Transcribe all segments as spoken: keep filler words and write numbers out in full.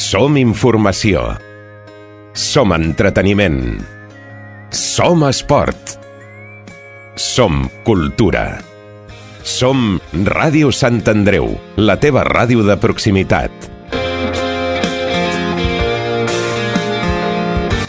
Som informació. Som entreteniment. Som esport. Som cultura. Som Ràdio Sant Andreu, la teva ràdio de proximitat.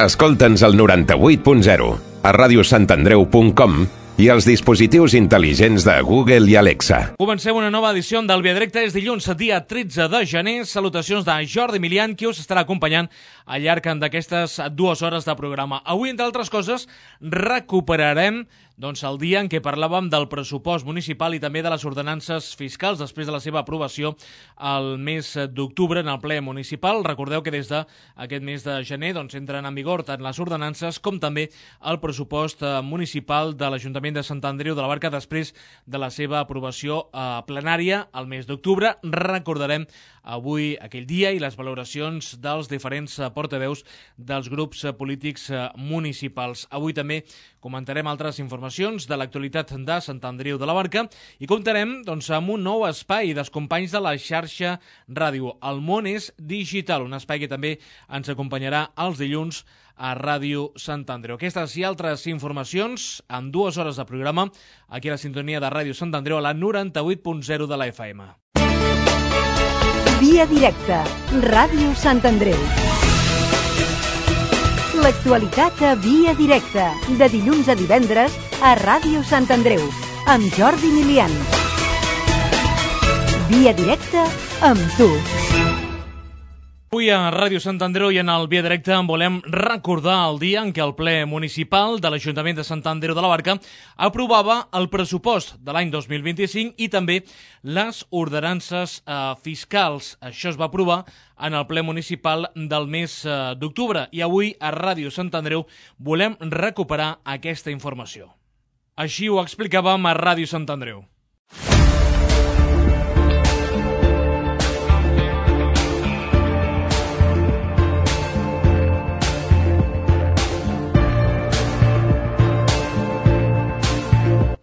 Escolta'ns al noranta-vuit punt zero, a radiosantandreu punt com i als dispositius intel·ligents de Google i Alexa. Comencem una nova edició del Via Directa. És dilluns, dia tretze de gener. Salutacions de Jordi Milian, qui us estarà acompanyant al llarg d'aquestes dues hores de programa. Avui, entre altres coses, recuperarem doncs, el dia en què parlàvem del pressupost municipal i també de les ordenances fiscals després de la seva aprovació el mes d'octubre en el ple municipal. Recordeu que des d'aquest mes de gener doncs, entren en vigor tant les ordenances com també el pressupost municipal de l'Ajuntament de Sant Andreu de la Barca després de la seva aprovació eh, plenària el mes d'octubre. Recordarem avui aquell dia i les valoracions dels diferents portaveus dels grups polítics municipals. Avui també comentarem altres informacions de l'actualitat de Sant Andreu de la Barca i comptarem doncs, amb un nou espai dels companys de la xarxa ràdio. El món és digital, un espai que també ens acompanyarà els dilluns a Ràdio Sant Andreu. Aquestes i altres informacions en dues hores de programa aquí a la sintonia de Ràdio Sant Andreu a la noranta-vuit punt zero de la F M. Via Directa, Ràdio Sant Andreu. L'actualitat a Via Directa, de dilluns a divendres a Ràdio Sant Andreu, amb Jordi Milian. Via Directa amb tu. Avui a Ràdio Sant Andreu i en el Via Directa volem recordar el dia en què el ple municipal de l'Ajuntament de Sant Andreu de la Barca aprovava el pressupost de l'any dos mil vint-i-cinc i també les ordenances eh, fiscals. Això es va aprovar en el ple municipal del mes eh, d'octubre i avui a Ràdio Sant Andreu volem recuperar aquesta informació. Així ho explicàvem a Ràdio Sant Andreu.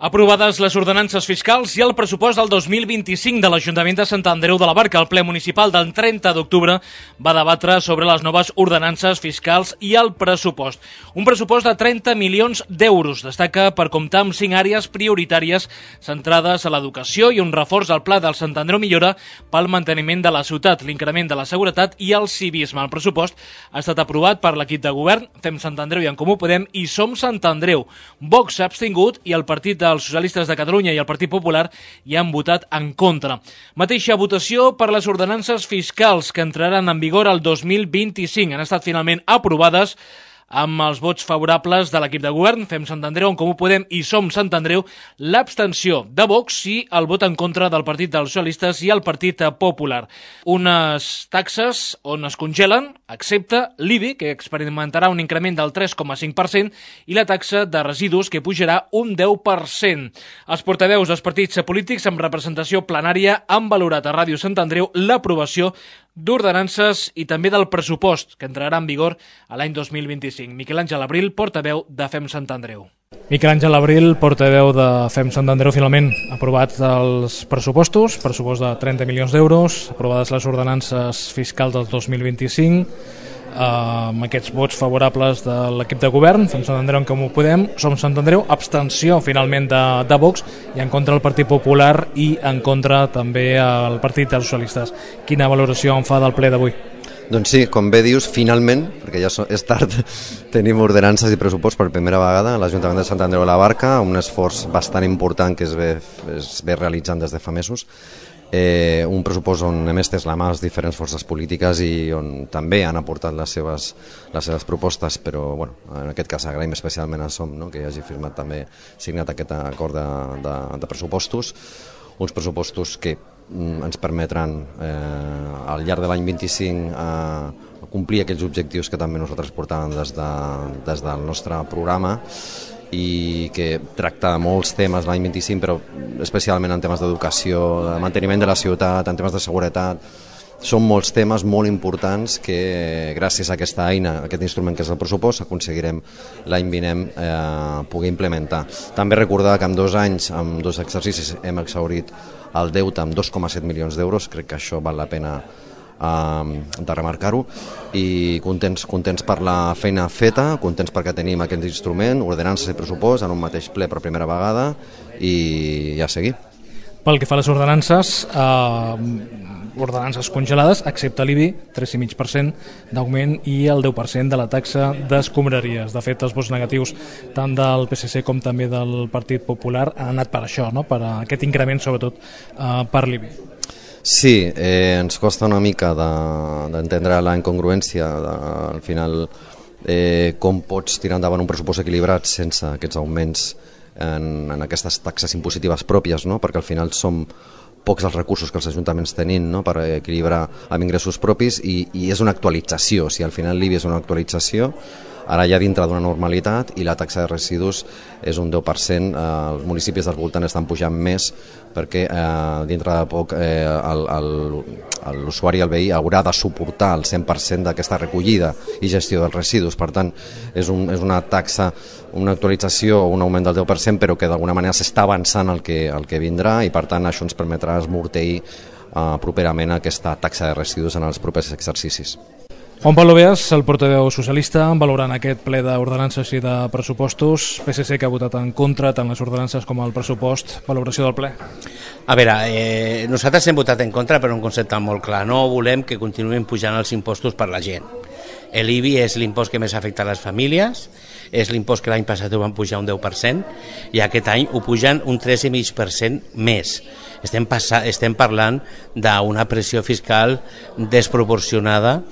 Aprovades les ordenances fiscals i el pressupost del dos mil vint-i-cinc de l'Ajuntament de Sant Andreu de la Barca, el ple municipal del trenta d'octubre va debatre sobre les noves ordenances fiscals i el pressupost. Un pressupost de trenta milions d'euros. Destaca per comptar amb cinc àrees prioritàries centrades a l'educació i un reforç al Pla del Sant Andreu Millora pel manteniment de la ciutat, l'increment de la seguretat i el civisme. El pressupost ha estat aprovat per l'equip de govern, Fem Sant Andreu i En Comú Podem i Som Sant Andreu. Vox s'ha abstingut i el partit de els Socialistes de Catalunya i el Partit Popular hi han votat en contra. Mateixa votació per les ordenances fiscals que entraran en vigor el dos mil vint-i-cinc. Han estat finalment aprovades amb els vots favorables de l'equip de govern, Fem Sant Andreu, En Comú Podem i Som Sant Andreu, l'abstenció de Vox i el vot en contra del Partit dels Socialistes i el Partit Popular. Unes taxes on es congelen, excepte l'I B I, que experimentarà un increment del tres coma cinc per cent, i la taxa de residus, que pujarà un deu per cent. Els portaveus dels partits polítics amb representació plenària han valorat a Ràdio Sant Andreu l'aprovació d'ordenances i també del pressupost que entrarà en vigor a l'any dos mil vint-i-cinc. Miquel Àngel Abril, portaveu de Fem Sant Andreu. Miquel Àngel Abril, portaveu de Fem Sant Andreu, finalment aprovat els pressupostos, pressupost de trenta milions d'euros, aprovades les ordenances fiscals del dos mil vint-i-cinc, amb aquests vots favorables de l'equip de govern, Fem Sant Andreu, En Comú Podem, Som Sant Andreu, abstenció finalment de, de Vox i en contra el Partit Popular i en contra també el Partit dels Socialistes. Quina valoració en fa del ple d'avui? Doncs sí, com bé dius, finalment, perquè ja és tard, tenim ordenances i pressupost per primera vegada a l'Ajuntament de Sant Andreu de la Barca, un esforç bastant important que es ve, es ve realitzant des de fa mesos. Eh, un pressupost on hem estès la mà les diferents forces polítiques i on també han aportat les seves, les seves propostes, però bueno, en aquest cas agraïm especialment a Som, no?, que hagi firmat també, signat aquest acord de, de, de pressupostos, uns pressupostos que mm, ens permetran eh, al llarg de l'any vint-i-cinc eh, complir aquells objectius que també nosaltres portàvem des, de, des del nostre programa i que tracta molts temes l'any vint-i-cinc, però especialment en temes d'educació, de manteniment de la ciutat, en temes de seguretat. Són molts temes molt importants que gràcies a aquesta eina, a aquest instrument que és el pressupost, aconseguirem l'any vinent eh, poder implementar. També recordar que en dos anys, en dos exercicis, hem exhaurit el deute amb dos coma set milions d'euros. Crec que això val la pena de remarcar-ho, i contents, contents per la feina feta, contents perquè tenim aquest instrument, ordenances i pressupost en un mateix ple per primera vegada, i ja seguir. Pel que fa a les ordenances, eh, ordenances congelades, excepte l'I B I, tres coma cinc per cent d'augment i el deu per cent de la taxa d'escombraries. De fet, els vots negatius tant del P S C com també del Partit Popular han anat per això, no? Per aquest increment, sobretot eh, per l'I B I. Sí, eh, ens costa una mica d'entendre de, la incongruència, de, al final, eh, com pots tirar endavant un pressupost equilibrat sense aquests augments en, en aquestes taxes impositives pròpies, no? Perquè al final som pocs els recursos que els ajuntaments tenim, no? Per equilibrar amb ingressos propis, i, i és una actualització, o sigui, al final l'I B I és una actualització, ara ja dintre d'una normalitat, i la taxa de residus és un deu per cent, eh, els municipis del voltant estan pujant més perquè eh, dintre de poc eh, l'usuari, el veí, haurà de suportar el cent per cent d'aquesta recollida i gestió dels residus. Per tant, és, un, és una taxa, una actualització o un augment del deu per cent, però que d'alguna manera s'està avançant el que, el que vindrà, i per tant això ens permetrà esmorteir eh, properament aquesta taxa de residus en els propers exercicis. Juan Pablo Beas, el portaveu socialista, valorant aquest ple d'ordenances i de pressupostos. P S C que ha votat en contra tant les ordenances com el pressupost. Valoració del ple? A veure, eh, nosaltres hem votat en contra per un concepte molt clar. No volem que continuïn pujant els impostos per la gent. L'I B I és l'impost que més afecta a les famílies, és l'impost que l'any passat ho van pujar un deu per cent i aquest any ho pugen un tres coma cinc per cent més. Estem, estem parlant d'una pressió fiscal desproporcionada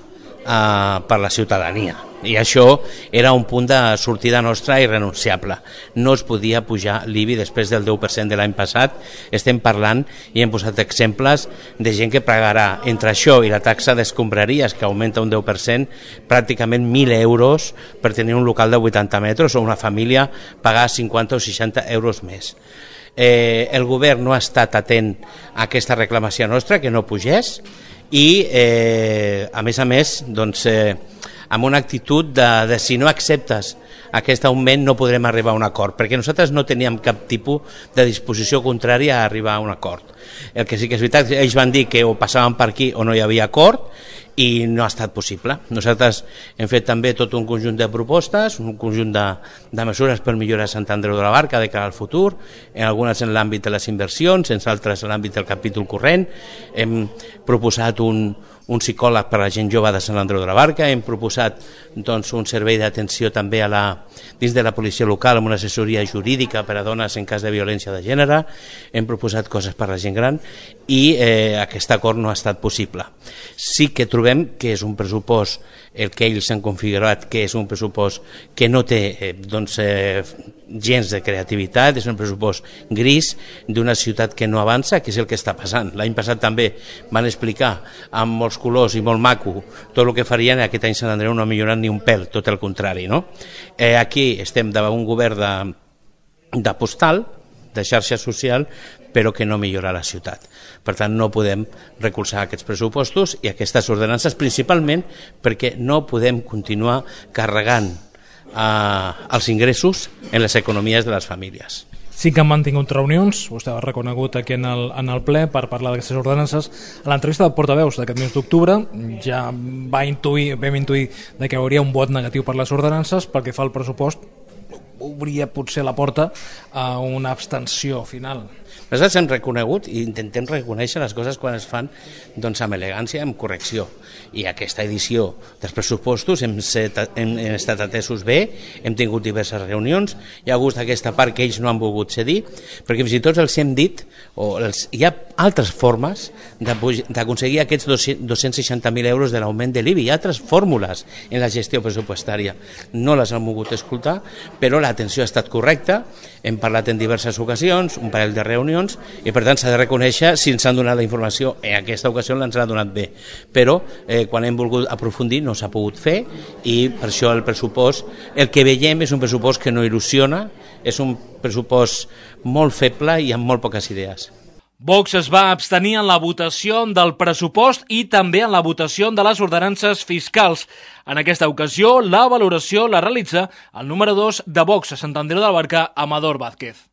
Uh, per la ciutadania, i això era un punt de sortida nostra irrenunciable. No es podia pujar l'I B I després del deu per cent de l'any passat. Estem parlant, i hem posat exemples de gent que pagarà entre això i la taxa d'escombraries, que augmenta un deu per cent, pràcticament mil euros per tenir un local de vuitanta metres, o una família pagar cinquanta o seixanta euros més. Eh, el govern no ha estat atent a aquesta reclamació nostra, que no pugés, i eh, a més a més doncs, eh, amb una actitud de, de si no acceptes aquest augment no podrem arribar a un acord, perquè nosaltres no teníem cap tipus de disposició contrària a arribar a un acord. El que sí que és veritat, ells van dir que o passaven per aquí o no hi havia acord, i no ha estat possible. Nosaltres hem fet també tot un conjunt de propostes, un conjunt de, de mesures per millorar Sant Andreu de la Barca de cara al futur, en algunes en l'àmbit de les inversions, en altres en l'àmbit del capítol corrent. Hem proposat un, un psicòleg per a la gent jove de Sant Andreu de la Barca, hem proposat doncs, un servei d'atenció també a la, dins de la policia local amb una assessoria jurídica per a dones en cas de violència de gènere, hem proposat coses per a la gent gran, i eh, aquest acord no ha estat possible. Sí que trobem que és un pressupost, el que ells han configurat, que és un pressupost que no té eh, doncs, eh, gens de creativitat, és un pressupost gris d'una ciutat que no avança, que és el que està passant. L'any passat també van explicar amb molts colors i molt maco tot el que farien, i aquest any Sant Andreu no ha millorat ni un pèl, tot el contrari, no? Eh, aquí estem davant un govern de, de postal, de xarxa social, però que no millora la ciutat. Per tant, no podem recolzar aquests pressupostos i aquestes ordenances, principalment perquè no podem continuar carregant eh, els ingressos en les economies de les famílies. Sí que han mantingut reunions, vostè ha reconegut aquí en el, en el ple per parlar d'aquestes ordenances. A l'entrevista de portaveus d'aquest mes d'octubre ja va intuir, vam intuir de que hi hauria un vot negatiu per les ordenances. Pel que fa al pressupost, obria potser la porta a una abstenció final. Nosaltres hem reconegut i intentem reconèixer les coses quan es fan doncs, amb elegància i amb correcció. I aquesta edició dels pressupostos hem, set, hem, hem estat atesos bé, hem tingut diverses reunions, hi ha hagut aquesta part que ells no han volgut cedir, perquè fins i tot els hem dit, o els, hi ha altres formes d'aconseguir aquests dos-cents seixanta mil euros de l'augment de l'I B I, hi ha altres fórmules en la gestió pressupostària. No les han volgut escoltar, però l'atenció ha estat correcta, hem parlat en diverses ocasions, un parell de reunions, i per tant s'ha de reconèixer si ens han donat la informació. En aquesta ocasió ens l'ha donat bé, però eh, quan hem volgut aprofundir no s'ha pogut fer, i per això el pressupost, el que veiem és un pressupost que no il·lusiona, és un pressupost molt feble i amb molt poques idees. Vox es va abstenir en la votació del pressupost i també en la votació de les ordenances fiscals. En aquesta ocasió, la valoració la realitza el número dos de Vox a Sant Andreu de la Barca, Amador Vázquez.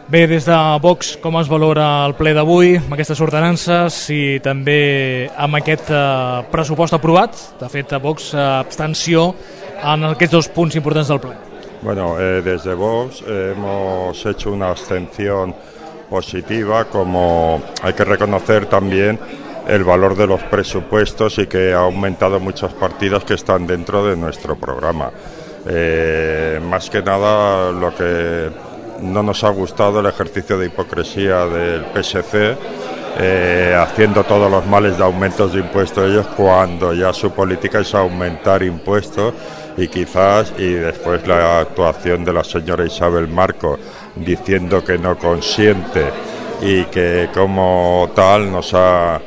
Bé, des de Vox, com es valora el ple d'avui, amb aquestes ordenances i també amb aquest eh, pressupost aprovat? De fet, a Vox, eh, abstenció en aquests dos punts importants del ple. Bueno, eh, desde Vox eh, hemos hecho una abstención positiva, como hay que reconocer también el valor de los presupuestos y que ha aumentado muchas partidas que están dentro de nuestro programa. Eh, más que nada lo que no nos ha gustado el ejercicio de hipocresía del P S C, eh, haciendo todos los males de aumentos de impuestos ellos cuando ya su política es aumentar impuestos y quizás, y después la actuación de la señora Isabel Marco diciendo que no consiente y que como tal nos ha,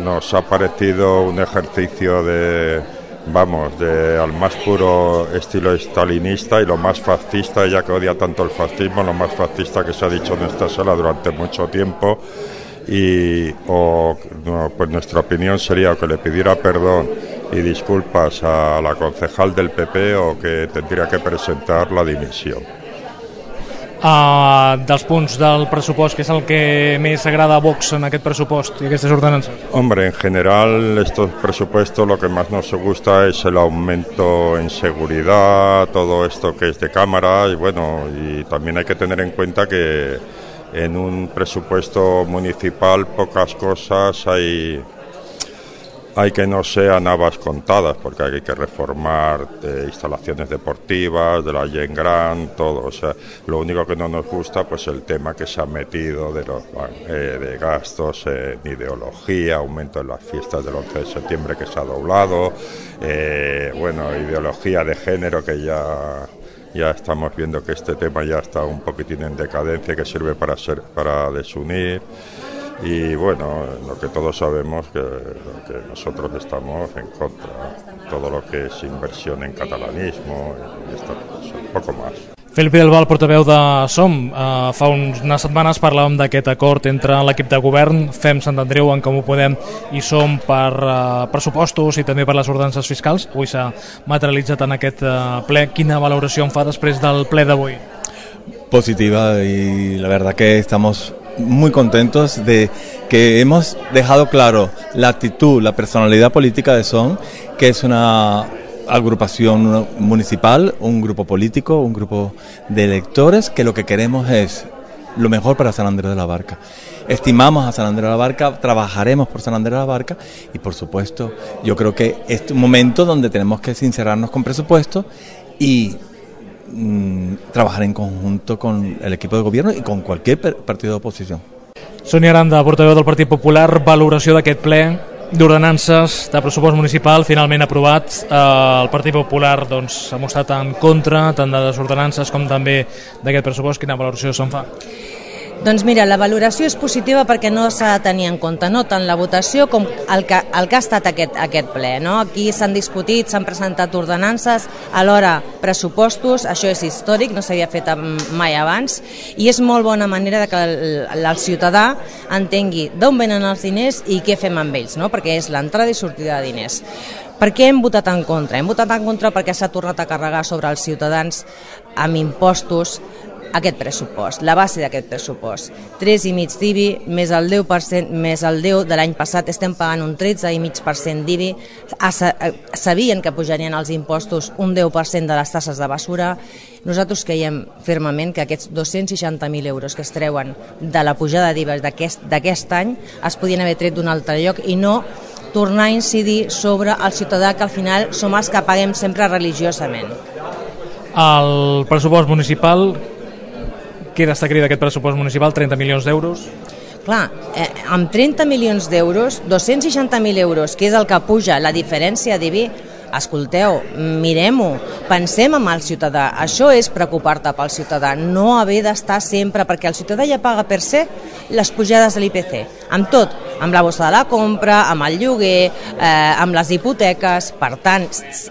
nos ha parecido un ejercicio de, vamos, de al más puro estilo estalinista y lo más fascista, ella que odia tanto el fascismo, lo más fascista que se ha dicho en esta sala durante mucho tiempo. Y o, no, pues nuestra opinión sería que le pidiera perdón y disculpas a la concejal del P P o que tendría que presentar la dimisión. Uh, dels punts del pressupost, que és el que més agrada a Vox en aquest pressupost i aquestes ordenances? Hombre, en general estos presupuestos lo que más nos gusta es el aumento en seguridad, todo esto que es de cámara y bueno, y también hay que tener en cuenta que en un presupuesto municipal pocas cosas hay hay que no sean habas contadas, porque hay que reformar de instalaciones deportivas, de la Gent Gran, todo. O sea, lo único que no nos gusta, pues el tema que se ha metido de los eh, de gastos en ideología, aumento en las fiestas del once de septiembre que se ha doblado, eh, bueno, ideología de género que ya ya estamos viendo que este tema ya está un poquitín en decadencia, que sirve para ser para desunir. Y bueno, lo que todos sabemos que, que nosotros estamos en contra, todo lo que es inversión en catalanismo y estas cosas, un poco más. Felipe Del Val, portaveu de SOM, uh, fa unes setmanes parlàvem d'aquest acord entre l'equip de govern, Fem Sant Andreu, En Comú Podem i SOM per uh, pressupostos i també per les ordenances fiscals. Avui s'ha materialitzat en aquest uh, ple. Quina valoració en fa després del ple d'avui? Positiva, y la verdad que estamos muy contentos de que hemos dejado claro la actitud, la personalidad política de SOM, que es una agrupación municipal, un grupo político, un grupo de electores, que lo que queremos es lo mejor para San Andrés de la Barca. Estimamos a San Andrés de la Barca, trabajaremos por San Andrés de la Barca y por supuesto yo creo que es un momento donde tenemos que sincerarnos con presupuesto y trabajar en conjunto con el equipo de gobierno y con cualquier partido de oposició. Sònia Aranda, portaveu del Partit Popular, valoració d'aquest ple d'ordenances de pressupost municipal finalment aprovat. Eh, el Partit Popular doncs, ha mostrat en contra tant de les ordenances com també d'aquest pressupost. Quina valoració se'n fa? Doncs mira, la valoració és positiva perquè no s'ha de tenir en compte no tant la votació com el que, el que ha estat aquest, aquest ple. No? Aquí s'han discutit, s'han presentat ordenances, alhora pressupostos, això és històric, no s'havia fet mai abans, i és molt bona manera de que el, el ciutadà entengui d'on venen els diners i què fem amb ells, no? Perquè és l'entrada i sortida de diners. Per què hem votat en contra? Hem votat en contra perquè s'ha tornat a carregar sobre els ciutadans amb impostos aquest pressupost, la base d'aquest pressupost. tres i mig d'I B I més el deu per cent, més el deu de l'any passat, estem pagant un tretze i mig per cent d'I B I. Sabien que pujarien els impostos un deu per cent de les tasses de basura. Nosaltres creiem fermament que aquests dos-cents seixanta mil euros que es treuen de la pujada d'I V A d'aquest any es podien haver tret d'un altre lloc i no tornar a incidir sobre el ciutadà, que al final som els que paguem sempre religiosament. El pressupost municipal, què destacaria d'aquest pressupost municipal? trenta milions d'euros? Clar, eh, amb trenta milions d'euros, dos-cents seixanta mil euros, que és el que puja la diferència d'I B I, escolteu, mirem-ho, pensem en el ciutadà. Això és preocupar-te pel ciutadà, no haver d'estar sempre, perquè el ciutadà ja paga per ser les pujades de l'I P C, amb tot, amb la bossa de la compra, amb el lloguer, eh, amb les hipoteques. Per tant,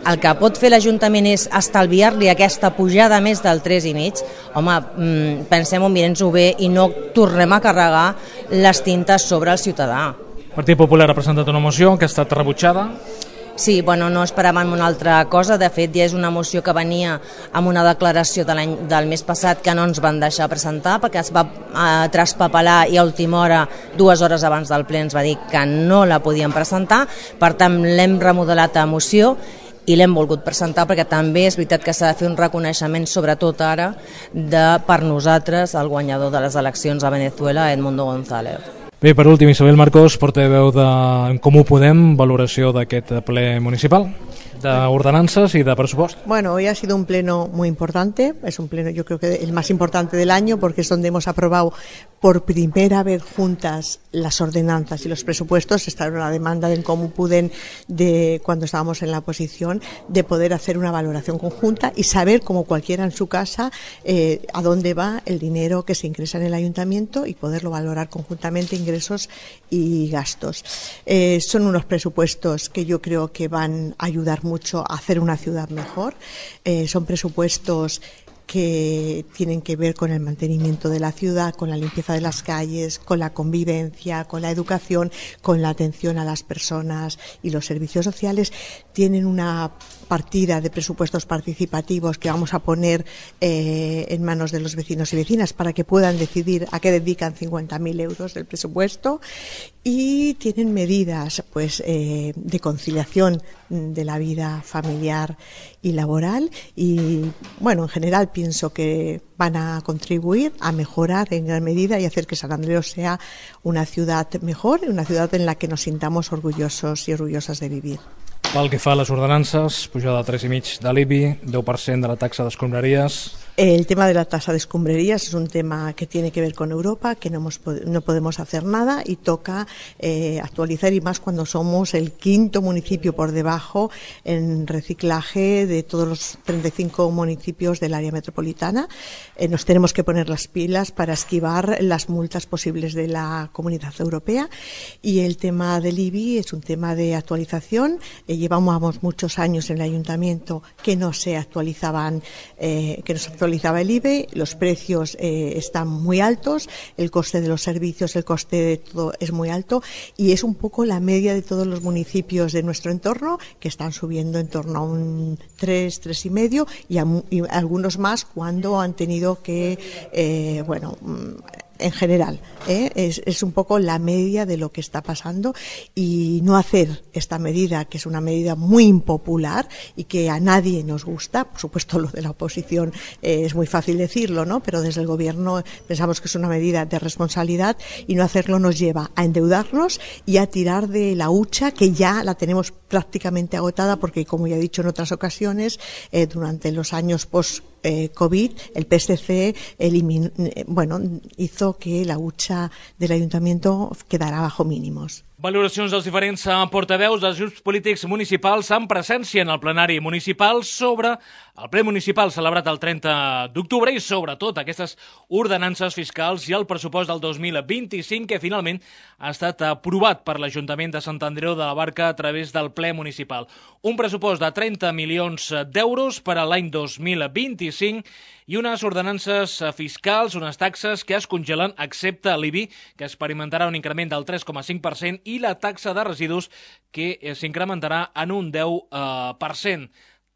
el que pot fer l'Ajuntament és estalviar-li aquesta pujada més del tres i mig. Home, mm, pensem-ho, mirem-ho bé i no tornem a carregar les tintes sobre el ciutadà. El Partit Popular ha presentat una moció que ha estat rebutjada. Sí, bueno, no esperàvem una altra cosa. De fet, ja és una moció que venia amb una declaració de l'any del mes passat que no ens van deixar presentar perquè es va eh, traspapelar i a última hora, dues hores abans del ple, ens va dir que no la podien presentar. Per tant, l'hem remodelat a moció i l'hem volgut presentar perquè també és veritat que s'ha de fer un reconeixement, sobretot ara, de, per nosaltres, el guanyador de les eleccions a Venezuela, Edmundo González. Bé, per últim, Isabel Marcos, portaveu de En Comú Podem, valoració d'aquest ple municipal de ordenanzas y de presupuesto. Bueno, hoy ha sido un pleno muy importante, es un pleno yo creo que el más importante del año porque es donde hemos aprobado por primera vez juntas las ordenanzas y los presupuestos. Esta era una demanda de En Comú Podem de cuando estábamos en la oposición, de poder hacer una valoración conjunta y saber, como cualquiera en su casa, eh, a dónde va el dinero que se ingresa en el ayuntamiento y poderlo valorar conjuntamente, ingresos y gastos. Eh, son unos presupuestos que yo creo que van a ayudar mucho a hacer una ciudad mejor. Eh, son presupuestos que tienen que ver con el mantenimiento de la ciudad, con la limpieza de las calles, con la convivencia, con la educación, con la atención a las personas y los servicios sociales. Tienen una partida de presupuestos participativos que vamos a poner eh, en manos de los vecinos y vecinas para que puedan decidir a qué dedican cincuenta mil euros del presupuesto, y tienen medidas pues eh, de conciliación de la vida familiar y laboral, y bueno, en general pienso que van a contribuir a mejorar en gran medida y hacer que Sant Andreu sea una ciudad mejor, una ciudad en la que nos sintamos orgullosos y orgullosas de vivir. Pel que fa a les ordenances, pujada de tres i mig de l'I B I, deu per cent de la taxa d'escombraries. El tema de la tasa de escombrerías es un tema que tiene que ver con Europa, que no, hemos, no podemos hacer nada y toca eh, actualizar, y más cuando somos el quinto municipio por debajo en reciclaje de todos los treinta y cinco municipios del área metropolitana. Eh, nos tenemos que poner las pilas para esquivar las multas posibles de la Comunidad Europea, y el tema del I B I es un tema de actualización. Eh, llevamos muchos años en el ayuntamiento que no se actualizaban, eh, que no se actualizaban actualizaba el I B I, los precios eh, están muy altos, el coste de los servicios, el coste de todo es muy alto, y es un poco la media de todos los municipios de nuestro entorno, que están subiendo en torno a un tres, tres y medio, y, a, y algunos más cuando han tenido que, eh, bueno, en general, ¿eh? es, es un poco la media de lo que está pasando, y no hacer esta medida, que es una medida muy impopular y que a nadie nos gusta. Por supuesto, lo de la oposición eh, es muy fácil decirlo, ¿no? Pero desde el gobierno pensamos que es una medida de responsabilidad, y no hacerlo nos lleva a endeudarnos y a tirar de la hucha que ya la tenemos prácticamente agotada, porque, como ya he dicho en otras ocasiones, eh, durante los años post Eh, COVID, el P S C eliminó, eh, bueno, hizo que la hucha del ayuntamiento quedara bajo mínimos. Valoracions dels diferents portaveus dels grups polítics municipals en presència en el plenari municipal sobre el ple municipal celebrat el trenta d'octubre i sobretot aquestes ordenances fiscals i el pressupost del dos mil vint-i-cinc, que finalment ha estat aprovat per l'Ajuntament de Sant Andreu de la Barca a través del ple municipal. Un pressupost de trenta milions d'euros per a l'any dos mil vint-i-cinc i unes ordenances fiscals, unes taxes que es congelen, excepte l'I B I, que experimentarà un increment del tres coma cinc per cent, i la taxa de residus, que s'incrementarà en un deu per cent.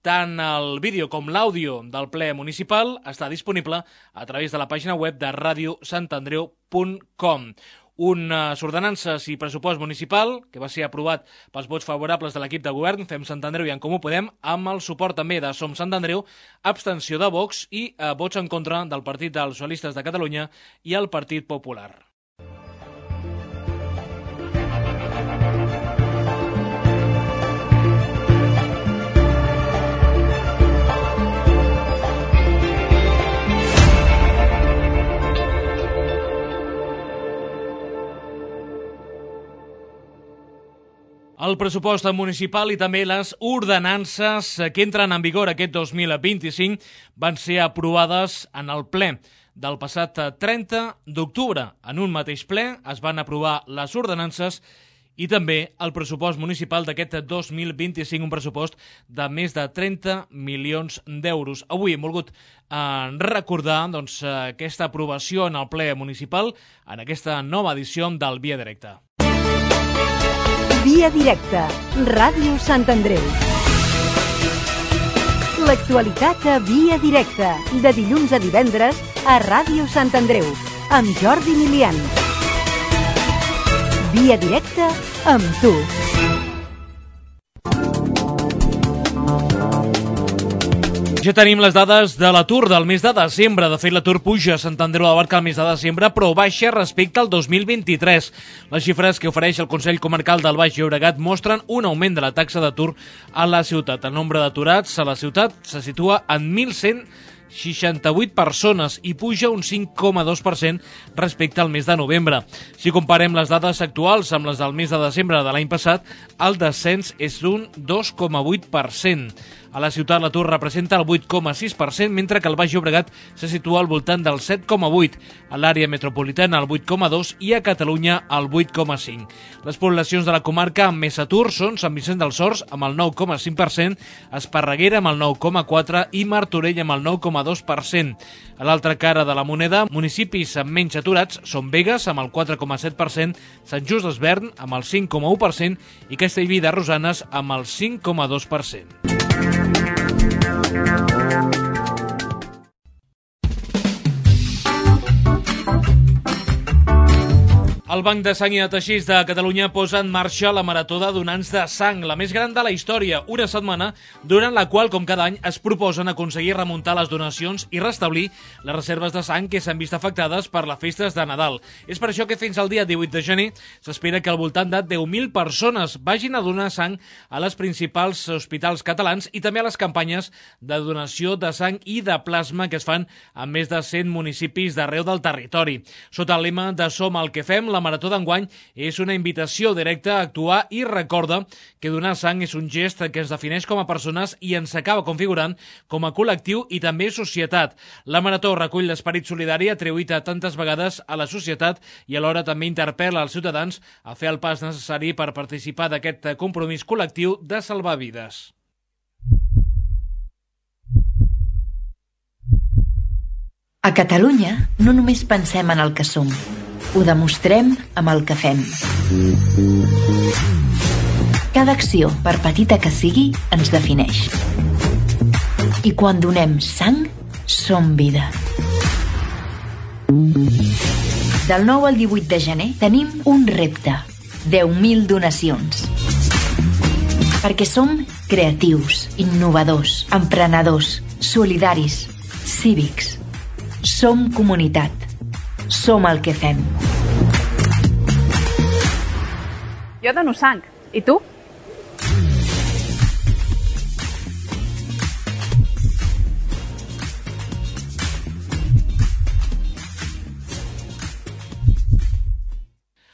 Tant el vídeo com l'àudio del ple municipal està disponible a través de la pàgina web de radio sant andreu punt com. Unes ordenances i pressupost municipal que va ser aprovat pels vots favorables de l'equip de govern, Fem Sant Andreu i En Comú Podem, amb el suport també de Som Sant Andreu, abstenció de Vox i eh, vots en contra del Partit dels Socialistes de Catalunya i el Partit Popular. El pressupost municipal i també les ordenances que entren en vigor aquest dos mil vint-i-cinc van ser aprovades en el ple del passat trenta d'octubre. En un mateix ple es van aprovar les ordenances i també el pressupost municipal d'aquest dos mil vint-i-cinc, un pressupost de més de trenta milions d'euros. Avui hem volgut eh, recordar doncs, aquesta aprovació en el ple municipal en aquesta nova edició del Via Directa. Via Directa, Ràdio Sant Andreu. L'actualitat a Via Directa, de dilluns a divendres a Ràdio Sant Andreu, amb Jordi Milian. Via Directa amb tu. Ja tenim les dades de l'atur del mes de desembre. De fet, l'atur puja a Sant Andreu de la Barca el mes de desembre, però baixa respecte al dos mil vint-i-tres. Les xifres que ofereix el Consell Comarcal del Baix Llobregat mostren un augment de la taxa d'atur a la ciutat. El nombre d'aturats a la ciutat se situa en mil cent seixanta-vuit persones i puja un cinc coma dos per cent respecte al mes de novembre. Si comparem les dades actuals amb les del mes de desembre de l'any passat, el descens és d'un dos coma vuit per cent. A la ciutat l'atur representa el vuit coma sis per cent, mentre que el Baix Llobregat se situa al voltant del set coma vuit per cent, a l'àrea metropolitana el vuit coma dos per cent i a Catalunya el vuit coma cinc per cent. Les poblacions de la comarca amb més atur són Sant Vicenç dels Horts amb el nou coma cinc per cent, Esparreguera amb el nou coma quatre per cent i Martorell amb el nou coma dos per cent. A l'altra cara de la moneda, municipis amb menys aturats són Begues amb el quatre coma set per cent, Sant Just d'Esvern amb el cinc coma u per cent i Castellví de Rosanes amb el cinc coma dos per cent. El Banc de Sang i de Teixits de Catalunya posa en marxa la Marató de Donants de Sang, la més gran de la història, una setmana durant la qual, com cada any, es proposen aconseguir remuntar les donacions i restablir les reserves de sang que s'han vist afectades per les festes de Nadal. És per això que fins al dia divuit de gener s'espera que al voltant de deu mil persones vagin a donar sang a les principals hospitals catalans i també a les campanyes de donació de sang i de plasma que es fan en més de cent municipis d'arreu del territori. Sota el lema de Som el que fem, la Marató d'enguany és una invitació directa a actuar i recorda que donar sang és un gest que ens defineix com a persones i ens acaba configurant com a col·lectiu i també societat. La Marató recull l'esperit solidari atribuït a tantes vegades a la societat i alhora també interpel·la als ciutadans a fer el pas necessari per participar d'aquest compromís col·lectiu de salvar vides. A Catalunya no només pensem en el que som, ho demostrem amb el que fem. Cada acció, per petita que sigui, ens defineix. I quan donem sang, som vida. Del nou al divuit de gener tenim un repte, deu mil donacions. Perquè som creatius, innovadors, emprenedors, solidaris, cívics. Som comunitat. Som el que fem. Jo dono sang. I tu?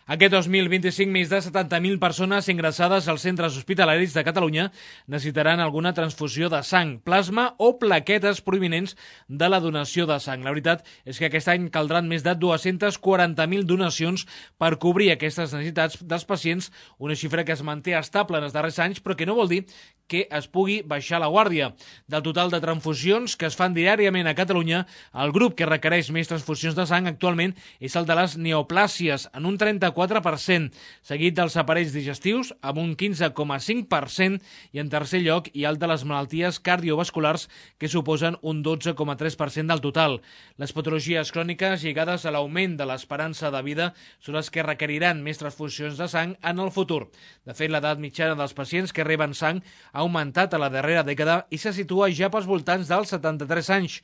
Aquest dos mil vint-i-cinc, més de setanta mil persones ingressades als centres hospitalaris de Catalunya necessitaran alguna transfusió de sang, plasma o plaquetes provinents de la donació de sang. La veritat és que aquest any caldran més de dues-centes quaranta mil donacions per cobrir aquestes necessitats dels pacients, una xifra que es manté estable en els darrers anys, però que no vol dir que es pugui baixar la guàrdia. Del total de transfusions que es fan diàriament a Catalunya, el grup que requereix més transfusions de sang actualment és el de les neoplàsies, en un trenta-quatre per cent, seguit dels aparells digestius, amb un quinze coma cinc per cent, i en tercer lloc hi ha el de les malalties cardiovasculars, que suposen un dotze coma tres per cent del total. Les patologies cròniques lligades a l'augment de l'esperança de vida són les que requeriran més transfusions de sang en el futur. De fet, l'edat mitjana dels pacients que reben sang ha augmentat a la darrera dècada i se situa ja pels voltants dels setanta-tres anys.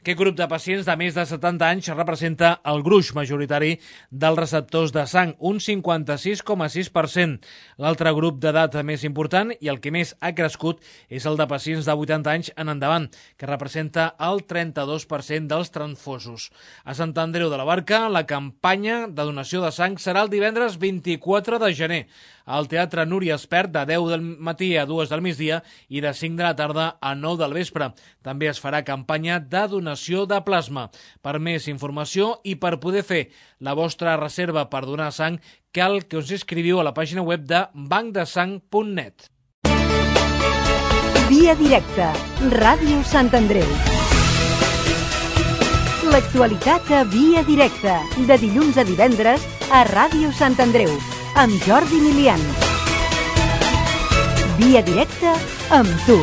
Aquest grup de pacients de més de setanta anys representa el gruix majoritari dels receptors de sang, un cinquanta-sis coma sis per cent. L'altre grup d'edat més important i el que més ha crescut és el de pacients de vuitanta anys en endavant, que representa el trenta-dos per cent dels transfosos. A Sant Andreu de la Barca, la campanya de donació de sang serà el divendres vint-i-quatre de gener, al Teatre Núria Espert de deu del matí a dues del migdia i de cinc de la tarda a nou del vespre. També es farà campanya de donació de plasma. Per més informació i per poder fer la vostra reserva per donar sang, cal que us inscriviu a la pàgina web de banc de sang punt net. Via Directa, Ràdio Sant Andreu. L'actualitat a Via Directa, de dilluns a divendres a Ràdio Sant Andreu, amb Jordi Milian. Via directa amb tu.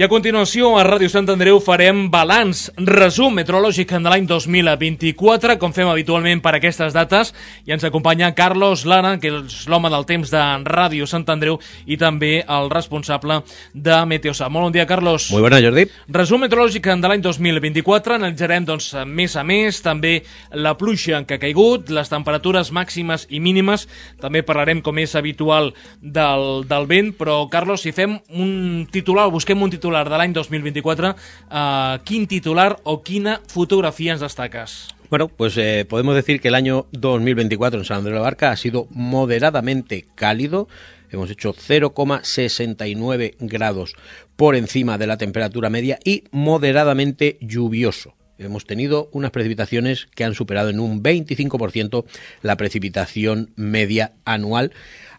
I a continuació, a Ràdio Sant Andreu farem balanç, resum meteorològic de l'any dos mil vint-i-quatre, com fem habitualment per aquestes dates, i ens acompanya Carlos Lara, que és l'home del temps de Ràdio Sant Andreu i també el responsable de Meteosat. Molt bon dia, Carlos. Muy buena, Jordi. Resum meteorològic de l'any dos mil vint-i-quatre, analitzarem doncs, mes a mes, també la pluja que ha caigut, les temperatures màximes i mínimes, també parlarem, com és habitual, del, del vent, però, Carlos, si fem un titular, busquem un titular de l'any dos mil vint-i-quatre, uh, quin titular o quina fotografía ens destaques? Bueno, pues eh, podemos decir que el año dos mil veinticuatro en San Andreu de la Barca ha sido moderadamente cálido. Hemos hecho cero coma sesenta y nueve grados por encima de la temperatura media y moderadamente lluvioso. Hemos tenido unas precipitaciones que han superado en un veinticinco por ciento la precipitación media anual.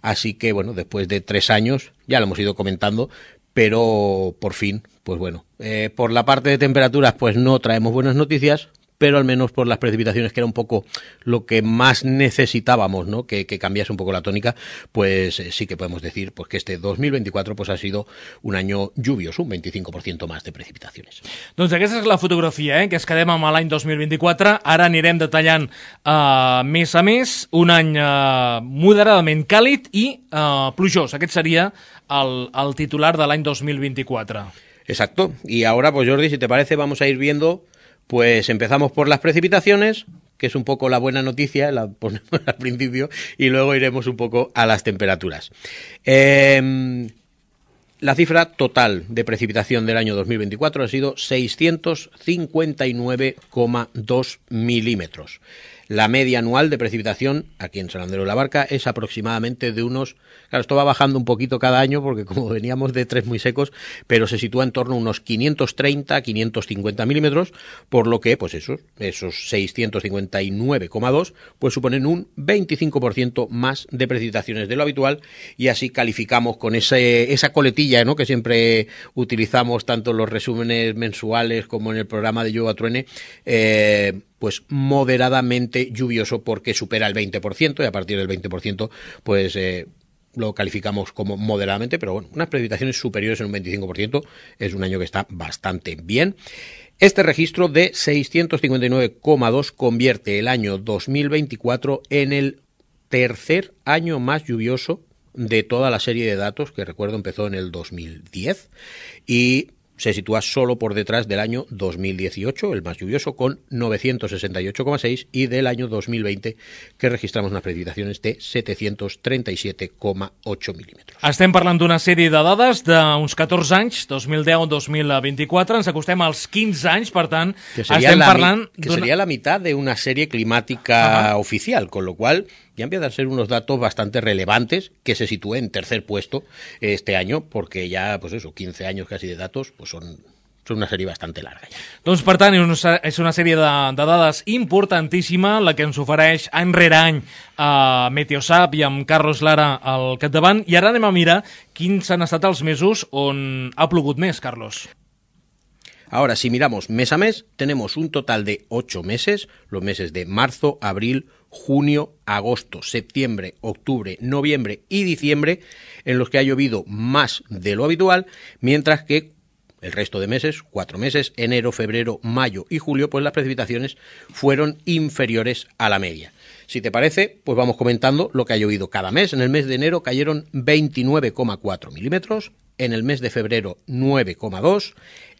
Así que, bueno, después de tres años, ya lo hemos ido comentando, pero por fin, pues bueno, eh, por la parte de temperaturas pues no traemos buenas noticias, pero al menos por las precipitaciones, que era un poco lo que más necesitábamos, ¿no? Que, que cambiase un poco la tónica, pues eh, sí que podemos decir pues que este dos mil veinticuatro pues ha sido un año lluvioso, un veinticinco por ciento más de precipitaciones. Doncs aquesta és la fotografia, eh, que es quedem amb l'any dos mil vint-i-quatre. Ara anirem detallant uh, mes a mes, un any uh, moderadament càlid i uh, plujós. Aquest seria el, el titular de l'any dos mil vint-i-quatre. Exacto. Y ahora, pues Jordi, si te parece, vamos a ir viendo. Pues empezamos por las precipitaciones, que es un poco la buena noticia, la ponemos al principio, y luego iremos un poco a las temperaturas. Eh, la cifra total de precipitación del año dos mil veinticuatro ha sido seiscientos cincuenta y nueve coma dos milímetros. La media anual de precipitación aquí en San Andreu de la Barca es aproximadamente de unos... Claro, esto va bajando un poquito cada año porque como veníamos de tres muy secos, pero se sitúa en torno a unos quinientos treinta a quinientos cincuenta milímetros, por lo que pues esos, esos seiscientos cincuenta y nueve coma dos pues suponen un veinticinco por ciento más de precipitaciones de lo habitual, y así calificamos con ese, esa coletilla, ¿no?, que siempre utilizamos tanto en los resúmenes mensuales como en el programa de Llueva Truene, eh, pues moderadamente lluvioso, porque supera el veinte por ciento, y a partir del veinte por ciento pues eh, lo calificamos como moderadamente, pero bueno, unas precipitaciones superiores en un veinticinco por ciento es un año que está bastante bien. Este registro de seiscientos cincuenta y nueve coma dos convierte el año dos mil veinticuatro en el tercer año más lluvioso de toda la serie de datos, que recuerdo empezó en el dos mil diez, y se sitúa solo por detrás del año dos mil dieciocho, el más lluvioso, con novecientos sesenta y ocho coma seis, y del año dos mil veinte, que registramos unas precipitacions de setecientos trenta y siete coma ocho milímetros. Estem parlant d'una sèrie de dades d'uns catorze anys, dos mil deu a dos mil vint-i-quatre, ens acostem als quinze anys, per tant, que sería estem la, parlant... Que sería la mitad de una serie climática Ajá. oficial, con lo cual ya empiezan a ser unos datos bastante relevantes, que se sitúe en tercer puesto este año, porque ya, pues eso, quince años casi de datos, pues son, son una sèrie bastante larga. Ja. Doncs, per tant, és una sèrie de, de dades importantíssima, la que ens ofereix any rere any a Meteosat i amb Carlos Lara al capdavant, i ara anem a mirar quins han estat els mesos on ha plogut més, Carlos. Ahora, si miramos mes a mes, tenemos un total de ocho meses, los meses de marzo, abril, junio, agosto, septiembre, octubre, noviembre y diciembre, en los que ha llovido más de lo habitual, mientras que el resto de meses, cuatro meses, enero, febrero, mayo y julio, pues las precipitaciones fueron inferiores a la media. Si te parece, pues vamos comentando lo que ha llovido cada mes. En el mes de enero cayeron veintinueve coma cuatro milímetros, en el mes de febrero nueve coma dos,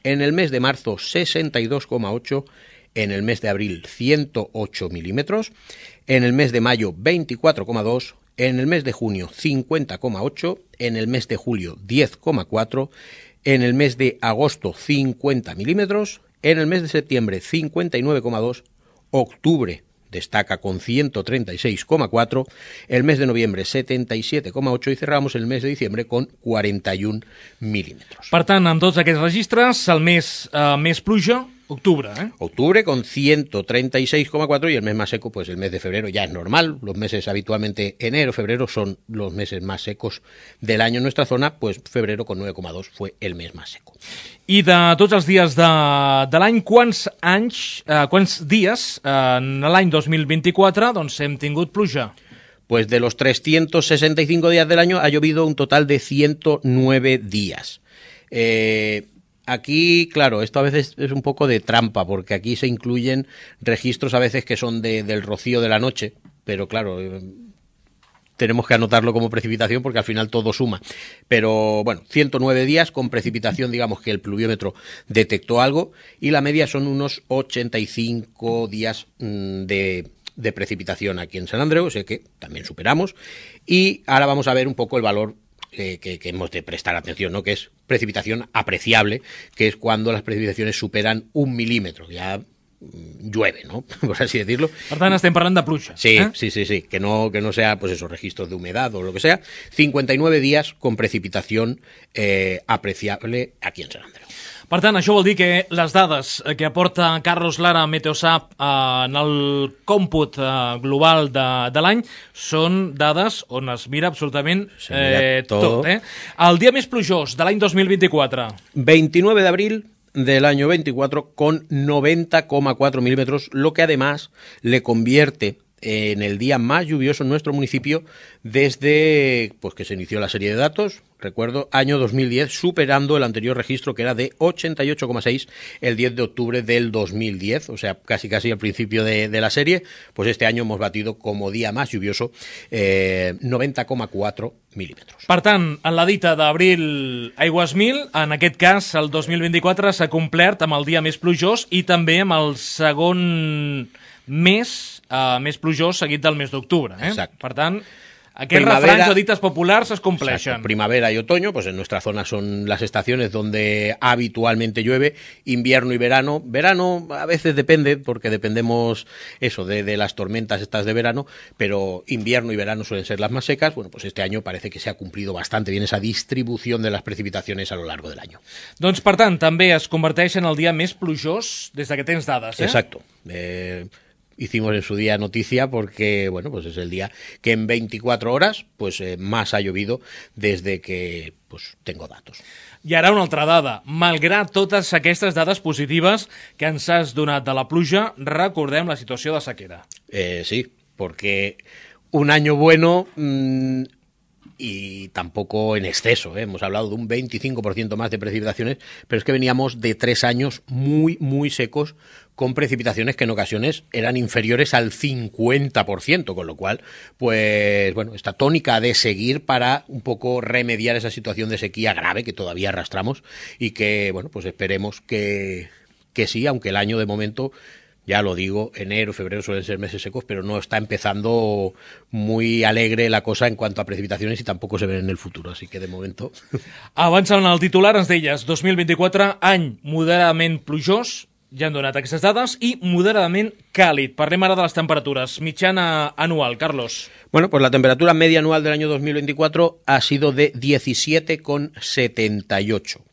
en el mes de marzo sesenta y dos coma ocho, en el mes de abril ciento ocho milímetros, en el mes de mayo veinticuatro coma dos, en el mes de junio cincuenta coma ocho, en el mes de julio diez coma cuatro, en el mes de agosto cincuenta milímetros, en el mes de septiembre cincuenta y nueve coma dos, octubre destaca con ciento treinta y seis coma cuatro, el mes de noviembre setenta y siete coma ocho y cerramos el mes de diciembre con quaranta i un milímetros. Per tant, amb tots aquests registres, el mes eh, més pluja Octubre, ¿eh? Octubre con ciento treinta y seis coma cuatro y el mes más seco, pues el mes de febrero ya es normal. Los meses habitualmente enero, febrero son los meses más secos del año en nuestra zona, pues febrero con nueve coma dos fue el mes más seco. I de tots els dies de, de l'any, quants anys, eh, quants dies eh, en l'any dos mil vint-i-quatre doncs hem tingut pluja? Pues de los trescientos sesenta y cinco días del año ha llovido un total de ciento nueve días. Eh... Aquí, claro, esto a veces es un poco de trampa, porque aquí se incluyen registros a veces que son de, del rocío de la noche, pero claro, eh, tenemos que anotarlo como precipitación porque al final todo suma. Pero bueno, ciento nueve días con precipitación, digamos que el pluviómetro detectó algo, y la media son unos ochenta y cinco días mmm, de, de precipitación aquí en San Andreu, o sea que también superamos, y ahora vamos a ver un poco el valor Que, que, que hemos de prestar atención, ¿no? Que es precipitación apreciable, que es cuando las precipitaciones superan un milímetro, ya mmm, llueve, ¿no? Por así decirlo. Per tant, estem parlant de pluja. Sí, ¿eh? sí, sí, sí, que no, que no sea, pues esos registros de humedad o lo que sea. cincuenta y nueve días con precipitación eh, apreciable aquí en San Andreu. Per tant, això vol dir que les dades que aporta Carlos Lara a Meteosat eh, en el còmput eh, global de, de l'any són dades on es mira absolutament eh, tot. tot eh? El dia més plujós de l'any dos mil vint-i-quatre. veintinueve de abril del año veinticuatro con noventa coma cuatro milímetros, lo que además le convierte en el día más lluvioso en nuestro municipio desde pues que se inició la serie de datos, recuerdo, año dos mil diez, superando el anterior registro que era de ochenta y ocho coma seis el diez de octubre del dos mil diez, o sea, casi casi al principio de, de la serie. Pues este año hemos batido como día más lluvioso eh, noventa coma cuatro milímetros. Per tant, en la dita d'abril aigües mil, en aquest cas el dos mil vint-i-quatre s'ha complert amb el dia més plujós i també amb el segon mes uh, més plujós seguit del mes d'octubre. Eh? Exacte. Per tant, aquests refranys o dites populars es compleixen. Exacto. Primavera y otoño, pues en nuestra zona son las estaciones donde habitualmente llueve. Invierno y verano. Verano a veces depende, porque dependemos eso de, de las tormentas estas de verano, pero invierno y verano suelen ser las más secas. Bueno, pues este año parece que se ha cumplido bastante bien esa distribución de las precipitaciones a lo largo del año. Doncs, per tant, també es converteix en el dia més plujós des de que tens dades, eh? Exacto. Eh... Hicimos en su día noticia porque, bueno, pues es el día que en veinticuatro horas pues eh, más ha llovido desde que pues tengo datos. I ara una altra dada. Malgrat totes aquestes dades positives que ens has donat de la pluja, recordem la situació de sequera. Eh, sí, porque un año bueno mmm, y tampoco en exceso, ¿eh? Hemos hablado de un veinticinco por ciento más de precipitaciones, pero es que veníamos de tres años muy, muy secos, con precipitaciones que en ocasiones eran inferiores al cincuenta por ciento, con lo cual, pues bueno, esta tónica de seguir para un poco remediar esa situación de sequía grave que todavía arrastramos y que, bueno, pues esperemos que, que sí, aunque el año de momento, ya lo digo, enero, febrero suelen ser meses secos, pero no está empezando muy alegre la cosa en cuanto a precipitaciones i tampoco se ven en el futuro, así que de momento... Avançant al titular, ens deies dos mil vint-i-quatre, any moderadament plujós, ja han donat aquestes dades, i moderadament càlid. Parlem ara de les temperatures. Mitjana anual, Carlos. Bueno, pues la temperatura media anual del año dos mil veinticuatro ha sido de diecisiete coma setenta y ocho.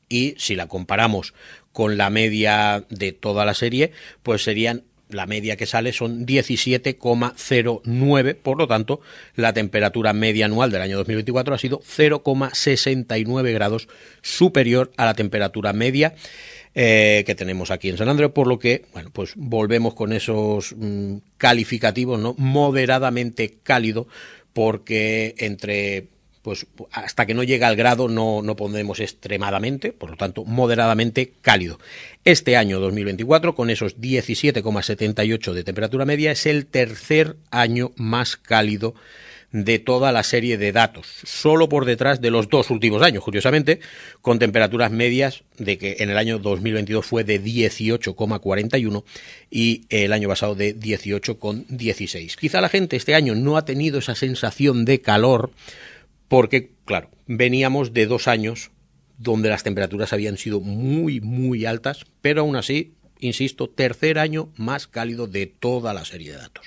Y si la comparamos con la media de toda la serie, pues serían, la media que sale son diecisiete coma cero nueve, por lo tanto, la temperatura media anual del año dos mil veinticuatro ha sido cero coma sesenta y nueve grados superior a la temperatura media Eh, que tenemos aquí en San Andreu, por lo que, bueno, pues volvemos con esos mmm, calificativos, ¿no? Moderadamente cálido, porque entre, pues hasta que no llega al grado no, no pondremos extremadamente, por lo tanto, moderadamente cálido. Este año dos mil veinticuatro, con esos diecisiete coma setenta y ocho de temperatura media, es el tercer año más cálido de toda la serie de datos, solo por detrás de los dos últimos años, curiosamente, con temperaturas medias de que en el año dos mil veintidós fue de dieciocho coma cuarenta y uno y el año pasado de dieciocho coma dieciséis. Quizá la gente este año no ha tenido esa sensación de calor porque, claro, veníamos de dos años donde las temperaturas habían sido muy, muy altas, pero aún así, insisto, tercer año más cálido de toda la serie de datos.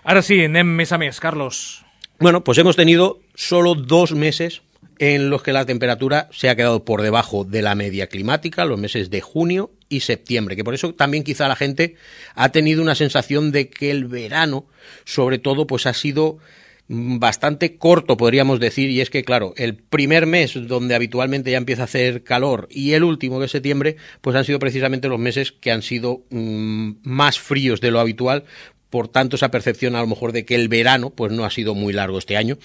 Ara sí, anem més a més, Carlos. Bueno, pues hemos tenido solo dos meses en los que la temperatura se ha quedado por debajo de la media climática, los meses de junio y septiembre, que por eso también quizá la gente ha tenido una sensación de que el verano, sobre todo, pues ha sido bastante corto, podríamos decir, y es que, claro, el primer mes donde habitualmente ya empieza a hacer calor y el último, que es septiembre, pues han sido precisamente los meses que han sido mmm, más fríos de lo habitual. Por tanto, esa percepción a lo mejor de que el verano pues no ha sido muy largo este año.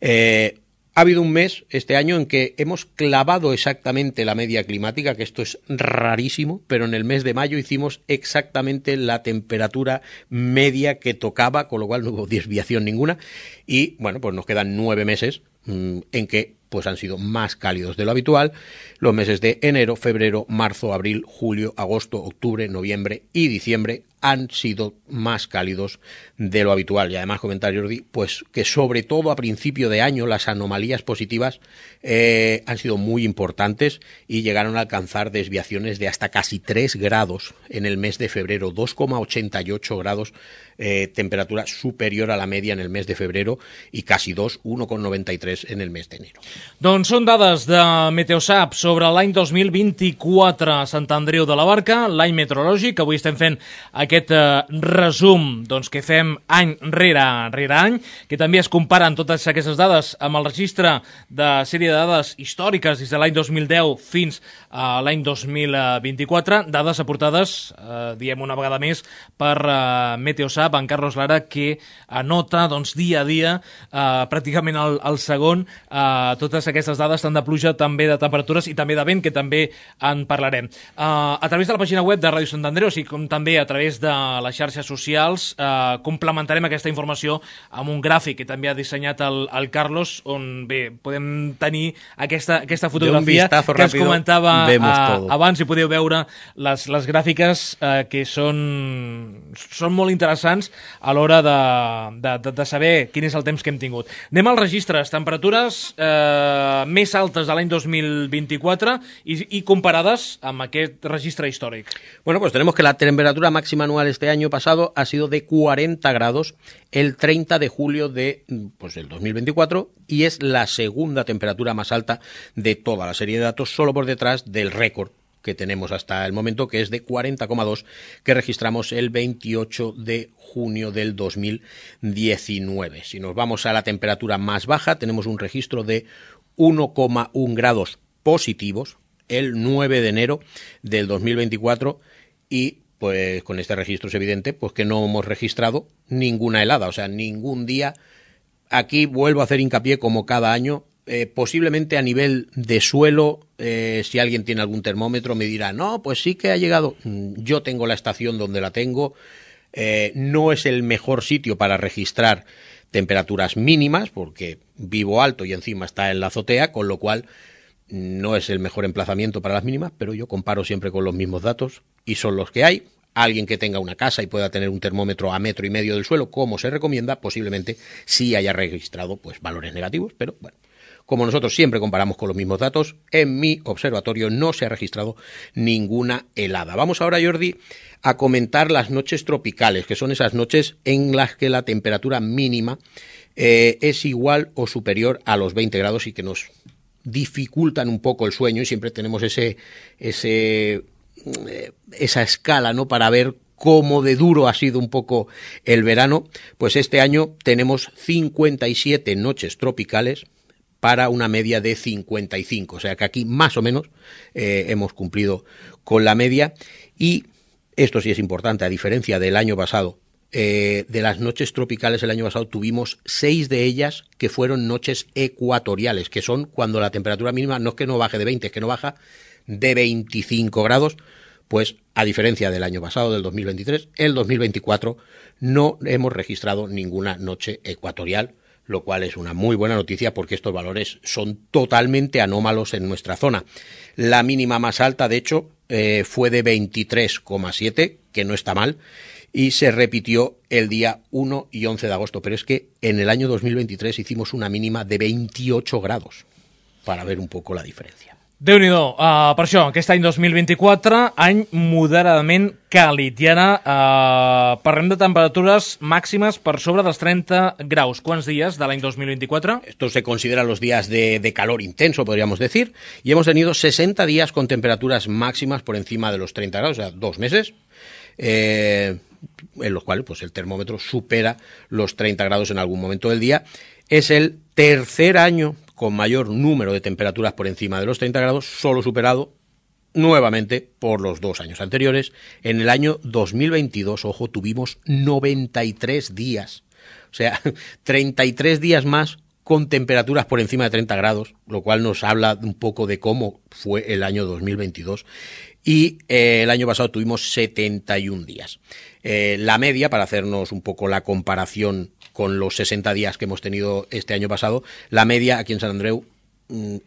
Eh, ha habido un mes este año en que hemos clavado exactamente la media climática, que esto es rarísimo, pero en el mes de mayo hicimos exactamente la temperatura media que tocaba, con lo cual no hubo desviación ninguna. Y bueno, pues nos quedan nueve meses mmm, en que pues han sido más cálidos de lo habitual, los meses de enero, febrero, marzo, abril, julio, agosto, octubre, noviembre y diciembre han sido más cálidos de lo habitual. Y además, comentar, Jordi, pues que sobre todo a principio de año las anomalías positivas eh, han sido muy importantes y llegaron a alcanzar desviaciones de hasta casi tres grados en el mes de febrero, dos coma ochenta y ocho grados, eh, temperatura superior a la media en el mes de febrero y casi dos, uno coma noventa y tres en el mes de enero. Doncs són dades de Meteosat sobre l'any dos mil vint-i-quatre a Sant Andreu de la Barca, l'any meteorològic. Avui estem fent aquest eh, resum doncs, que fem any rere, rere any, que també es comparen totes aquestes dades amb el registre de sèrie de dades històriques des de l'any dos mil deu fins a l'any dos mil vint-i-quatre, dades aportades, eh, diem una vegada més, per eh, Meteosat, en Carlos Lara, que anota doncs, dia a dia, eh, pràcticament al, al segon, eh, totes aquestes dades, tant de pluja, també de temperatures i també de vent, que també en parlarem. Uh, a través de la pàgina web de Ràdio Sant Andreu, així com també a través de les xarxes socials, uh, complementarem aquesta informació amb un gràfic que també ha dissenyat el, el Carlos, on bé, podem tenir aquesta, aquesta fotografia que ens comentava uh, abans, i podeu veure les, les gràfiques uh, que són, són molt interessants a l'hora de, de, de, de saber quin és el temps que hem tingut. Anem als registres, temperatures eh, més altes de l'any dos mil vint-i-quatre y, y comparadas amb aquest registre històric. Bueno, pues tenemos que la temperatura máxima anual este año pasado ha sido de cuarenta grados el treinta de julio de pues, el dos mil veinticuatro y es la segunda temperatura más alta de toda la serie de datos, solo por detrás del récord que tenemos hasta el momento, que es de cuarenta coma dos, que registramos el veintiocho de junio del dos mil diecinueve. Si nos vamos a la temperatura más baja, tenemos un registro de uno coma uno grados positivos el nueve de enero del dos mil veinticuatro y pues con este registro es evidente pues que no hemos registrado ninguna helada, o sea, ningún día. Aquí vuelvo a hacer hincapié como cada año. Eh, posiblemente a nivel de suelo, eh, si alguien tiene algún termómetro me dirá, no, pues sí que ha llegado. Yo tengo la estación donde la tengo, eh, no es el mejor sitio para registrar temperaturas mínimas porque vivo alto y encima está en la azotea, con lo cual no es el mejor emplazamiento para las mínimas, pero yo comparo siempre con los mismos datos y son los que hay. Alguien que tenga una casa y pueda tener un termómetro a metro y medio del suelo, como se recomienda, posiblemente sí haya registrado pues valores negativos, pero bueno. Como nosotros siempre comparamos con los mismos datos, en mi observatorio no se ha registrado ninguna helada. Vamos ahora, Jordi, a comentar las noches tropicales, que son esas noches en las que la temperatura mínima eh, es igual o superior a los veinte grados y que nos dificultan un poco el sueño y siempre tenemos ese, ese, eh, esa escala, ¿no?, para ver cómo de duro ha sido un poco el verano. Pues este año tenemos cincuenta y siete noches tropicales para una media de cincuenta y cinco, o sea que aquí más o menos eh, hemos cumplido con la media y esto sí es importante, a diferencia del año pasado, eh, de las noches tropicales el año pasado tuvimos seis de ellas que fueron noches ecuatoriales, que son cuando la temperatura mínima no es que no baje de veinte, es que no baja de veinticinco grados, pues a diferencia del año pasado, del dos mil veintitrés, el dos mil veinticuatro no hemos registrado ninguna noche ecuatorial, lo cual es una muy buena noticia porque estos valores son totalmente anómalos en nuestra zona. La mínima más alta, de hecho, eh, fue de veintitrés coma siete, que no está mal, y se repitió el día uno y once de agosto, pero es que en el año dos mil veintitrés hicimos una mínima de veintiocho grados, para ver un poco la diferencia. Déu-n'hi-do, uh, per això, aquest any dos mil vint-i-quatre, any moderadament càlid. I ara uh, parlem de temperatures màximes per sobre dels trenta graus. Quants dies de l'any dos mil vint-i-quatre? Esto se considera los días de, de calor intenso, podríamos decir, y hemos tenido sesenta días con temperaturas máximas por encima de los treinta grados, o sea, dos meses, eh, en los cuales pues, el termómetro supera los treinta grados en algún momento del día. Es el tercer año con mayor número de temperaturas por encima de los treinta grados, solo superado nuevamente por los dos años anteriores. En el año dos mil veintidós, ojo, tuvimos noventa y tres días, o sea, treinta y tres días más con temperaturas por encima de treinta grados, lo cual nos habla un poco de cómo fue el año dos mil veintidós. Y eh, el año pasado tuvimos setenta y un días. Eh, la media, para hacernos un poco la comparación con los sesenta días que hemos tenido este año pasado, la media aquí en Sant Andreu,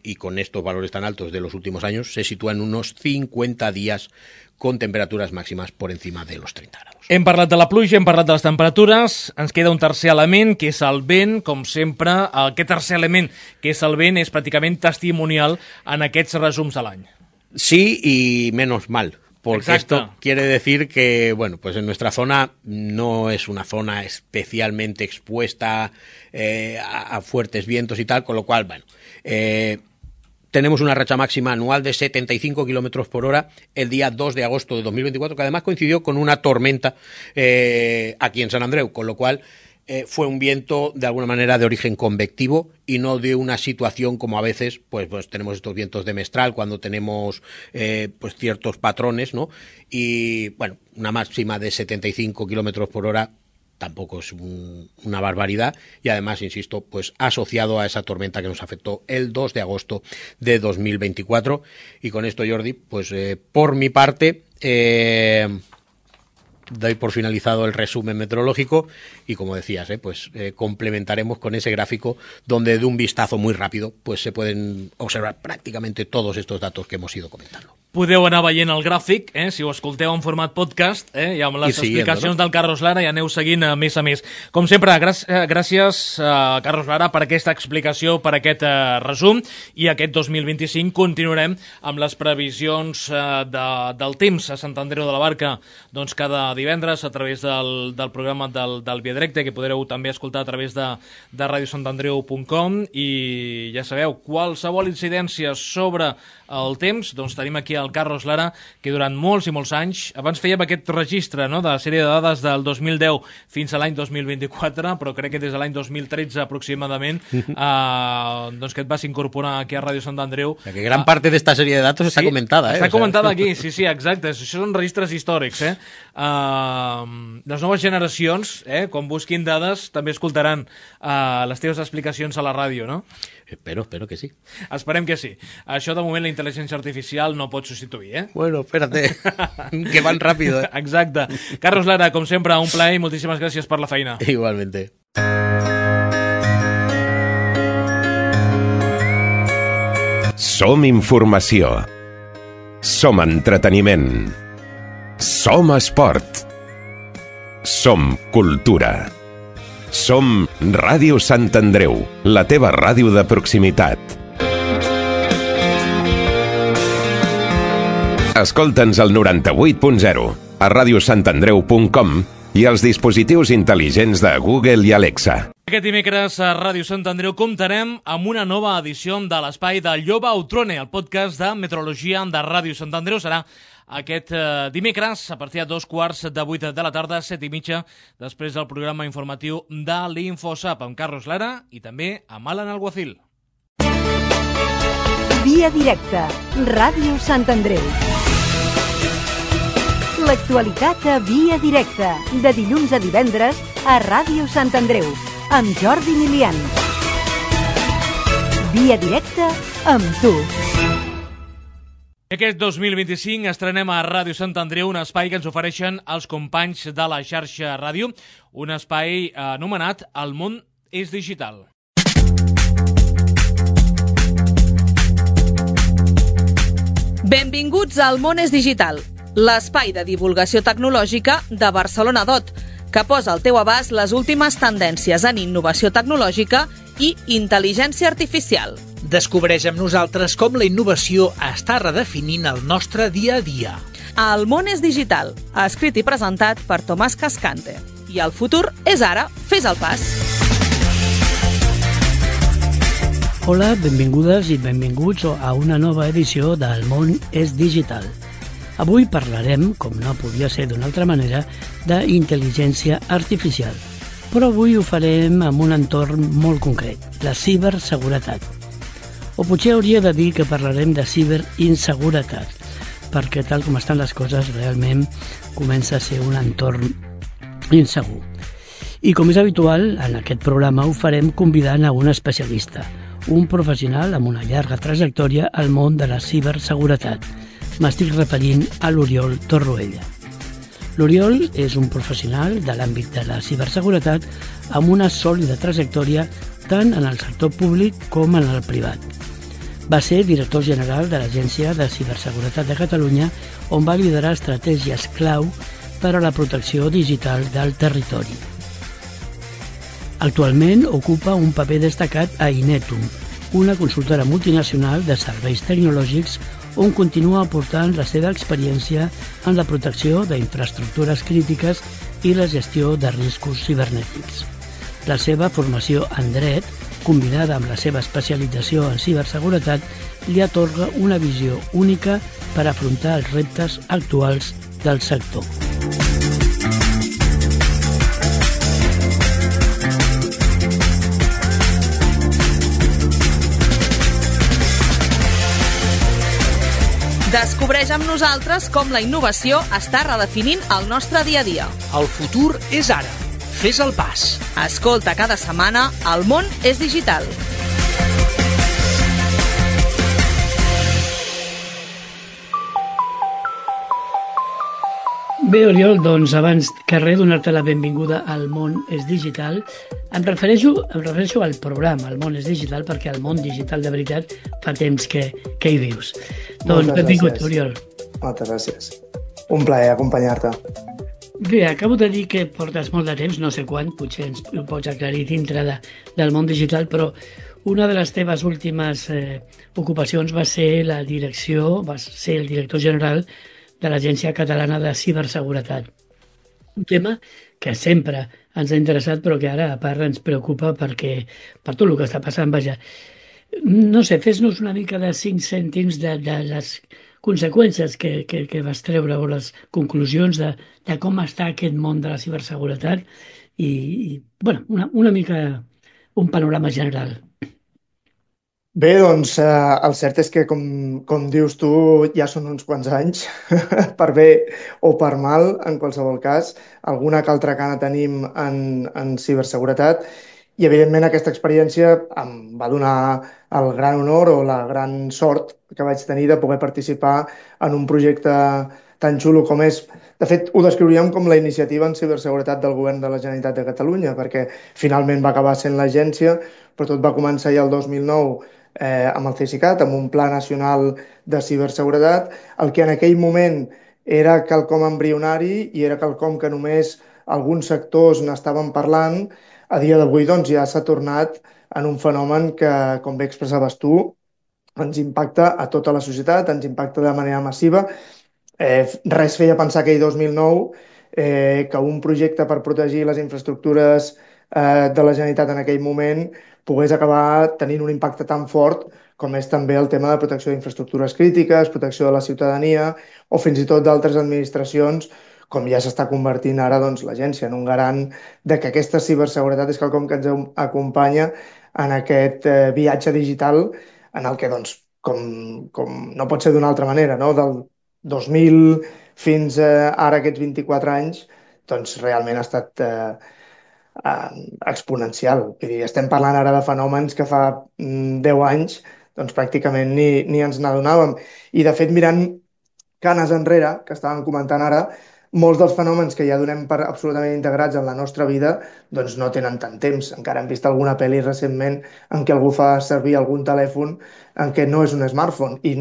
y con estos valores tan altos de los últimos años, se sitúa en unos cincuenta días con temperaturas máximas por encima de los treinta grados. Hem parlat de la pluja, hem parlat de les temperatures, ens queda un tercer element, que és el vent, com sempre. Aquest tercer element, que és el vent, és pràcticament testimonial en aquests resums de l'any. Sí, y menos mal. Porque Exacto. Esto quiere decir que, bueno, pues en nuestra zona no es una zona especialmente expuesta eh, a, a fuertes vientos y tal, con lo cual, bueno, eh, tenemos una racha máxima anual de setenta y cinco kilómetros por hora el día dos de agosto de dos mil veinticuatro, que además coincidió con una tormenta eh, aquí en Sant Andreu, con lo cual eh, fue un viento de alguna manera de origen convectivo y no de una situación como a veces pues, pues tenemos estos vientos de mestral cuando tenemos eh, pues ciertos patrones, ¿no? Y bueno, una máxima de setenta y cinco kilómetros por hora tampoco es un, una barbaridad y además, insisto, pues asociado a esa tormenta que nos afectó el dos de agosto de dos mil veinticuatro. Y con esto, Jordi, pues eh, por mi parte eh, doy por finalizado el resumen meteorológico y, como decías, eh, pues eh, complementaremos con ese gráfico donde de un vistazo muy rápido pues se pueden observar prácticamente todos estos datos que hemos ido comentando. Podeu anar veient el gràfic, eh, si ho escolteu en format podcast, eh, i amb les siguiendo, explicacions no? del Carlos Lara i aneu seguint a més a més. Com sempre, gràcies, gràcies a Carlos Lara per aquesta explicació, per aquest eh, resum, i aquest dos mil vint-i-cinc continuarem amb les previsions eh, de, del temps a Sant Andreu de la Barca, doncs cada divendres a través del, del programa del, del Via Directe, que podreu també escoltar a través de, de radio sant andreu punt com, i ja sabeu, qualsevol incidència sobre el temps, doncs tenim aquí el Carlos Lara, que durant molts i molts anys, abans fèiem aquest registre, no?, de la sèrie de dades del dos mil deu fins a l'any dos mil vint-i-quatre, però crec que des de l'any dos mil tretze aproximadament, eh, doncs que et vas incorporar aquí a Ràdio Sant Andreu. Que gran parte de esta serie de datos sí, está comentada, ¿eh? Està o sea... comentada aquí, sí, sí, exacte. Això són registres històrics, eh? Uh, les noves generacions, eh, quan busquin dades, també escoltaran uh, les teves explicacions a la ràdio, no? Espero, espero que sí. Esperem que sí. Això, de moment, la intel·ligència artificial no pot substituir, eh? Bueno, espérate, que van rápido, eh? Exacte. Carlos Lara, com sempre, un plaer i moltíssimes gràcies per la feina. Igualmente. Som informació. Som entreteniment. Som esport. Som cultura. Som Ràdio Sant Andreu, la teva ràdio de proximitat. Escolta'ns al noranta-vuit punt zero, a radio sant andreu punt com i als dispositius intel·ligents de Google i Alexa. Aquest dimecres a Ràdio Sant Andreu comptarem amb una nova edició de l'espai de Lloba Outrone, el podcast de meteorologia de Ràdio Sant Andreu. Serà aquest eh, dimecres a partir de dos quarts de vuit de la tarda, set i mitja, després del programa informatiu de l'Infosap, amb Carlos Lara i també amb Alan Alguacil. Via directa, Ràdio Sant Andreu. L'actualitat a Via directa, de dilluns a divendres a Ràdio Sant Andreu, amb Jordi Milian. Via directa amb tu. Aquest dos mil vint-i-cinc estrenem a Ràdio Sant Andreu un espai que ens ofereixen els companys de la xarxa ràdio, un espai anomenat El món és digital. Benvinguts al món és digital, l'espai de divulgació tecnològica de Barcelona Dot, que posa al teu abast les últimes tendències en innovació tecnològica i intel·ligència artificial. Descobreix amb nosaltres com la innovació està redefinint el nostre dia a dia. El món és digital, escrit i presentat per Tomàs Cascante. I el futur és ara. Fes el pas. Hola, benvingudes i benvinguts a una nova edició del món és digital. Avui parlarem, com no podia ser d'una altra manera, d'intel·ligència artificial. Però avui ho farem en un entorn molt concret, la ciberseguretat. O potser hauria de dir que parlarem de ciberinseguretat, perquè tal com estan les coses realment comença a ser un entorn insegur. I com és habitual, en aquest programa ho farem convidant a un especialista, un professional amb una llarga trajectòria al món de la ciberseguretat. M'estic referint a l'Oriol Torroella. L'Oriol és un professional de l'àmbit de la ciberseguretat amb una sòlida trajectòria tant en el sector públic com en el privat. Va ser director general de l'Agència de Ciberseguretat de Catalunya, on va liderar estratègies clau per a la protecció digital del territori. Actualment ocupa un paper destacat a Inetum, una consultora multinacional de serveis tecnològics on continua aportant la seva experiència en la protecció d'infraestructures crítiques i la gestió de riscos cibernètics. La seva formació en dret, combinada amb la seva especialització en ciberseguretat, li atorga una visió única per afrontar els reptes actuals del sector. Descobreix amb nosaltres com la innovació està redefinint el nostre dia a dia. El futur és ara. Fes el pas. Escolta cada setmana El món és digital. Bé, Oriol, doncs abans que res donar-te la benvinguda al món és digital, em refereixo, em refereixo al programa, el món és digital, perquè el món digital de veritat fa temps que, que hi vius. Doncs benvingut, Oriol. Moltes gràcies. Un plaer acompanyar-te. Bé, acabo de dir que portes molt de temps, no sé quant, potser ens ho pots aclarir dintre de, del món digital, però una de les teves últimes eh, ocupacions va ser la direcció, va ser el director general de l'Agència Catalana de Ciberseguretat. Un tema que sempre ens ha interessat, però que ara, a part, ens preocupa perquè, per tot el que està passant, vaja. No sé, fes-nos una mica de cinc cèntims de, de les conseqüències que, que, que vas treure o les conclusions de, de com està aquest món de la ciberseguretat i, i bueno, una, una mica un panorama general. Bé, doncs, eh, el cert és que, com, com dius tu, ja són uns quants anys, per bé o per mal, en qualsevol cas. Alguna que altra cana tenim en, en ciberseguretat i, evidentment, aquesta experiència em va donar el gran honor o la gran sort que vaig tenir de poder participar en un projecte tan xulo com és. De fet, ho descriuríem com la iniciativa en ciberseguretat del Govern de la Generalitat de Catalunya, perquè finalment va acabar sent l'agència, però tot va començar ja el dos mil nou Eh, amb el Cesicat, amb un Pla Nacional de Ciberseguretat, el que en aquell moment era quelcom embrionari i era quelcom que només alguns sectors n'estaven parlant, a dia d'avui doncs, ja s'ha tornat en un fenomen que, com bé expressaves tu, ens impacta a tota la societat, ens impacta de manera massiva. Eh, res feia pensar aquell dos mil nou eh, que un projecte per protegir les infraestructures eh, de la Generalitat en aquell moment pogués acabar tenint un impacte tan fort com és també el tema de protecció d'infraestructures crítiques, protecció de la ciutadania o fins i tot d'altres administracions, com ja s'està convertint ara doncs, l'agència en un garant de que aquesta ciberseguretat és quelcom que ens acompanya en aquest eh, viatge digital en el que, doncs, com, com no pot ser d'una altra manera, no? Del dos mil fins eh, ara aquests vint-i-quatre anys, doncs realment ha estat eh, exponencial. Vull dir, estem parlant ara de fenòmens que fa deu anys doncs pràcticament ni, ni ens n'adonàvem. I de fet, mirant canes enrere, que estàvem comentant ara, molts dels fenòmens que ja donem per absolutament integrats en la nostra vida doncs no tenen tant temps. Encara hem vist alguna pel·li recentment en què algú fa servir algun telèfon en què no és un smartphone. I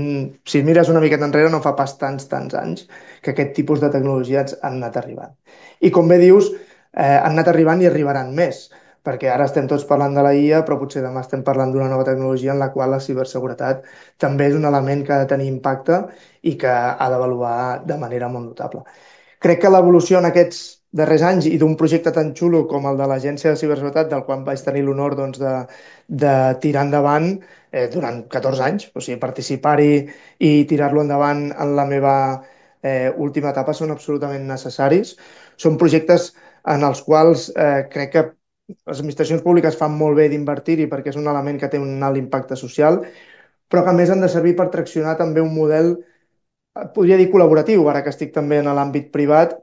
si mires una miqueta enrere no fa pas tants, tants anys que aquest tipus de tecnologies han anat arribant. I com bé dius, eh, han anat arribant i arribaran més, perquè ara estem tots parlant de la I A, però potser demà estem parlant d'una nova tecnologia en la qual la ciberseguretat també és un element que ha de tenir impacte i que ha d'avaluar de manera molt notable. Crec que l'evolució en aquests darrers anys i d'un projecte tan xulo com el de l'Agència de Ciberseguretat, del qual vaig tenir l'honor doncs, de, de tirar endavant eh, durant catorze anys, o sigui, participar-hi i tirar-lo endavant en la meva eh, última etapa són absolutament necessaris. Són projectes en els quals eh, crec que les administracions públiques fan molt bé d'invertir-hi perquè és un element que té un alt impacte social, però que a més han de servir per traccionar també un model, podria dir col·laboratiu, ara que estic també en l'àmbit privat.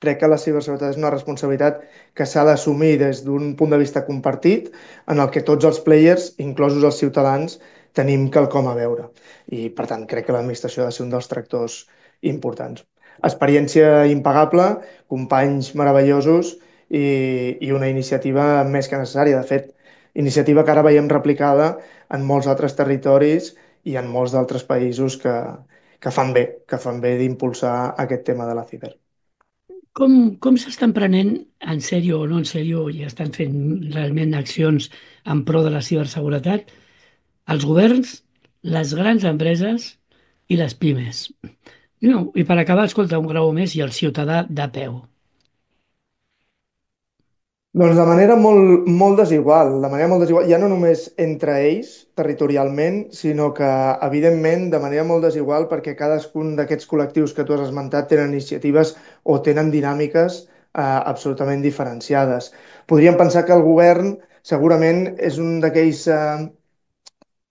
Crec que la ciberseguretat és una responsabilitat que s'ha d'assumir des d'un punt de vista compartit, en el que tots els players, inclosos els ciutadans, tenim quelcom a veure. I, per tant, crec que l'administració ha de ser un dels tractors importants. Experiència impagable, companys meravellosos i, i una iniciativa més que necessària. De fet, iniciativa que ara veiem replicada en molts altres territoris i en molts d'altres països que, que fan bé, que fan bé d'impulsar aquest tema de la ciber. Com, com s'estan prenent, en sèrio o no en sèrio, i estan fent realment accions en pro de la ciberseguretat, els governs, les grans empreses i les pimes? No, i per acabar, escolta, un grau més i el ciutadà de peu. Doncs de manera molt, molt desigual, de manera molt desigual, ja no només entre ells, territorialment, sinó que, evidentment, de manera molt desigual perquè cadascun d'aquests col·lectius que tu has esmentat tenen iniciatives o tenen dinàmiques eh, absolutament diferenciades. Podríem pensar que el govern segurament és un d'aquells eh,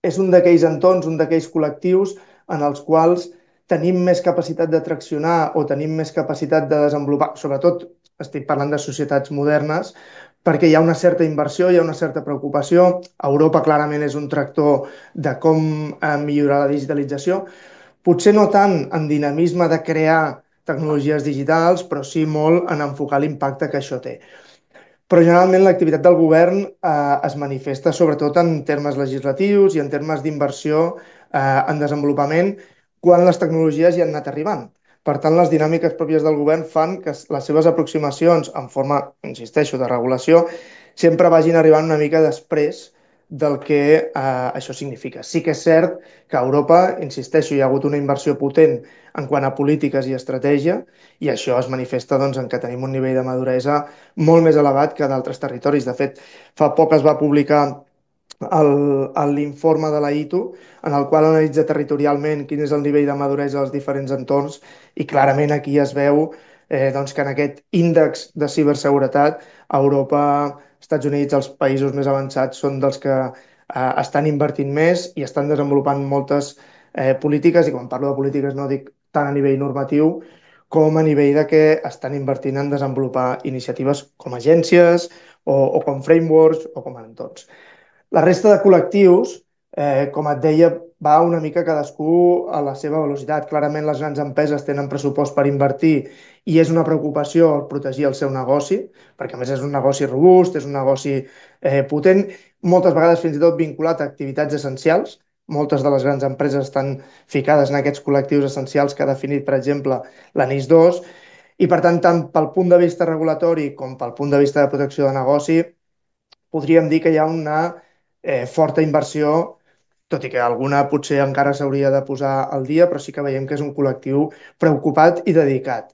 és un d'aquells entorns, un d'aquells col·lectius en els quals tenim més capacitat de traccionar o tenim més capacitat de desenvolupar, sobretot estic parlant de societats modernes, perquè hi ha una certa inversió, hi ha una certa preocupació. Europa clarament és un tractor de com eh, millorar la digitalització, potser no tant en dinamisme de crear tecnologies digitals, però sí molt en enfocar l'impacte que això té. Però generalment l'activitat del govern eh, es manifesta sobretot en termes legislatius i en termes d'inversió eh, en desenvolupament quan les tecnologies ja han anat arribant. Per tant, les dinàmiques pròpies del govern fan que les seves aproximacions en forma, insisteixo, de regulació sempre vagin arribant una mica després del que eh, això significa. Sí que és cert que a Europa, insisteixo, hi ha hagut una inversió potent en quant a polítiques i estratègia i això es manifesta doncs, en que tenim un nivell de maduresa molt més elevat que d'altres territoris. De fet, fa poc es va publicar l'informe de la I T U, en el qual analitza territorialment quin és el nivell de maduresa dels diferents entorns i clarament aquí es veu eh, doncs, que en aquest índex de ciberseguretat Europa, Estats Units, els països més avançats són dels que eh, estan invertint més i estan desenvolupant moltes eh, polítiques, i quan parlo de polítiques no dic tant a nivell normatiu com a nivell de que estan invertint en desenvolupar iniciatives com agències o, o com frameworks o com a entorns. La resta de col·lectius, eh, com et deia, va una mica cadascú a la seva velocitat. Clarament les grans empreses tenen pressupost per invertir i és una preocupació protegir el seu negoci, perquè a més és un negoci robust, és un negoci eh, potent, moltes vegades fins i tot vinculat a activitats essencials. Moltes de les grans empreses estan ficades en aquests col·lectius essencials que ha definit, per exemple, la N I S dos, i per tant, tant pel punt de vista regulatori com pel punt de vista de protecció de negoci, podríem dir que hi ha una eh, forta inversió, tot i que alguna potser encara s'hauria de posar al dia, però sí que veiem que és un col·lectiu preocupat i dedicat.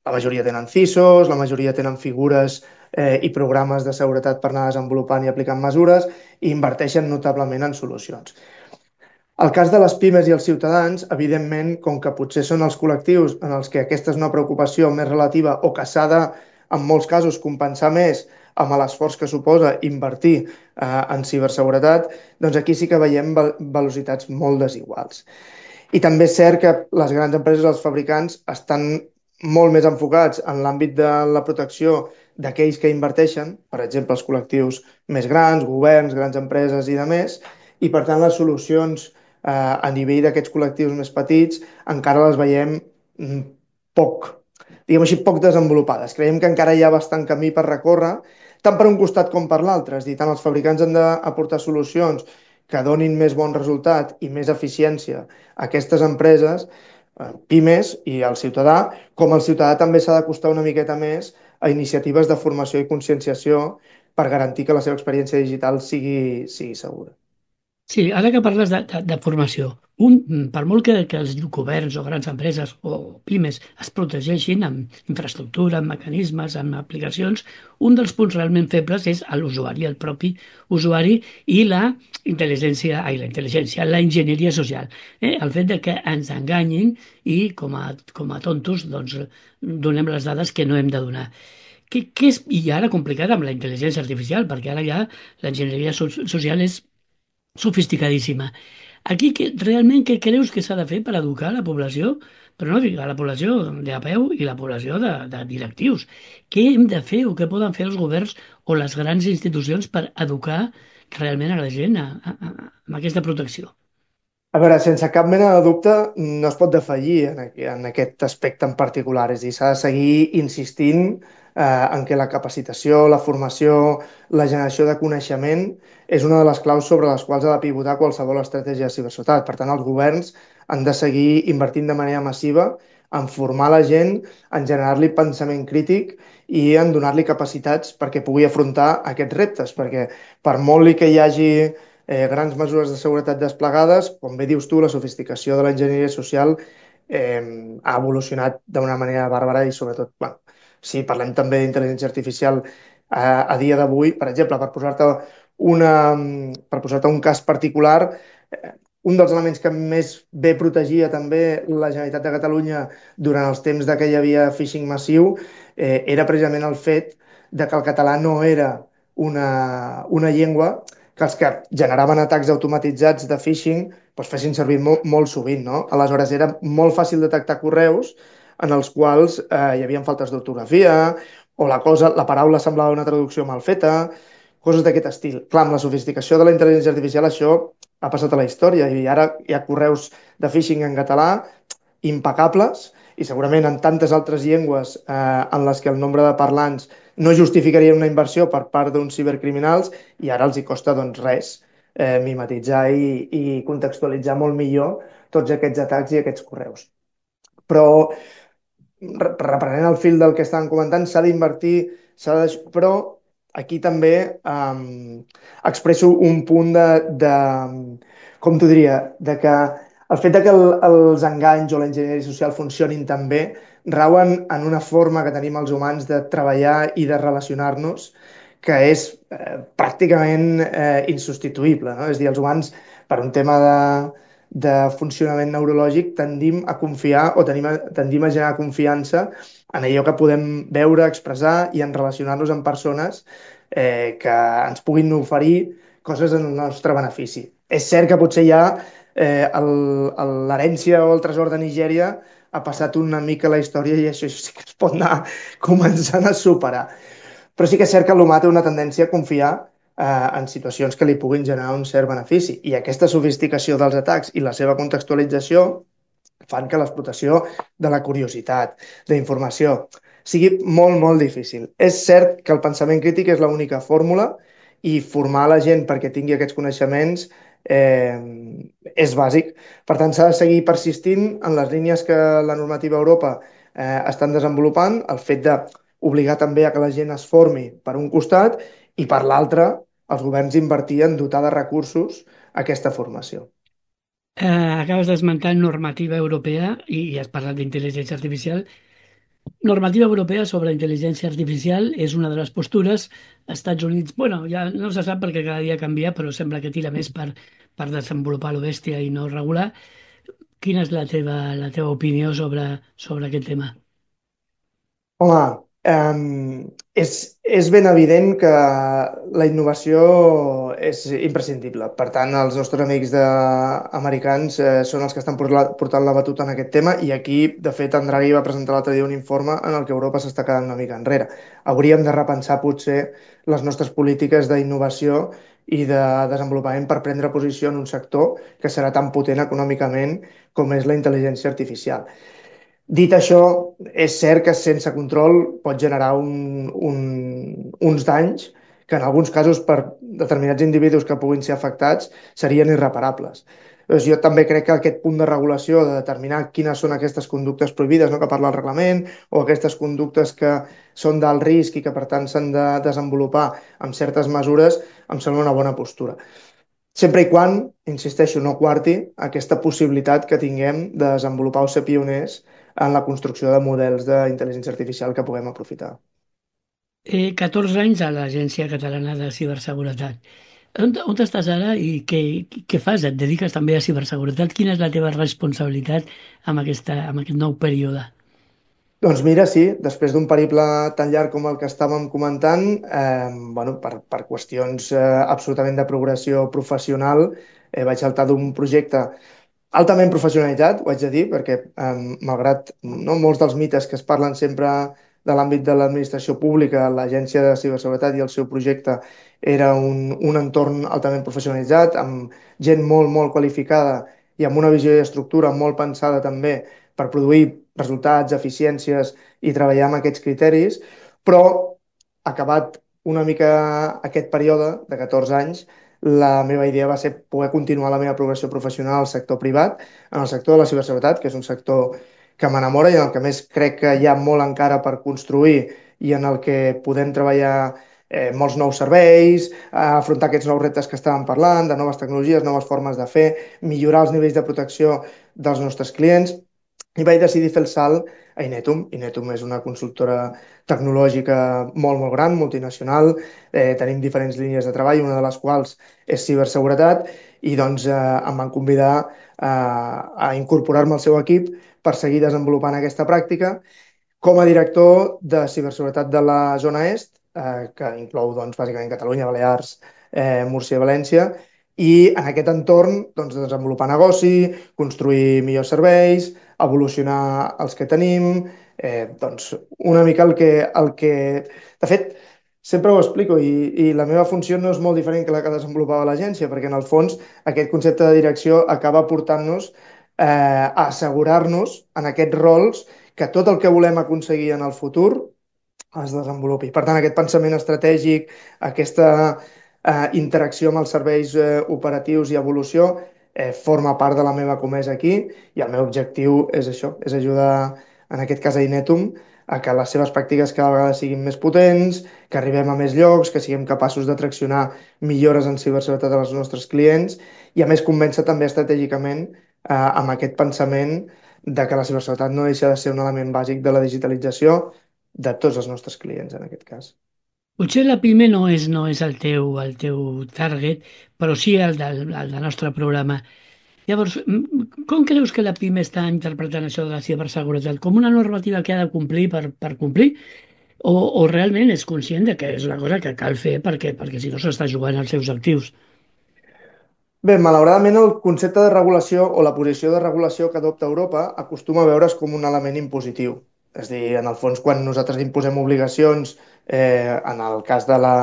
La majoria tenen C I S Os, la majoria tenen figures eh, i programes de seguretat per anar desenvolupant i aplicant mesures i inverteixen notablement en solucions. El cas de les pimes i els ciutadans, evidentment, com que potser són els col·lectius en els que aquesta és una preocupació més relativa o que s'ha de, en molts casos, compensar més amb l'esforç que suposa invertir eh, en ciberseguretat, doncs aquí sí que veiem velocitats molt desiguals. I també és cert que les grans empreses, els fabricants, estan molt més enfocats en l'àmbit de la protecció d'aquells que inverteixen, per exemple, els col·lectius més grans, governs, grans empreses i de més, i per tant les solucions eh, a nivell d'aquests col·lectius més petits encara les veiem mm, poc, diguem així, poc desenvolupades. Creiem que encara hi ha bastant camí per recórrer, tant per un costat com per l'altre, és a dir, tant els fabricants han d'aportar solucions que donin més bon resultat i més eficiència a aquestes empreses, pimes i al ciutadà, com el ciutadà també s'ha d'acostar una miqueta més a iniciatives de formació i conscienciació per garantir que la seva experiència digital sigui, sigui segura. Sí, ara que parles de, de, de formació, un, per molt que, que els governs o grans empreses o pimes es protegeixin amb infraestructura, amb mecanismes, amb aplicacions, un dels punts realment febles és a l'usuari, el propi usuari i la intel·ligència, ai, la intel·ligència, la enginyeria social. Eh? El fet de que ens enganyin i com a, com a tontos doncs, donem les dades que no hem de donar. Què, què és, i ara complicat amb la intel·ligència artificial, perquè ara ja l'enginyeria so social és sofisticadíssima. Aquí que, realment què creus que s'ha de fer per educar la població, però no dic a la població de a peu i la població de, de directius? Què hem de fer o què poden fer els governs o les grans institucions per educar realment a la gent a, a, a, amb aquesta protecció? A veure, sense cap mena de dubte, no es pot defallir en, aqu en aquest aspecte en particular. És a dir, s'ha de seguir insistint eh, en que la capacitació, la formació, la generació de coneixement és una de les claus sobre les quals ha de pivotar qualsevol estratègia de ciberseguretat. Per tant, els governs han de seguir invertint de manera massiva en formar la gent, en generar-li pensament crític i en donar-li capacitats perquè pugui afrontar aquests reptes, perquè per molt que hi hagi eh, grans mesures de seguretat desplegades, com bé dius tu, la sofisticació de l'enginyeria social eh, ha evolucionat d'una manera bàrbara i sobretot, bueno, si parlem també d'intel·ligència artificial eh, a dia d'avui, per exemple, per posar-te una, per posar-te un cas particular, eh, un dels elements que més bé protegia també la Generalitat de Catalunya durant els temps de que hi havia phishing massiu eh, era precisament el fet de que el català no era una, una llengua que els que generaven atacs automatitzats de phishing doncs fessin servir molt, molt sovint, no? Aleshores era molt fàcil detectar correus en els quals eh, hi havia faltes d'ortografia o la, cosa, la paraula semblava una traducció mal feta, coses d'aquest estil. Clar, amb la sofisticació de la intel·ligència artificial això ha passat a la història i ara hi ha correus de phishing en català impecables i segurament en tantes altres llengües eh, en les que el nombre de parlants no justificaria una inversió per part d'uns cibercriminals i ara els hi costa doncs res eh, mimetitzar i, i contextualitzar molt millor tots aquests atacs i aquests correus. Però reprenent el fil del que estàvem comentant, s'ha d'invertir, s'ha de... però aquí també um, expresso un punt de, de, com t'ho diria, de que el fet de que el, els enganys o l'enginyeria social funcionin tan bé rauen en una forma que tenim els humans de treballar i de relacionar-nos que és eh, pràcticament eh, insubstituïble. No? És a dir, els humans, per un tema de, de funcionament neurològic, tendim a confiar o tenim a, tendim a generar confiança en allò que podem veure, expressar i en relacionar-nos amb persones eh, que ens puguin oferir coses en el nostre benefici. És cert que potser ja eh, l'herència o el tresor de Nigèria ha passat una mica la història i això sí que es pot anar començant a superar. Però sí que és cert que l'humà té una tendència a confiar eh, en situacions que li puguin generar un cert benefici. I aquesta sofisticació dels atacs i la seva contextualització fan que l'explotació de la curiositat, de informació, sigui molt, molt difícil. És cert que el pensament crític és l'única fórmula i formar la gent perquè tingui aquests coneixements eh, és bàsic. Per tant, s'ha de seguir persistint en les línies que la normativa a Europa eh, estan desenvolupant, el fet d'obligar també a que la gent es formi per un costat i per l'altre els governs invertir en dotar de recursos aquesta formació. Eh, acabes d'esmentar normativa europea i, i has parlat d'intel·ligència artificial. Normativa europea sobre intel·ligència artificial és una de les postures. Estats Units, bueno, ja no se sap perquè cada dia canvia, però sembla que tira més per, per desenvolupar lo bèstia i no regular. Quina és la teva, la teva opinió sobre, sobre aquest tema? Home, um, és, és ben evident que la innovació és imprescindible. Per tant, els nostres amics de, americans eh, són els que estan portant la batuta en aquest tema i aquí, de fet, en Draghi va presentar l'altre dia un informe en el que Europa s'està quedant una mica enrere. Hauríem de repensar potser les nostres polítiques d'innovació i de desenvolupament per prendre posició en un sector que serà tan potent econòmicament com és la intel·ligència artificial. Dit això, és cert que sense control pot generar un, un, uns danys que en alguns casos per determinats individus que puguin ser afectats serien irreparables. Doncs jo també crec que aquest punt de regulació, de determinar quines són aquestes conductes prohibides, no?, que parla el reglament, o aquestes conductes que són d'alt risc i que per tant s'han de desenvolupar amb certes mesures, em sembla una bona postura. Sempre i quan, insisteixo, no quarti aquesta possibilitat que tinguem de desenvolupar o ser pioners en la construcció de models d'intel·ligència artificial que puguem aprofitar. Eh, catorze anys a l'Agència Catalana de Ciberseguretat. On, on estàs ara i què, què fas? Et dediques també a ciberseguretat? Quina és la teva responsabilitat amb, aquesta, amb aquest nou període? Doncs mira, sí, després d'un periple tan llarg com el que estàvem comentant, eh, bueno, per, per qüestions eh, absolutament de progressió professional, eh, vaig saltar d'un projecte altament professionalitzat, ho haig de dir, perquè eh, malgrat no, molts dels mites que es parlen sempre de l'àmbit de l'administració pública, l'Agència de Ciberseguretat i el seu projecte era un, un entorn altament professionalitzat, amb gent molt, molt qualificada i amb una visió i estructura molt pensada també per produir resultats, eficiències i treballar amb aquests criteris, però acabat una mica aquest període de catorze anys, la meva idea va ser poder continuar la meva progressió professional al sector privat, en el sector de la ciberseguretat, que és un sector que m'enamora i en el que més crec que hi ha molt encara per construir i en el que podem treballar eh, molts nous serveis, afrontar aquests nous reptes que estàvem parlant, de noves tecnologies, noves formes de fer, millorar els nivells de protecció dels nostres clients, i vaig decidir fer el salt a Inetum. Inetum és una consultora tecnològica molt, molt gran, multinacional. Eh, tenim diferents línies de treball, una de les quals és ciberseguretat, i doncs eh, em van convidar eh, a incorporar-me al seu equip per seguir desenvolupant aquesta pràctica com a director de ciberseguretat de la zona est, eh, que inclou doncs, bàsicament Catalunya, Balears, eh, Múrcia i València, i en aquest entorn doncs, desenvolupar negoci, construir millors serveis, evolucionar els que tenim, eh, doncs una mica el que, el que... De fet, sempre ho explico i, i la meva funció no és molt diferent que la que desenvolupava l'agència, perquè en el fons aquest concepte de direcció acaba portant-nos eh, a assegurar-nos en aquests rols que tot el que volem aconseguir en el futur es desenvolupi. Per tant, aquest pensament estratègic, aquesta eh, interacció amb els serveis eh, operatius i evolució eh, forma part de la meva comesa aquí i el meu objectiu és això, és ajudar, en aquest cas a Inetum, a que les seves pràctiques cada vegada siguin més potents, que arribem a més llocs, que siguem capaços de traccionar millores en ciberseguretat als nostres clients i a més convèncer també estratègicament eh, amb aquest pensament de que la ciberseguretat no deixa de ser un element bàsic de la digitalització de tots els nostres clients, en aquest cas. Potser la PIME no és, no és el, teu, el teu target, però sí el del, el del nostre programa. Llavors, com creus que la PIME està interpretant això de la ciberseguretat? Com una normativa que ha de complir per, per complir? O, o realment és conscient de que és una cosa que cal fer perquè, perquè si no s'està jugant als seus actius? Bé, malauradament el concepte de regulació o la posició de regulació que adopta Europa acostuma a veure's com un element impositiu. És a dir, en el fons, quan nosaltres imposem obligacions, eh, en el cas de la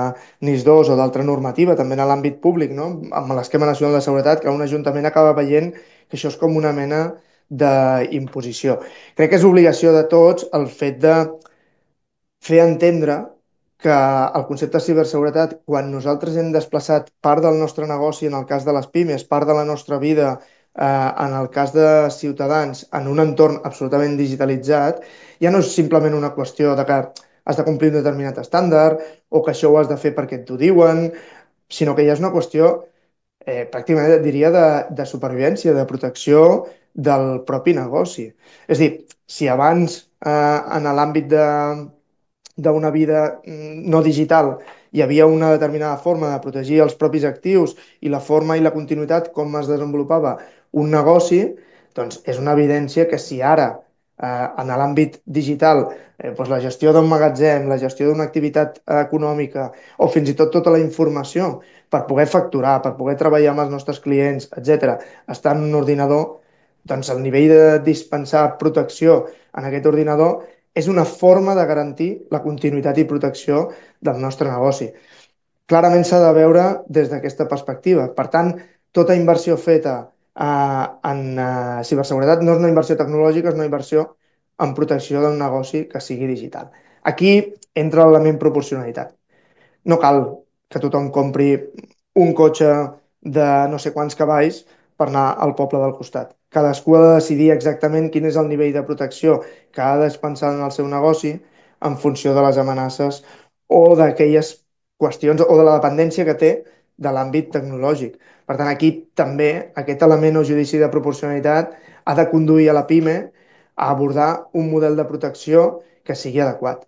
NIS dos o d'altra normativa, també en l'àmbit públic, no? Amb l'esquema nacional de seguretat, que un ajuntament acaba veient que això és com una mena d'imposició. Crec que és obligació de tots el fet de fer entendre que el concepte de ciberseguretat, quan nosaltres hem desplaçat part del nostre negoci, en el cas de les pimes, part de la nostra vida, eh, en el cas de ciutadans, en un entorn absolutament digitalitzat, ja no és simplement una qüestió de que has de complir un determinat estàndard o que això ho has de fer perquè t'ho diuen, sinó que ja és una qüestió eh, pràcticament diria de, de supervivència, de protecció del propi negoci. És a dir, si abans eh, en l'àmbit de d'una vida no digital hi havia una determinada forma de protegir els propis actius i la forma i la continuïtat com es desenvolupava un negoci, doncs és una evidència que si ara eh, en l'àmbit digital eh, doncs la gestió d'un magatzem, la gestió d'una activitat econòmica o fins i tot tota la informació per poder facturar, per poder treballar amb els nostres clients, etcètera, està en un ordinador, doncs el nivell de dispensar protecció en aquest ordinador és una forma de garantir la continuïtat i protecció del nostre negoci. Clarament s'ha de veure des d'aquesta perspectiva. Per tant, tota inversió feta eh, en eh, ciberseguretat no és una inversió tecnològica, és una inversió en protecció d'un negoci que sigui digital. Aquí entra l'element proporcionalitat. No cal que tothom compri un cotxe de no sé quants cavalls per anar al poble del costat. Cadascú ha de decidir exactament quin és el nivell de protecció que ha de dispensar en el seu negoci en funció de les amenaces o d'aquelles qüestions o de la dependència que té de l'àmbit tecnològic. Per tant, aquí també aquest element o judici de proporcionalitat ha de conduir a la PIME a abordar un model de protecció que sigui adequat.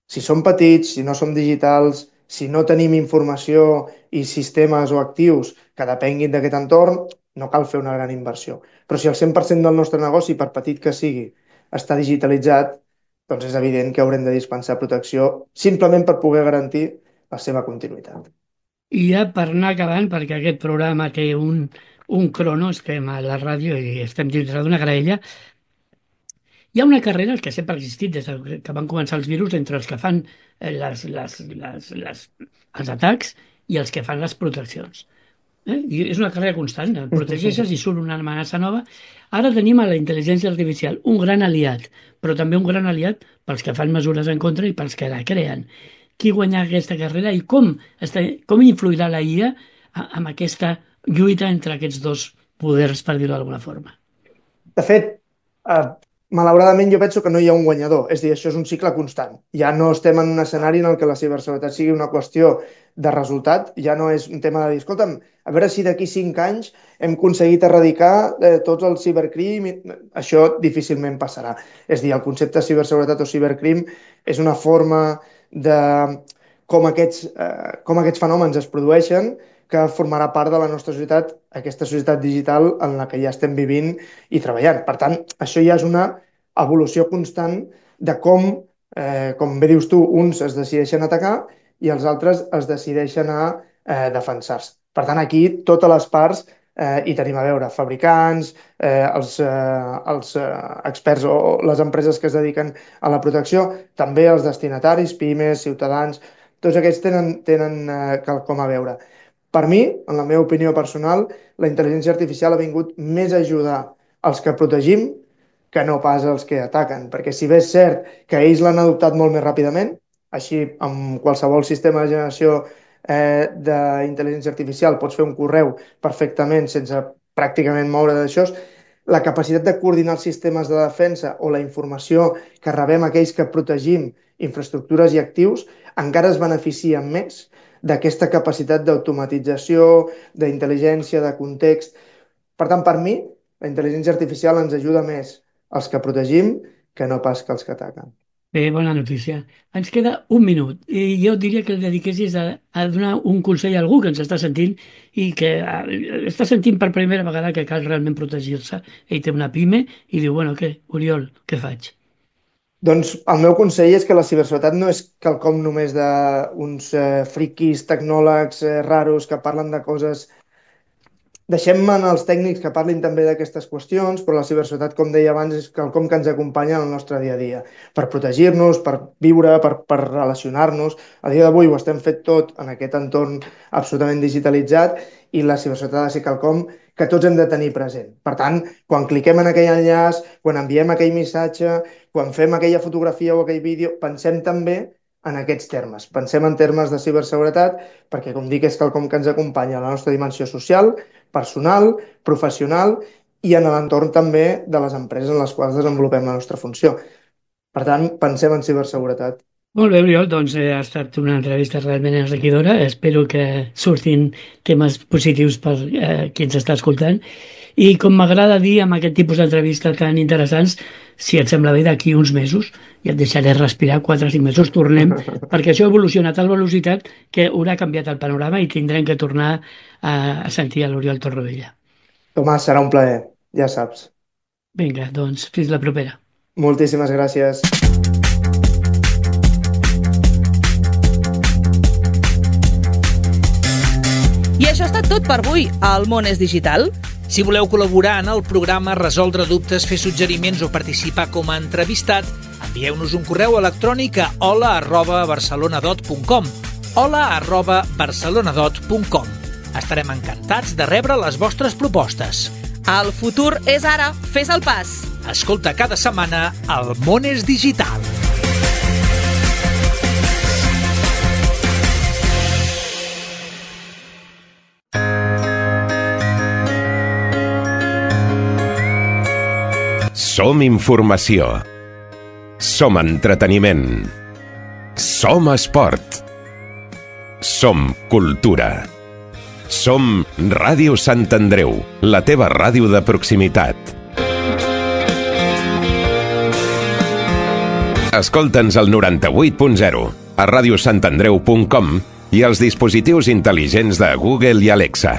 Si som petits, si no som digitals, si no tenim informació i sistemes o actius que depenguin d'aquest entorn, no cal fer una gran inversió. Però si el cent per cent del nostre negoci, per petit que sigui, està digitalitzat, doncs és evident que haurem de dispensar protecció simplement per poder garantir la seva continuïtat. I ja per anar acabant, perquè aquest programa té un, un crono, estem a la ràdio i estem dintre d'una graella, hi ha una carrera que sempre ha existit des que van començar els virus entre els que fan les, les, les, les, els atacs i els que fan les proteccions. Eh? I és una carrera constant, protegeixes i surt una amenaça nova. Ara tenim a la intel·ligència artificial, un gran aliat, però també un gran aliat pels que fan mesures en contra i pels que la creen. Qui guanyarà aquesta carrera i com, està, com influirà la I A amb aquesta lluita entre aquests dos poders, per dir-ho d'alguna forma? De fet, eh, malauradament jo penso que no hi ha un guanyador, és a dir, això és un cicle constant. Ja no estem en un escenari en el que la ciberseguretat sigui una qüestió de resultat, ja no és un tema de dir, escolta'm, a veure si d'aquí cinc anys hem aconseguit erradicar eh, tots els cibercrim, això difícilment passarà. És a dir, el concepte de ciberseguretat o cibercrim és una forma de com aquests, eh, com aquests fenòmens es produeixen que formarà part de la nostra societat, aquesta societat digital en la que ja estem vivint i treballant. Per tant, això ja és una evolució constant de com, eh, com bé dius tu, uns es decideixen atacar i els altres es decideixen a eh, defensar-se. Per tant, aquí totes les parts eh, hi tenim a veure, fabricants, eh, els, eh, els eh, experts o les empreses que es dediquen a la protecció, també els destinataris, pimes, ciutadans, tots aquests tenen, tenen eh, quelcom a veure. Per mi, en la meva opinió personal, la intel·ligència artificial ha vingut més a ajudar els que protegim que no pas els que ataquen, perquè si bé és cert que ells l'han adoptat molt més ràpidament, així amb qualsevol sistema de generació eh, d'intel·ligència artificial pots fer un correu perfectament sense pràcticament moure d'això, la capacitat de coordinar els sistemes de defensa o la informació que rebem aquells que protegim infraestructures i actius encara es beneficien més d'aquesta capacitat d'automatització, d'intel·ligència, de context. Per tant, per mi, la intel·ligència artificial ens ajuda més als que protegim que no pas que els que ataquen. Bé, bona notícia. Ens queda un minut i jo diria que el dediquessis a, a donar un consell a algú que ens està sentint i que a, està sentint per primera vegada que cal realment protegir-se. Ell té una pime i diu, bueno, què, Oriol, què faig? Doncs el meu consell és que la ciberseguretat no és quelcom només d'uns eh, friquis, tecnòlegs eh, raros que parlen de coses. Deixem-me als tècnics que parlin també d'aquestes qüestions, però la ciberseguretat, com deia abans, és quelcom que ens acompanya en el nostre dia a dia, per protegir-nos, per viure, per, per relacionar-nos. A dia d'avui ho estem fet tot en aquest entorn absolutament digitalitzat i la ciberseguretat ha de ser quelcom que tots hem de tenir present. Per tant, quan cliquem en aquell enllaç, quan enviem aquell missatge, quan fem aquella fotografia o aquell vídeo, pensem també en aquests termes. Pensem en termes de ciberseguretat perquè, com dic, és quelcom que ens acompanya a la nostra dimensió social, personal, professional i en l'entorn també de les empreses en les quals desenvolupem la nostra funció. Per tant, pensem en ciberseguretat. Molt bé, Oriol, doncs eh, ha estat una entrevista realment enriquidora. Espero que surtin temes positius per eh, qui ens està escoltant. I com m'agrada dir amb aquest tipus d'entrevistes tan interessants, si et sembla bé, d'aquí uns mesos, ja et deixaré respirar quatre o cinc mesos, tornem, perquè això ha evolucionat a tal velocitat que haurà canviat el panorama i tindrem que tornar a, a sentir a l'Oriol Torrovella. Tomàs, serà un plaer, ja saps. Vinga, doncs, fins la propera. Moltíssimes gràcies. I això ha estat tot per avui. El món és digital. Si voleu col·laborar en el programa, resoldre dubtes, fer suggeriments o participar com a entrevistat, envieu-nos un correu electrònic a hola arroba barcelonadot punt com hola arroba barcelonadot punt com. Estarem encantats de rebre les vostres propostes. El futur és ara. Fes el pas. Escolta cada setmana El món és digital. Som informació. Som entreteniment. Som esport. Som cultura. Som Ràdio Sant Andreu, la teva ràdio de proximitat. Escolta'ns al noranta-vuit punt zero, a ràdio sant andreu punt com i als dispositius intel·ligents de Google i Alexa.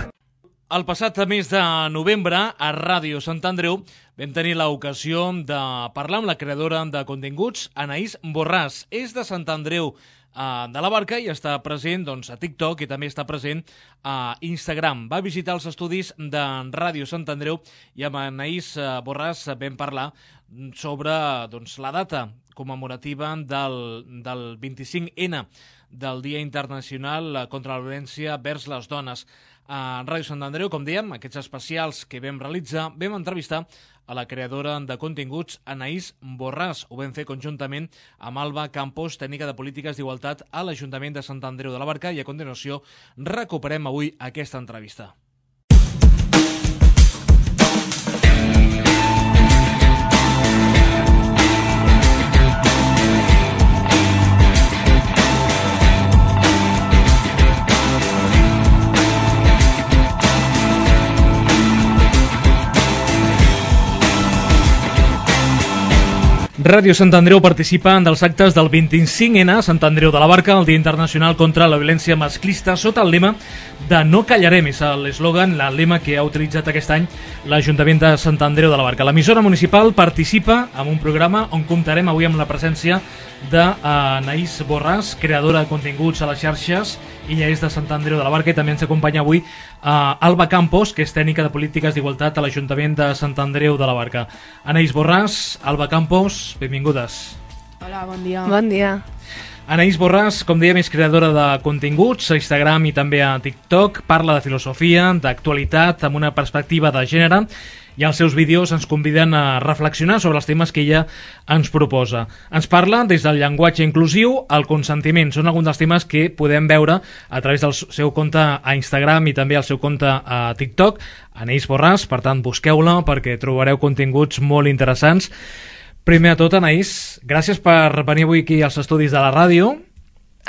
El passat mes de novembre, a Ràdio Sant Andreu, vam tenir l'ocasió de parlar amb la creadora de continguts, Anaïs Borràs. És de Sant Andreu de la Barca i està present doncs, a TikTok i també està present a Instagram. Va visitar els estudis de Ràdio Sant Andreu i amb Anaïs Borràs vam parlar sobre doncs, la data commemorativa del, del vint-i-cinc ena, del Dia Internacional contra la Violència vers les Dones. A Ràdio Sant Andreu, com dèiem, aquests especials que vam realitzar, vam entrevistar a la creadora de continguts, Anaïs Borràs. Ho vam fer conjuntament amb Alba Campos, tècnica de polítiques d'igualtat a l'Ajuntament de Sant Andreu de la Barca, i a continuació recuperem avui aquesta entrevista. Ràdio Sant Andreu participa dels actes del vint-i-cinc ena a Sant Andreu de la Barca, el Dia Internacional contra la Violència Masclista, sota el lema de No callarem. És l'eslògan, el lema que ha utilitzat aquest any l'Ajuntament de Sant Andreu de la Barca. L'emissora municipal participa en un programa on comptarem avui amb la presència d'Anaïs Borràs, creadora de continguts a les xarxes. Ella és de Sant Andreu de la Barca i també ens acompanya avui uh, Alba Campos, que és tècnica de polítiques d'igualtat a l'Ajuntament de Sant Andreu de la Barca. Anaïs Borràs, Alba Campos, benvingudes. Hola, bon dia. Bon dia. Anaïs Borràs, com dèiem, és creadora de continguts a Instagram i també a TikTok, parla de filosofia, d'actualitat, amb una perspectiva de gènere, i els seus vídeos ens conviden a reflexionar sobre els temes que ella ens proposa. Ens parla des del llenguatge inclusiu al consentiment. Són alguns dels temes que podem veure a través del seu compte a Instagram i també al seu compte a TikTok. Anaïs Borràs, per tant, busqueu-la perquè trobareu continguts molt interessants. Primer de tot, Anaïs, gràcies per venir avui aquí als estudis de la ràdio.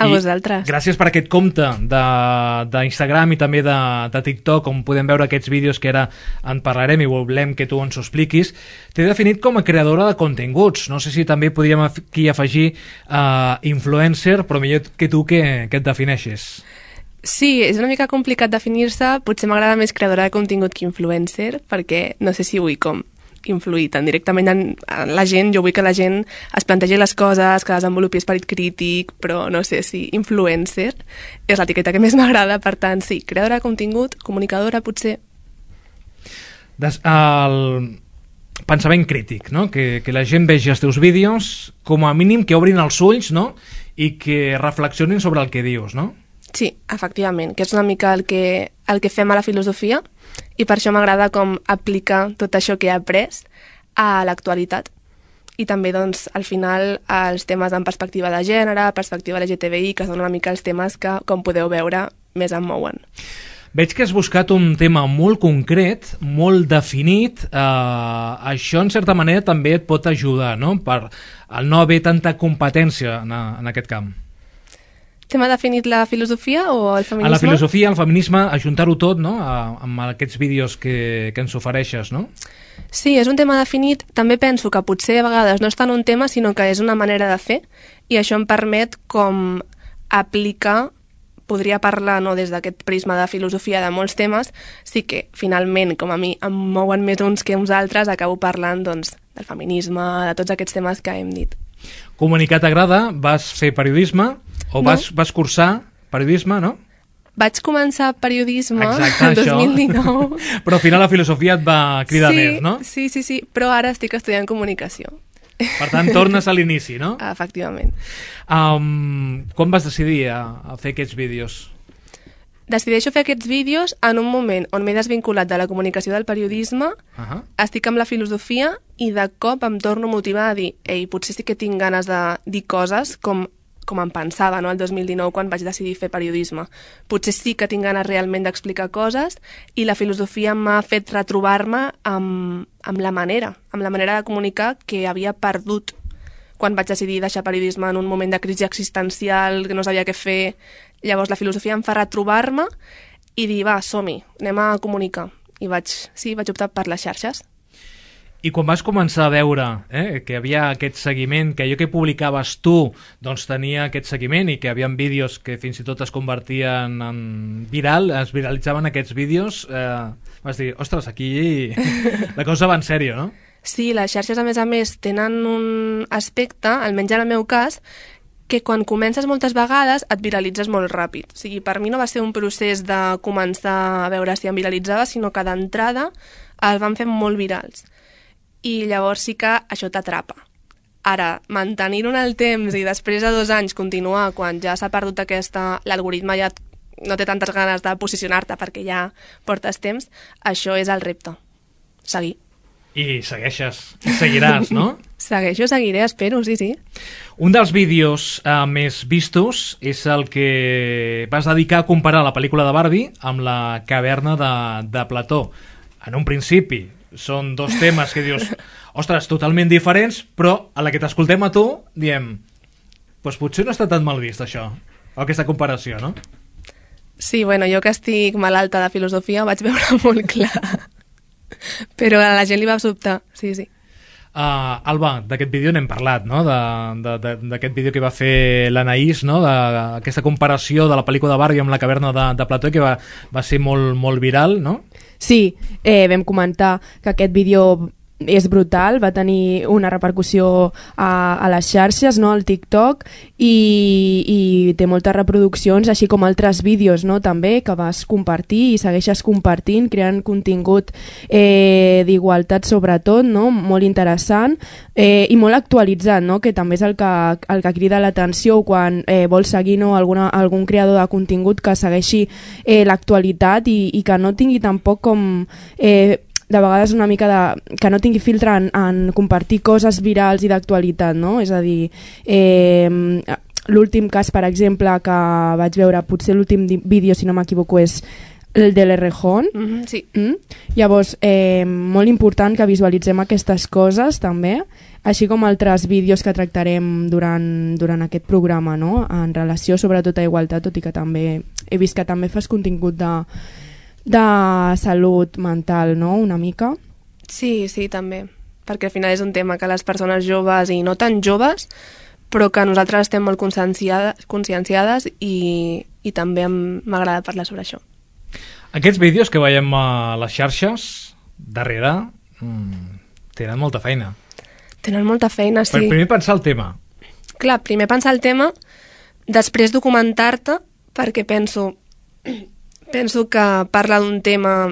A vosaltres. Gràcies per aquest compte d'Instagram i també de, de TikTok, on podem veure aquests vídeos que ara en parlarem i volem que tu ens ho expliquis. T'he definit com a creadora de continguts. No sé si també podríem aquí afegir uh, influencer, però millor que tu que, que et defineixes. Sí, és una mica complicat definir-se. Potser m'agrada més creadora de contingut que influencer, perquè no sé si vull com influir tan directament en, en la gent. Jo vull que la gent es plantegi les coses, que desenvolupi esperit crític, però no sé si influencer és l'etiqueta que més m'agrada. Per tant, sí, creadora de contingut, comunicadora, potser. Des, el pensament crític, no? Que, que la gent vegi els teus vídeos, com a mínim que obrin els ulls, no? I que reflexionin sobre el que dius, no? Sí, efectivament, que és una mica el que, el que fem a la filosofia, i per això m'agrada com aplicar tot això que he après a l'actualitat. I també, doncs, al final, els temes en perspectiva de gènere, perspectiva L G T B I, que són una mica els temes que, com podeu veure, més em mouen. Veig que has buscat un tema molt concret, molt definit. Uh, això, en certa manera, també et pot ajudar, no?, per el no haver tanta competència en, en aquest camp. T'hem definit la filosofia o el feminisme? A la filosofia, el feminisme, ajuntar-ho tot, no?, a, amb aquests vídeos que, que ens ofereixes, no? Sí, és un tema definit. També penso que potser a vegades no és tant un tema, sinó que és una manera de fer, i això em permet com aplicar, podria parlar no des d'aquest prisma de filosofia de molts temes, sí que finalment, com a mi, em mouen més uns que uns altres, acabo parlant doncs, del feminisme, de tots aquests temes que hem dit. Comunicar t'agrada? Vas fer periodisme? O no. vas, vas cursar periodisme, no? Vaig començar periodisme Exacte, el dos mil dinou. Però al final la filosofia et va cridar sí, més, no? Sí, sí, sí, però ara estic estudiant comunicació. Per tant, tornes a l'inici, no? Efectivament. Um, quan vas decidir a, a fer aquests vídeos? Decideixo fer aquests vídeos en un moment on m'he desvinculat de la comunicació del periodisme, uh-huh. estic amb la filosofia i de cop em torno a motivar a dir ei, potser sí que tinc ganes de dir coses com, com em pensava, no?, el dos mil dinou quan vaig decidir fer periodisme. Potser sí que tinc ganes realment d'explicar coses i la filosofia m'ha fet retrobar-me amb, amb la manera, amb la manera de comunicar que havia perdut quan vaig decidir deixar periodisme en un moment de crisi existencial, que no sabia què fer. Llavors la filosofia em fa retrobar-me i dir, va, som-hi, anem a comunicar. I vaig, sí, vaig optar per les xarxes. I quan vas començar a veure eh, que hi havia aquest seguiment, que allò que publicaves tu doncs tenia aquest seguiment i que hi havia vídeos que fins i tot es convertien en viral, es viralitzaven aquests vídeos, eh, vas dir, ostres, aquí la cosa va en sèrio, no? Sí, les xarxes, a més a més, tenen un aspecte, almenys en el meu cas, que quan comences moltes vegades et viralitzes molt ràpid. O sigui, per mi no va ser un procés de començar a veure si em viralitzava, sinó que d'entrada el van fer molt virals. I llavors sí que això t'atrapa. Ara, mantenir-ho en el temps i després de dos anys continuar quan ja s'ha perdut aquesta... l'algoritme ja no té tantes ganes de posicionar-te perquè ja portes temps, això és el repte. Seguir. I segueixes, seguiràs, no? Segueixo, seguiré, espero, sí, sí. Un dels vídeos eh, més vistos és el que vas dedicar a comparar la pel·lícula de Barbie amb la caverna de, de Plató. En un principi són dos temes que dius, ostres, totalment diferents, però a la que t'escoltem a tu diem, doncs potser no està tan mal vist això, o aquesta comparació, no? Sí, bueno, jo que estic malalta de filosofia ho vaig veure molt clar. Però a la gent li va sobtar, sí, sí. Uh, Alba, d'aquest vídeo n'hem parlat, no? D'aquest vídeo que va fer l'Anaïs, no? D'aquesta comparació de la pel·lícula de Barbie amb la caverna de, de Plató, que va, va ser molt, molt viral, no? Sí, eh, vam comentar que aquest vídeo és brutal, va tenir una repercussió a, a les xarxes, no?, al TikTok, i, i té moltes reproduccions, així com altres vídeos, no?, també, que vas compartir i segueixes compartint, creant contingut eh, d'igualtat sobretot, no?, molt interessant eh, i molt actualitzat, no?, que també és el que, el que crida l'atenció quan eh, vols seguir, no?, alguna, algun creador de contingut que segueixi eh, l'actualitat i, i que no tingui tampoc com... Eh, de vegades una mica de... que no tingui filtre en, en compartir coses virals i d'actualitat, no? És a dir, eh, l'últim cas, per exemple, que vaig veure, potser l'últim vídeo, si no m'equivoco, és el de l'Errejón. Mm-hmm, sí. Mm? Llavors, eh, molt important que visualitzem aquestes coses, també, així com altres vídeos que tractarem durant, durant aquest programa, no?, en relació sobretot a igualtat, tot i que també he vist que també fas contingut de... de salut mental, no?, una mica. Sí, sí, també, perquè al final és un tema que les persones joves i no tan joves, però que nosaltres estem molt conscienciades, conscienciades i, i també m'agrada parlar sobre això. Aquests vídeos que veiem a les xarxes, darrere, mmm, tenen molta feina. Tenen molta feina, sí. Per primer pensar el tema. Clar, primer pensar el tema, després documentar-te, perquè penso... Penso que parlar d'un tema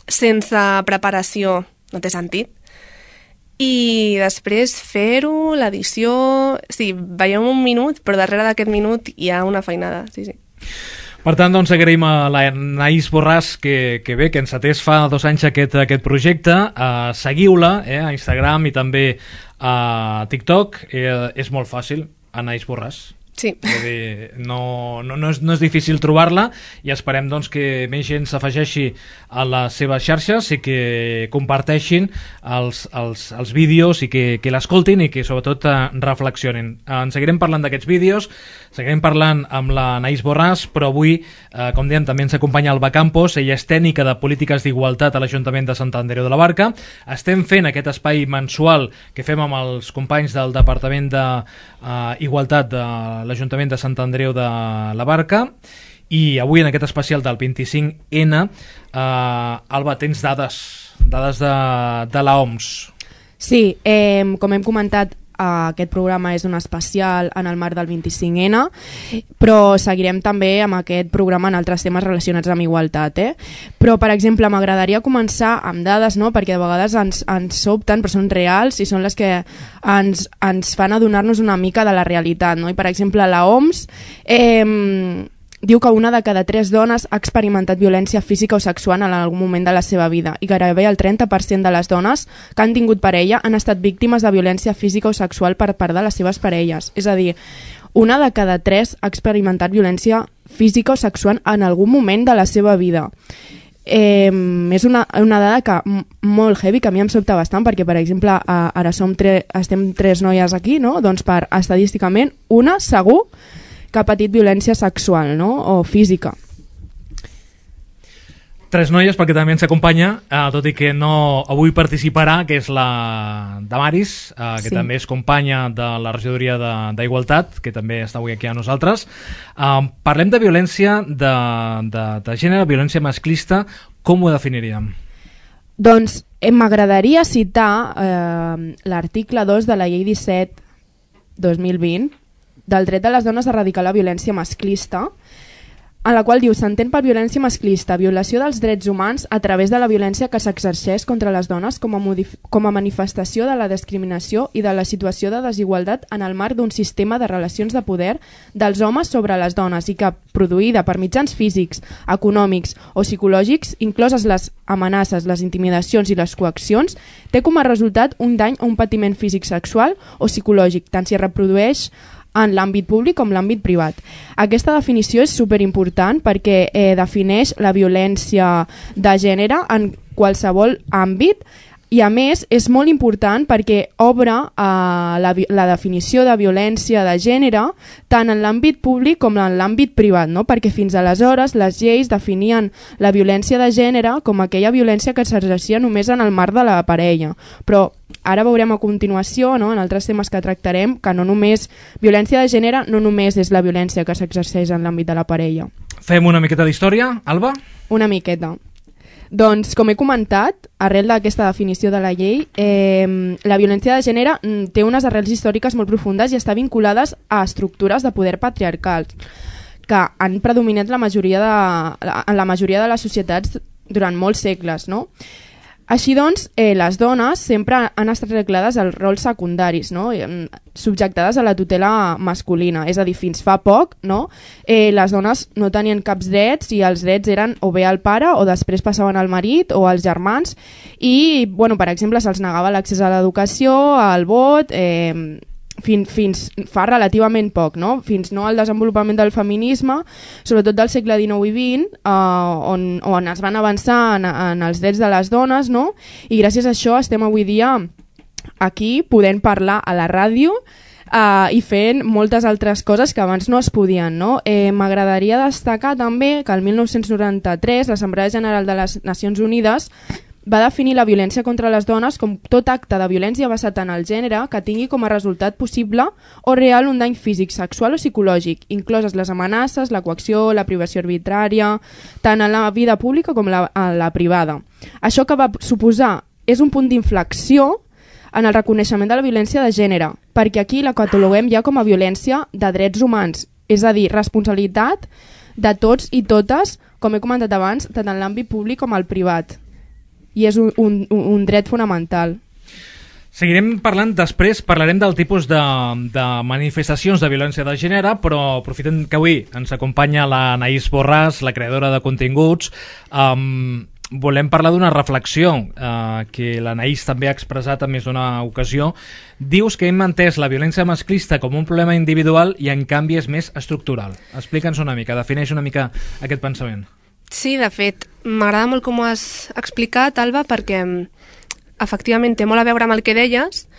sense preparació no té sentit. I després fer-ho, l'edició... Sí, veiem un minut, però darrere d'aquest minut hi ha una feinada, sí, sí. Per tant, doncs, agraïm a l'Anaïs Borràs que, que bé, que encetés fa dos anys aquest, aquest projecte. Uh, seguiu-la eh, a Instagram i també a TikTok. Eh, és molt fàcil, Anaïs Borràs. Sí. És a dir, no, no, no, és, no és difícil trobar-la i esperem doncs, que més gent s'afegeixi a les seves xarxes i que comparteixin els, els, els vídeos i que, que l'escoltin i que sobretot eh, reflexionin. Eh, en seguirem parlant d'aquests vídeos, seguirem parlant amb la Anaïs Borràs, però avui, eh, com dèiem, també ens acompanya Alba Campos. Ella és tècnica de polítiques d'igualtat a l'Ajuntament de Sant Andreu de la Barca. Estem fent aquest espai mensual que fem amb els companys del Departament d'Igualtat de l'Ajuntament de Sant Andreu de la Barca, i avui en aquest especial del vint-i-cinc ena, eh, Alba, tens dades, dades de, de l'O M S. Sí, eh, com hem comentat, aquest programa és un especial en el marc del vint-i-cinc ena, però seguirem també amb aquest programa en altres temes relacionats amb igualtat. Eh? Però, per exemple, m'agradaria començar amb dades, no? Perquè de vegades ens, ens sobten, però són reals i són les que ens, ens fan adonar-nos una mica de la realitat. No? I, per exemple, la O M S eh, diu que una de cada tres dones ha experimentat violència física o sexual en algun moment de la seva vida i gairebé el trenta per cent de les dones que han tingut parella han estat víctimes de violència física o sexual per part de les seves parelles. És a dir, una de cada tres ha experimentat violència física o sexual en algun moment de la seva vida. Eh, és una, una dada que molt heavy, que a mi em sobta bastant, perquè per exemple ara som tre, estem tres noies aquí, no? Doncs per estadísticament una segur que ha patit violència sexual, no? O física. Tres noies, perquè també ens acompanya, eh, tot i que no avui participarà, que és la Damaris, eh, que sí. també és companya de la regidoria d'Igualtat, que també està avui aquí a nosaltres. Eh, parlem de violència de, de, de gènere, violència masclista. Com ho definiríem? Doncs eh, m'agradaria citar eh, l'article dos de la llei disset dos mil vint del dret de les dones a erradicar la violència masclista, en la qual diu: s'entén per violència masclista violació dels drets humans a través de la violència que s'exerceix contra les dones com a, com a manifestació de la discriminació i de la situació de desigualtat en el marc d'un sistema de relacions de poder dels homes sobre les dones i que, produïda per mitjans físics, econòmics o psicològics, incloses les amenaces, les intimidacions i les coaccions, té com a resultat un dany o un patiment físic, sexual o psicològic, tant si es reprodueix en l'àmbit públic com l'àmbit privat. Aquesta definició és superimportant perquè eh, defineix la violència de gènere en qualsevol àmbit i a més és molt important perquè obre eh, la, la definició de violència de gènere tant en l'àmbit públic com en l'àmbit privat, no? Perquè fins aleshores les lleis definien la violència de gènere com aquella violència que s'exercia només en el marc de la parella, però ara veurem a continuació, no, en altres temes que tractarem, que no només violència de gènere no només és la violència que s'exerceix en l'àmbit de la parella. Fem una miqueta d'història, Alba? Una miqueta. Doncs, com he comentat, arrel d'aquesta definició de la llei, eh, la violència de gènere té unes arrels històriques molt profundes i està vinculades a estructures de poder patriarcals que han predominat la majoria de, en la majoria de les societats durant molts segles, no? Així doncs, eh, les dones sempre han estat reglades als rols secundaris, no? Subjectades a la tutela masculina, és a dir, fins fa poc, no? eh, les dones no tenien caps drets i els drets eren o bé al pare o després passaven al marit o als germans i, bueno, per exemple, se'ls negava l'accés a l'educació, al vot, eh, Fins, fins fa relativament poc, no? Fins no al desenvolupament del feminisme, sobretot del segle dinou i vint, eh, on, on es van avançar en, en els drets de les dones, no? I gràcies a això estem avui dia aquí podent parlar a la ràdio eh, i fent moltes altres coses que abans no es podien, no? Eh, M'agradaria destacar també que el mil nou-cents noranta-tres l'Assemblea General de les Nacions Unides va definir la violència contra les dones com tot acte de violència basat en el gènere que tingui com a resultat possible o real un dany físic, sexual o psicològic, incloses les amenaces, la coacció, la privació arbitrària, tant en la vida pública com la, en la privada. Això que va suposar és un punt d'inflexió en el reconeixement de la violència de gènere, perquè aquí la cataloguem ja com a violència de drets humans, és a dir, responsabilitat de tots i totes, com he comentat abans, tant en l'àmbit públic com al privat. I és un, un, un dret fonamental. Seguirem parlant després, parlarem del tipus de, de manifestacions de violència de gènere, però aprofitem que avui ens acompanya la Anaïs Borràs, la creadora de continguts. Um, volem parlar d'una reflexió uh, que l'Anaïs també ha expressat en més d'una ocasió. Dius que hem entès la violència masclista com un problema individual i en canvi és més estructural. Explica'ns una mica, defineix una mica aquest pensament. Sí, de fet, m'agrada molt com ho has explicat, Alba, perquè efectivament té molt a veure amb el que deies.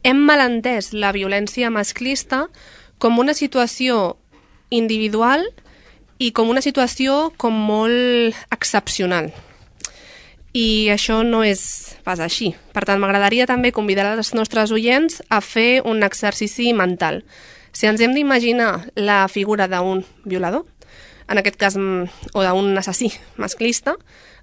Hem malentès la violència masclista com una situació individual i com una situació com molt excepcional. I això no és pas així. Per tant, m'agradaria també convidar els nostres oients a fer un exercici mental. Si ens hem d'imaginar la figura d'un violador, en aquest cas, o d'un assassí masclista,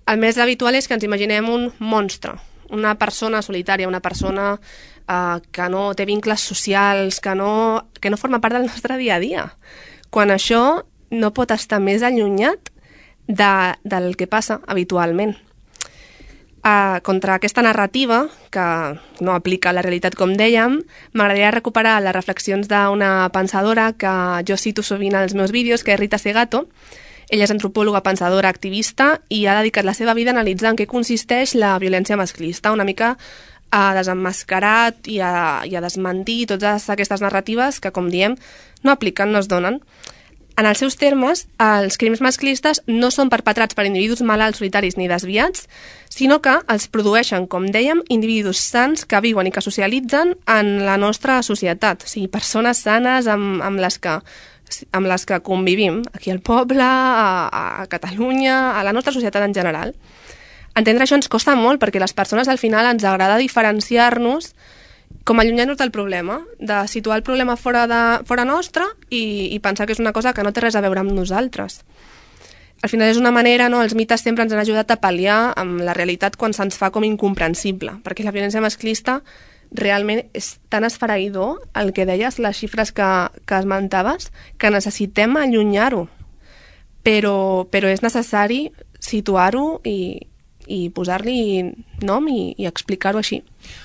el més habitual és que ens imaginem un monstre, una persona solitària, una persona eh, que no té vincles socials, que no, que no forma part del nostre dia a dia, quan això no pot estar més allunyat de, del que passa habitualment. Uh, contra aquesta narrativa, que no aplica la realitat com dèiem, m'agradaria recuperar les reflexions d'una pensadora que jo cito sovint als meus vídeos, que és Rita Segato. Ella és antropòloga, pensadora, activista i ha dedicat la seva vida a analitzar en què consisteix la violència masclista, una mica a desemmascarar i a, i a desmentir totes aquestes narratives que, com diem, no apliquen, no es donen. En els seus termes, els crims masclistes no són perpetrats per individus malalts, solitaris ni desviats, sinó que els produeixen, com dèiem, individus sants que viuen i que socialitzen en la nostra societat, o sigui, persones sanes amb, amb, les, que, amb les que convivim aquí al poble, a, a Catalunya, a la nostra societat en general. Entendre això ens costa molt perquè les persones al final ens agrada diferenciar-nos com allunyar-nos del problema, de situar el problema fora, de, fora nostre i, i pensar que és una cosa que no té res a veure amb nosaltres. Al final és una manera, no? Els mites sempre ens han ajudat a pal·liar amb la realitat quan se'ns fa com incomprensible, perquè la violència masclista realment és tan esfereïdor, el que deies, les xifres que, que esmentaves, que necessitem allunyar-ho, però, però és necessari situar-ho i, i posar-li nom i, i explicar-ho així.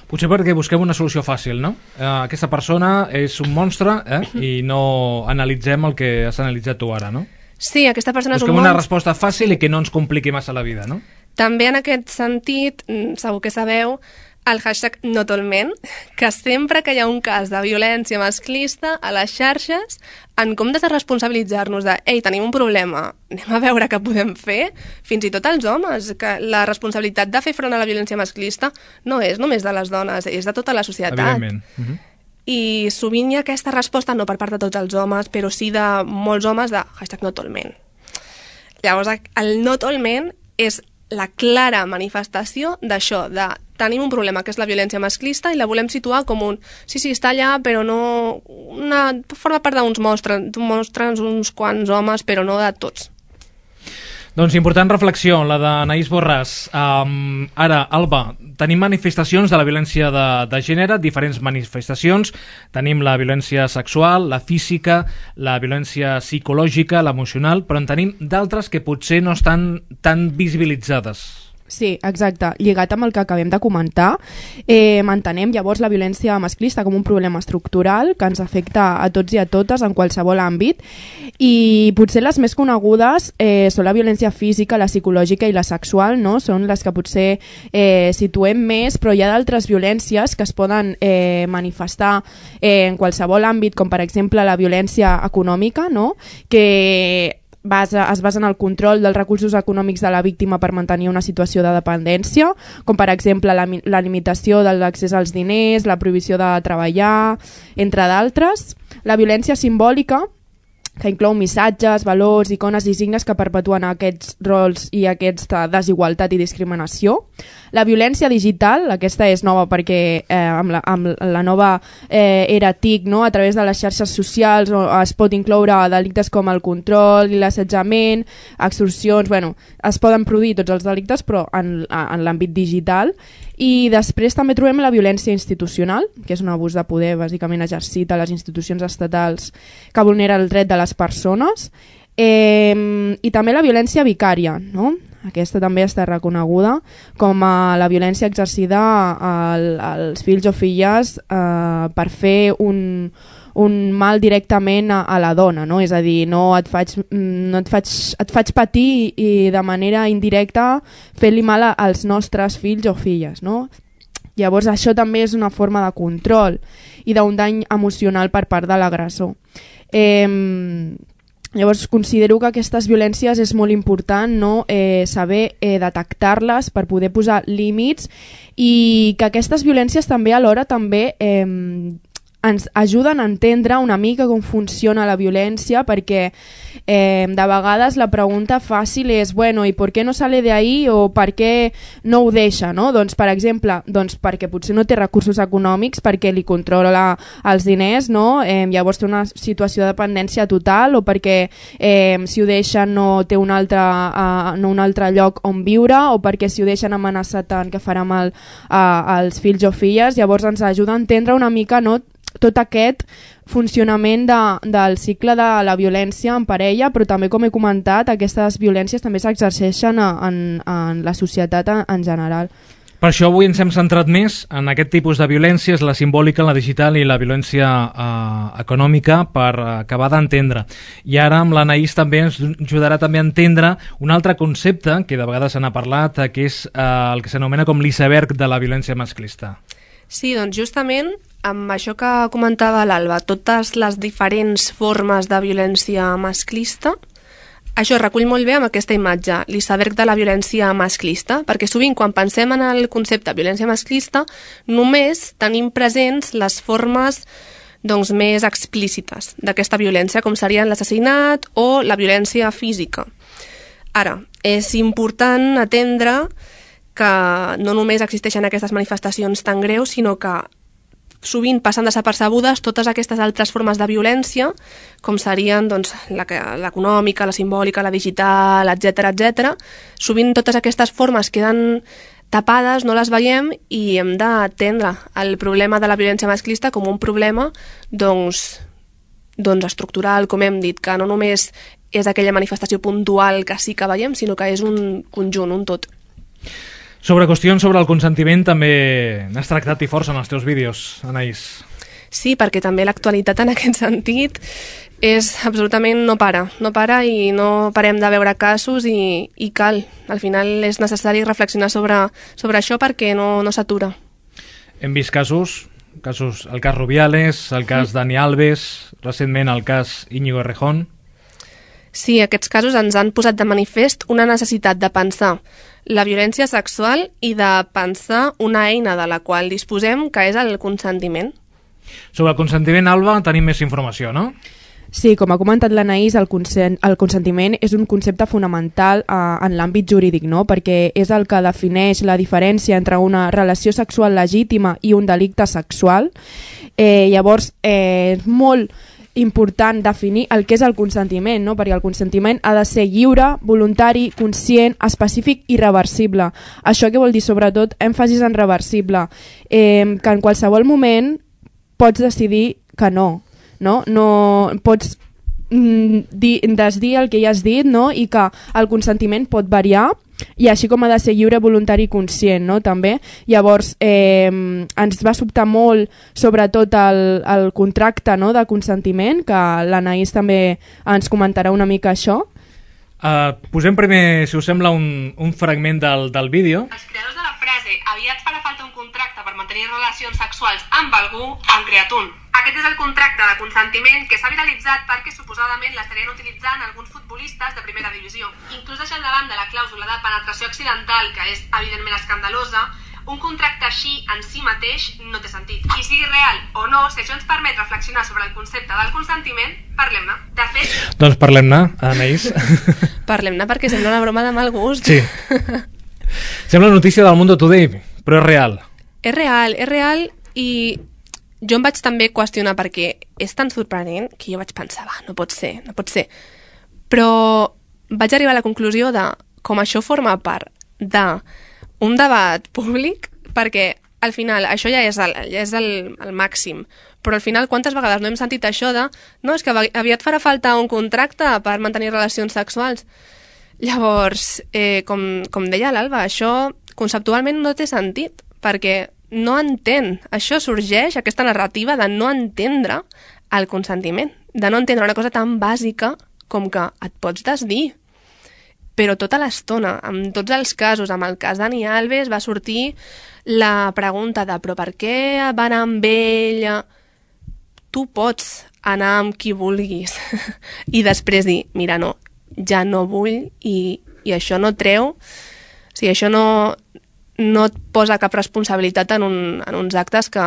Potser perquè busquem una solució fàcil, no? Eh, aquesta persona és un monstre eh? i no analitzem el que has analitzat tu ara, no? Sí, aquesta persona busquem és un monstre. Busquem una resposta fàcil i que no ens compliqui massa la vida, no? També en aquest sentit, segur que sabeu, el hashtag notolment, que sempre que hi ha un cas de violència masclista a les xarxes, en comptes de responsabilitzar-nos de ei, tenim un problema, anem a veure què podem fer, fins i tot els homes, que la responsabilitat de fer front a la violència masclista no és només de les dones, és de tota la societat. Evidentment. Uh-huh. I sovint hi ha aquesta resposta, no per part de tots els homes, però sí de molts homes de hashtag notolment. Llavors, el notolment és la clara manifestació d'això, de tenim un problema que és la violència masclista i la volem situar com un sí, sí, està allà, però no una, forma part d'uns mostres, mostres uns quants homes, però no de tots. Doncs important reflexió, la d'Anaïs Borràs. Um, ara, Alba, tenim manifestacions de la violència de, de gènere, diferents manifestacions. Tenim la violència sexual, la física, la violència psicològica, l'emocional, però en tenim d'altres que potser no estan tan visibilitzades. Sí, exacte. Lligat amb el que acabem de comentar, eh, mantenem llavors la violència masclista com un problema estructural que ens afecta a tots i a totes en qualsevol àmbit, i potser les més conegudes eh, són la violència física, la psicològica i la sexual, no? Són les que potser eh, situem més, però hi ha d'altres violències que es poden eh, manifestar eh, en qualsevol àmbit, com per exemple la violència econòmica, no? Que Basa, es basa en el control dels recursos econòmics de la víctima per mantenir una situació de dependència, com per exemple la, la limitació de l'accés als diners, la prohibició de treballar, entre d'altres. La violència simbòlica, que inclou missatges, valors, icones i signes que perpetuen aquests rols i aquesta desigualtat i discriminació. La violència digital, aquesta és nova perquè eh, amb, la, amb la nova eh, era T I C, no? A través de les xarxes socials es pot incloure delictes com el control i l'assetjament, extorsions, bueno, es poden produir tots els delictes però en, en l'àmbit digital. I després també trobem la violència institucional, que és un abús de poder bàsicament exercit a les institucions estatals que vulnera el dret de les persones, eh, i també la violència vicària, no? Aquesta també està reconeguda com a la violència exercida al, als fills o filles eh, per fer un, un mal directament a, a la dona, no? És a dir, no et faig, no et faig, et faig patir i de manera indirecta fent-li mal als nostres fills o filles, no? Llavors això també és una forma de control i d'un dany emocional per part de l'agressor. Eh, Llavors considero que aquestes violències és molt important, no? eh, saber eh, detectar-les per poder posar límits, i que aquestes violències també alhora també eh, ens ajuden a entendre una mica com funciona la violència, perquè eh, de vegades la pregunta fàcil és, bueno, i per què no sale de ahí o per què no ho deixa, no? Doncs, per exemple, doncs perquè potser no té recursos econòmics, perquè li controla els diners, no? Eh, llavors té una situació de dependència total, o perquè eh, si ho deixa no té un altre, uh, no un altre lloc on viure, o perquè si ho deixen amenaçat tant que farà mal uh, als fills o filles. Llavors ens ajuda a entendre una mica, no?, tot aquest funcionament de, del cicle de la violència en parella, però també, com he comentat, aquestes violències també s'exerceixen en, en la societat en, en general. Per això avui ens hem centrat més en aquest tipus de violències, la simbòlica, la digital i la violència eh, econòmica, per acabar d'entendre. I ara amb l'Anaïs també ens ajudarà també a entendre un altre concepte que de vegades se n'ha parlat, que és eh, el que s'anomena com l'iceberg de la violència masclista. Sí, doncs justament amb això que comentava l'Alba, totes les diferents formes de violència masclista, això es recull molt bé amb aquesta imatge, l'iceberg de la violència masclista, perquè sovint quan pensem en el concepte violència masclista només tenim presents les formes doncs, més explícites d'aquesta violència, com serien l'assassinat o la violència física. Ara, és important atendre que no només existeixen aquestes manifestacions tan greus, sinó que sovint passen desapercebudes totes aquestes altres formes de violència, com serien doncs, l'econòmica, la simbòlica, la digital, etcètera, etcètera. Sovint totes aquestes formes queden tapades, no les veiem, i hem d'atendre el problema de la violència masclista com un problema doncs, doncs estructural, com hem dit, que no només és aquella manifestació puntual que sí que veiem, sinó que és un conjunt, un tot. Sobre qüestions sobre el consentiment també n'has tractat i força en els teus vídeos, Anaïs. Sí, perquè també l'actualitat en aquest sentit és absolutament no para, no para i no parem de veure casos i, i cal. Al final és necessari reflexionar sobre, sobre això perquè no, no s'atura. Hem vist casos, casos, el cas Rubiales, el cas Dani Alves, recentment el cas Íñigo Errejón. Sí, aquests casos ens han posat de manifest una necessitat de pensar la violència sexual i de pensar una eina de la qual disposem, que és el consentiment. Sobre el consentiment, Alba, tenim més informació, no? Sí, com ha comentat l'Anaïs, el, consent, el consentiment és un concepte fonamental eh, en l'àmbit jurídic, no? Perquè és el que defineix la diferència entre una relació sexual legítima i un delicte sexual. Eh, llavors, eh, és molt important definir el que és el consentiment, no? Perquè el consentiment ha de ser lliure, voluntari, conscient, específic i reversible. Això què vol dir? Sobretot èmfasis en reversible, eh, que en qualsevol moment pots decidir que no, no? No pots mm, dir, desdir el que ja has dit, no? I que el consentiment pot variar, i així com ha de ser lliure, voluntari i conscient, no? També. Llavors, eh, ens va sobtar molt, sobretot, el, el contracte, no? De consentiment, que l'Anaïs també ens comentarà una mica això. Uh, posem primer, si us sembla, un, un fragment del, del vídeo. Els creadors de la frase "aviat farà falta un contracte per mantenir relacions sexuals amb algú" han creat un. Aquest és el contracte de consentiment que s'ha viralitzat perquè suposadament l'estarien utilitzant alguns futbolistes de primera divisió. Inclús deixant de banda la clàusula de penetració accidental, que és evidentment escandalosa, un contracte així en si mateix no té sentit. I sigui real o no, si això ens permet reflexionar sobre el concepte del consentiment, parlem-ne. De fet... Doncs parlem-ne, Anaïs. Parlem-ne perquè sembla una broma de mal gust. Sí. Sembla notícia del Mundo Today, però és real. És real, és real i jo em vaig també qüestionar perquè és tan sorprenent que jo vaig pensar, va, no pot ser, no pot ser. Però vaig arribar a la conclusió de com això forma part d'un debat públic, perquè al final això ja és, el, ja és el, el màxim, però al final quantes vegades no hem sentit això de no, és que aviat farà falta un contracte per mantenir relacions sexuals. Llavors, eh, com, com deia l'Alba, això conceptualment no té sentit, perquè no entén, això sorgeix, aquesta narrativa de no entendre el consentiment, de no entendre una cosa tan bàsica com que et pots desdir. Però tota l'estona, en tots els casos, amb el cas Dani Alves, va sortir la pregunta de però per què va anar amb ella? Tu pots anar amb qui vulguis i després dir, mira, no, ja no vull i, i això no treu, o sigui, això no... no et posa cap responsabilitat en, un, en uns actes que,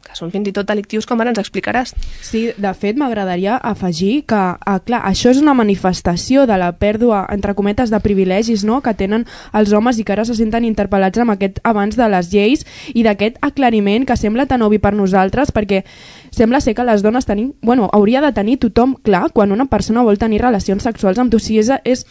que són fins i tot delictius, com ara ens explicaràs. Sí, de fet, m'agradaria afegir que, ah, clar, això és una manifestació de la pèrdua, entre cometes, de privilegis, no?, que tenen els homes i que ara se senten interpel·lats amb aquest abans de les lleis i d'aquest aclariment que sembla tan obvi per nosaltres, perquè sembla ser que les dones tenim... Bueno, hauria de tenir tothom clar quan una persona vol tenir relacions sexuals amb tu. Si és... és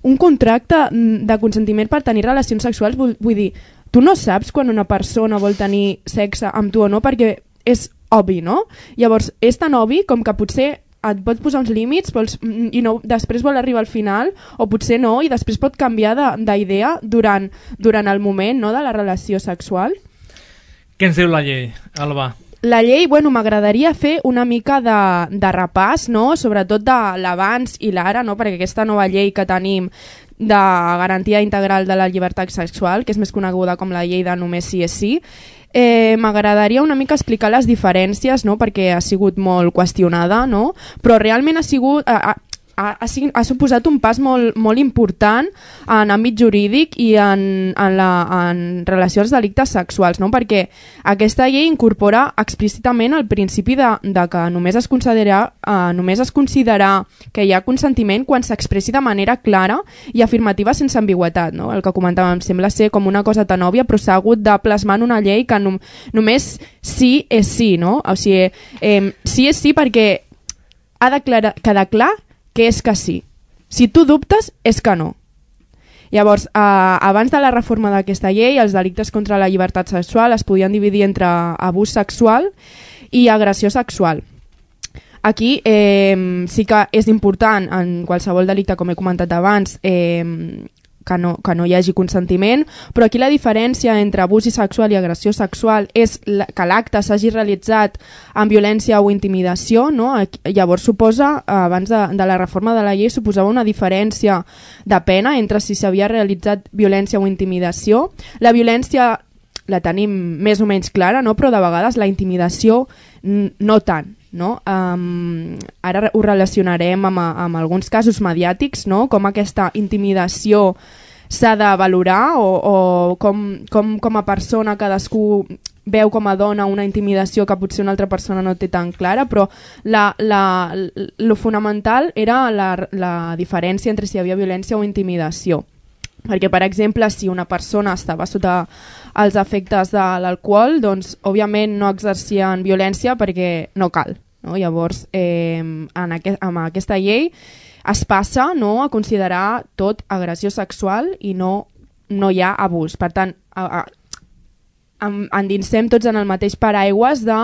un contracte de consentiment per tenir relacions sexuals, vull, vull dir, tu no saps quan una persona vol tenir sexe amb tu o no, perquè és obvi, no? Llavors, és tan obvi com que potser et pot posar uns límits vols, i no, després vol arribar al final, o potser no, i després pot canviar d'idea durant, durant el moment, no?, de la relació sexual. Què ens diu la llei, Alba? La llei, bueno, m'agradaria fer una mica de, de repàs, no?, sobretot de l'abans i l'ara, no?, perquè aquesta nova llei que tenim de garantia integral de la llibertat sexual, que és més coneguda com la llei de només sí és sí, eh, m'agradaria una mica explicar les diferències, no?, perquè ha sigut molt qüestionada, no?, però realment ha sigut... Ha, ha, ha suposat un pas molt, molt important en àmbit jurídic i en, en, la, en relació als delictes sexuals, no? Perquè aquesta llei incorpora explícitament el principi de, de que només es, considera, eh, només es considera que hi ha consentiment quan s'expressi de manera clara i afirmativa sense ambigüetat, no? El que comentàvem sembla ser com una cosa tan òbvia, però s'ha hagut de plasmar en una llei que no, només sí és sí, no? O sigui, eh, sí és sí perquè ha de quedar clar que és que sí. Si tu dubtes, és que no. Llavors, eh, abans de la reforma d'aquesta llei, els delictes contra la llibertat sexual es podien dividir entre abús sexual i agressió sexual. Aquí eh, sí que és important, en qualsevol delicte, com he comentat abans, eh, que no, que no hi hagi consentiment, però aquí la diferència entre abús sexual i agressió sexual és que l'acte s'hagi realitzat amb violència o intimidació, no? Llavors suposa, abans de, de la reforma de la llei, suposava una diferència de pena entre si s'havia realitzat violència o intimidació. La violència la tenim més o menys clara, no? Però de vegades la intimidació no tant. No? Um, ara ho relacionarem amb, amb alguns casos mediàtics, no? Com aquesta intimidació s'ha de valorar o, o com, com, com a persona cadascú veu com a dona una intimidació que potser una altra persona no té tan clara, però la, la, lo fonamental era la, la diferència entre si hi havia violència o intimidació. Perquè, per exemple, si una persona estava sota els efectes de l'alcohol, doncs, òbviament, no exercien violència perquè no cal. No? Llavors, eh, en aquest, amb aquesta llei es passa, no?, a considerar tot agressió sexual i no, no hi ha abús. Per tant, a, a, endinsem tots en el mateix paraigües de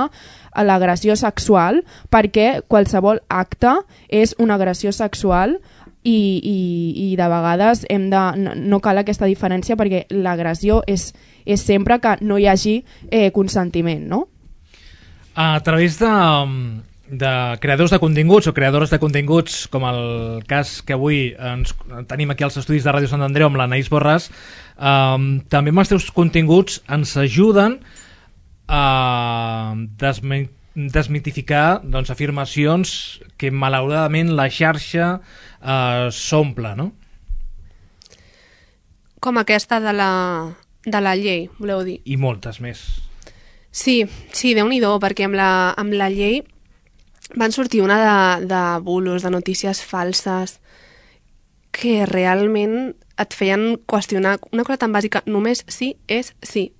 l'agressió sexual, perquè qualsevol acte és una agressió sexual. I, i, i de vegades hem de, no, no cal aquesta diferència perquè l'agressió és, és sempre que no hi hagi eh, consentiment, no? A través de, de creadors de continguts o creadores de continguts, com el cas que avui ens tenim aquí als estudis de Ràdio Sant Andreu amb l'Anaïs Borràs, eh, també amb els teus continguts ens ajuden a desmentir desmitificar, doncs, afirmacions que malauradament la xarxa eh, s'omple, no? Com aquesta de la, de la llei, voleu dir? I moltes més. Sí, sí, Déu-n'hi-do, perquè amb la, amb la llei van sortir una de, de bulos, de notícies falses, que realment et feien qüestionar una cosa tan bàsica, només sí és sí.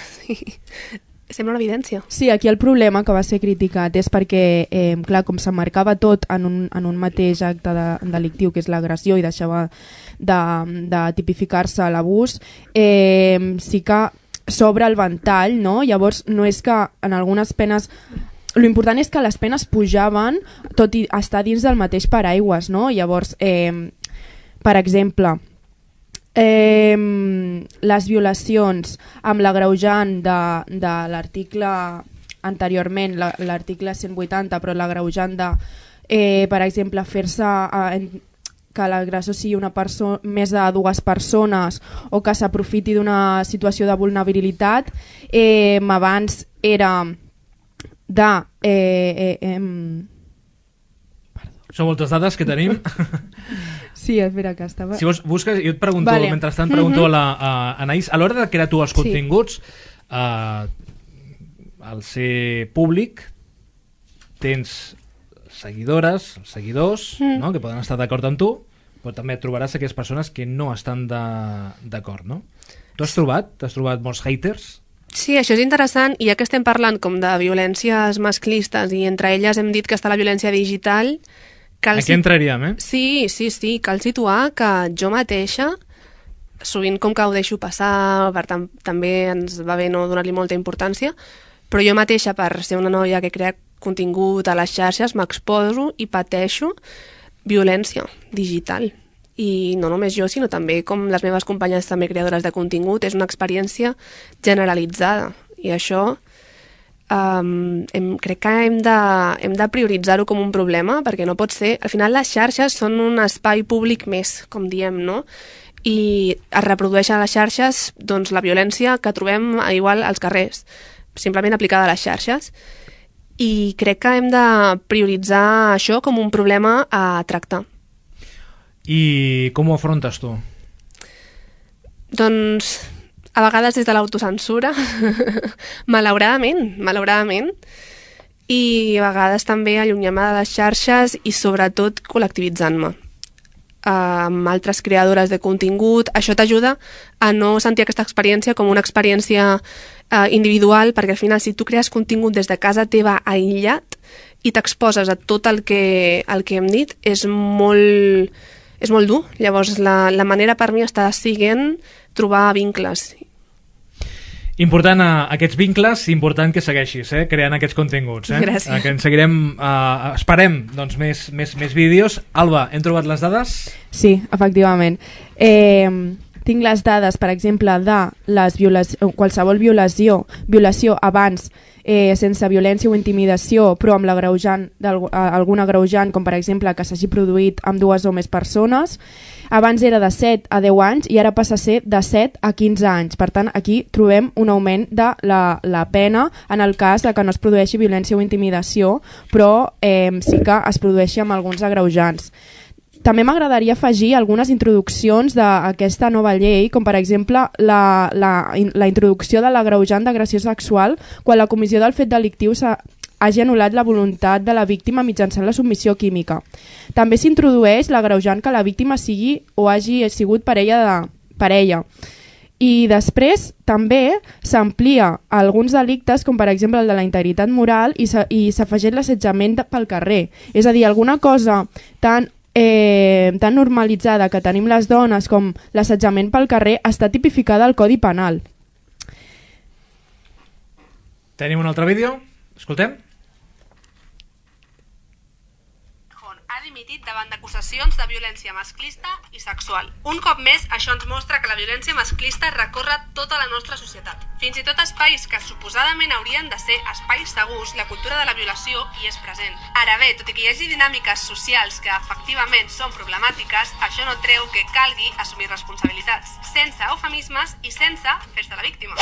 Sí. Sembla una evidència. Sí, aquí el problema que va ser criticat és perquè, eh, clar, com s'emmarcava tot en un, en un mateix acte de, delictiu, que és l'agressió, i deixava de, de tipificar-se l'abús, eh, sí que s'obre el ventall, no? Llavors, no és que en algunes penes... L'important és que les penes pujaven tot i estar dins del mateix paraigües, no? Llavors, eh, per exemple... Eh, les violacions amb l'agreujant de, de l'article anteriorment, l'article cent vuitanta, però l'agreujant de, eh, per exemple, fer-se eh, que l'agressor sigui una persona, més de dues persones, o que s'aprofiti d'una situació de vulnerabilitat, eh, abans era de... Eh, eh, eh, Són moltes dades que tenim. Sí, espera, que estava... Si vols, busques, jo et pregunto, vale. Mentrestant pregunto mm-hmm. a la a Anaïs, a l'hora de crear tu els continguts, sí. eh, al ser públic, tens seguidores, seguidors, mm. no?, que poden estar d'acord amb tu, però també et trobaràs aquelles persones que no estan d'acord, no? Tu has trobat? T'has trobat molts haters? Sí, això és interessant, i ja que estem parlant com de violències masclistes, i entre elles hem dit que està la violència digital... Cal Aquí entraríem, eh? Sí, sí, sí. Cal situar que jo mateixa, sovint com que ho deixo passar, per tant, també ens va bé no donar-li molta importància, Però jo mateixa, per ser una noia que crea contingut a les xarxes, m'exposo i pateixo violència digital. I no només jo, sinó també com les meves companyes també creadores de contingut. És una experiència generalitzada. I això um, hem, crec que hem de, hem de prioritzar-ho com un problema, perquè no pot ser... Al final les xarxes són un espai públic més, com diem, no? I es reprodueixen a les xarxes doncs, la violència que trobem igual als carrers, simplement aplicada a les xarxes. I crec que hem de prioritzar això com un problema a tractar. I com ho afrontes tu? Doncs a vegades des de l'autocensura, malauradament, malauradament, i a vegades també allunyant-me de les xarxes i sobretot col·lectivitzant-me amb altres creadores de contingut. Això t'ajuda a no sentir aquesta experiència com una experiència eh, individual, perquè al final si tu crees contingut des de casa teva aïllat i t'exposes a tot el que, el que hem dit, és molt, és molt dur. Llavors la, la manera per mi està siguent trobar vincles. Important a aquests vincles, important que segueixis eh, creant aquests continguts. Eh? Gràcies. Eh, que en seguirem, eh, esperem doncs, més, més, més vídeos. Alba, hem trobat les dades? Sí, efectivament. Eh, tinc les dades, per exemple, de les violació, qualsevol violació, violació abans eh, sense violència o intimidació, però amb l'agreujant algun agreujant, com per exemple que s'hagi produït amb dues o més persones. Abans era de set a deu anys i ara passa a ser de set a quinze anys. Per tant, aquí trobem un augment de la, la pena en el cas de que no es produeixi violència o intimidació, però eh, sí que es produeixi amb alguns agreujants. També m'agradaria afegir algunes introduccions d'aquesta nova llei, com per exemple la, la, la introducció de l'agreujant d'agressió sexual quan la comissió del fet delictiu s'ha hagi anul·lat la voluntat de la víctima mitjançant la submissió química. També s'introdueix l'agreujant que la víctima sigui o hagi sigut parella de parella. I després també s'amplia alguns delictes, com per exemple el de la integritat moral, i s'afegeix l'assetjament pel carrer. És a dir, alguna cosa tan, eh, tan normalitzada que tenim les dones com l'assetjament pel carrer està tipificada al Codi Penal. Tenim un altre vídeo? Escoltem. Dimitit davant d'acusacions de violència masclista i sexual. Un cop més, això ens mostra que la violència masclista recorre tota la nostra societat. Fins i tot espais que suposadament haurien de ser espais segurs, la cultura de la violació hi és present. Ara bé, tot i que hi hagi dinàmiques socials que efectivament són problemàtiques, això no treu que calgui assumir responsabilitats, sense eufemismes i sense fer-se la víctima.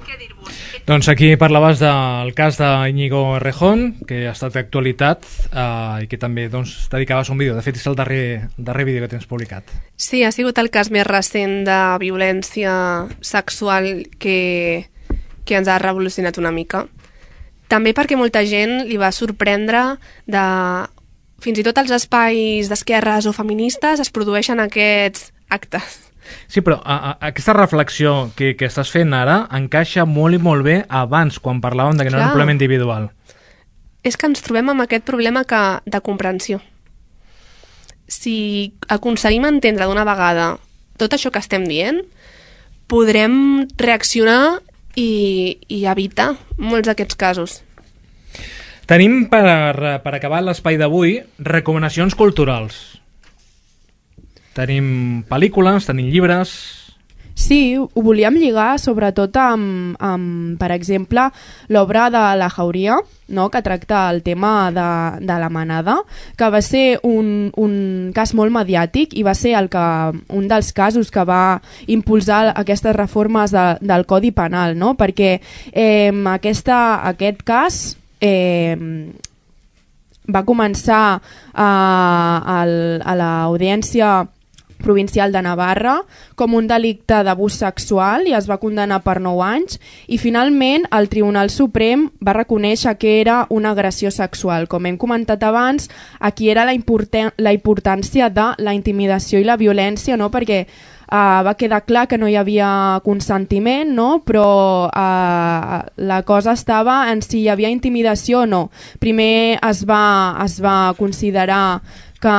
Què dir-vos? Doncs aquí parlaves del cas d'Iñigo Errejón, que ha estat d'actualitat eh, i que també doncs, dedicaves un vídeo. De fet, és el darrer, darrer vídeo que tens publicat. Sí, ha sigut el cas més recent de violència sexual que, que ens ha revolucionat una mica. També perquè molta gent li va sorprendre de... Fins i tot als espais d'esquerres o feministes es produeixen aquests actes. Sí, però a, a, aquesta reflexió que, que estàs fent ara encaixa molt i molt bé abans, quan parlàvem de que no era un problema individual. És que ens trobem amb aquest problema que, de comprensió. Si aconseguim entendre d'una vegada tot això que estem dient, podrem reaccionar i, i evitar molts d'aquests casos. Tenim, per, per acabar l'espai d'avui, recomanacions culturals. Tenim pel·lícules, tenim llibres... Sí, ho volíem lligar sobretot amb, amb per exemple, l'obra de la Jauria, no?, que tracta el tema de, de la manada, que va ser un, un cas molt mediàtic i va ser el que, un dels casos que va impulsar aquestes reformes de, del Codi Penal, no?, perquè eh, aquesta, aquest cas... Eh, va començar a, a, a l'Audiència Provincial de Navarra com un delicte d'abús sexual i es va condenar per nou anys i finalment el Tribunal Suprem va reconèixer que era una agressió sexual. Com hem comentat abans, aquí era la, importància, la importància de la intimidació i la violència, no?, perquè Uh, va quedar clar que no hi havia consentiment, no? Però uh, la cosa estava en si hi havia intimidació o no. Primer es va, es va considerar que,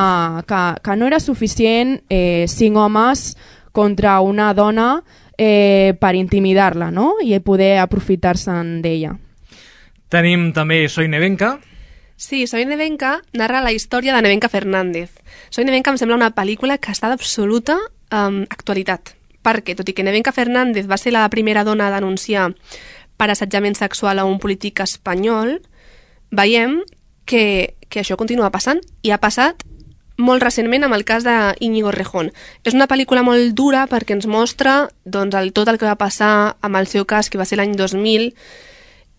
que, que no era suficient eh, cinc homes contra una dona eh, per intimidar-la, no?, i poder aprofitar-se'n d'ella. Tenim també Soy Nevenka. Sí, Soy Nevenka narra la història de Nevenka Fernández. Soy Nevenka em sembla una pel·lícula que està d'absoluta um, actualitat, perquè, tot i que Nevenka Fernández va ser la primera dona a denunciar per assetjament sexual a un polític espanyol, veiem que, que això continua passant, i ha passat molt recentment amb el cas d'Íñigo Errejón. És una pel·lícula molt dura perquè ens mostra doncs, el, tot el que va passar amb el seu cas, que va ser l'any dos mil,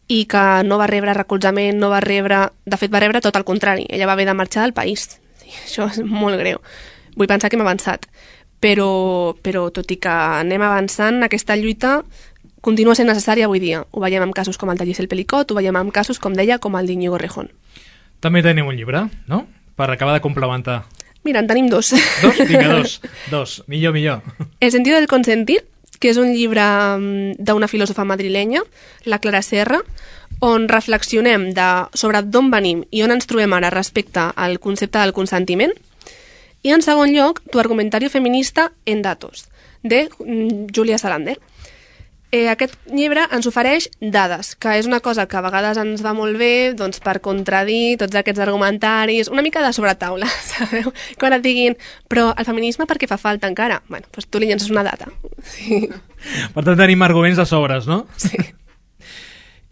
i que no va rebre recolzament, no va rebre... De fet, va rebre tot el contrari. Ella va haver de marxar del país. Sí, això és molt greu. Vull pensar que hem avançat. Però, però tot i que anem avançant, aquesta lluita continua sent necessària avui dia. Ho veiem amb casos com el de Giselle Pelicot, ho veiem amb casos, com deia, com el d'Íñigo Errejón. També tenim un llibre, no? Per acabar de complementar. Mira, en tenim dos. Dos? Vinga, dos. Dos. Millor, millor. El sentido del consentir, que és un llibre d'una filòsofa madrilenya, la Clara Serra, on reflexionem de, sobre d'on venim i on ens trobem ara respecte al concepte del consentiment. I en segon lloc, Tu argumentario feminista en datos, de Julia Salander. Eh, aquest llibre ens ofereix dades, que és una cosa que a vegades ens va molt bé doncs, per contradir tots aquests argumentaris, una mica de sobretaula, sabeu? Quan et diguin, però el feminisme per què fa falta encara? Bueno, doncs tu li llences una data. Sí. Per tant, tenim arguments de sobres, no? Sí.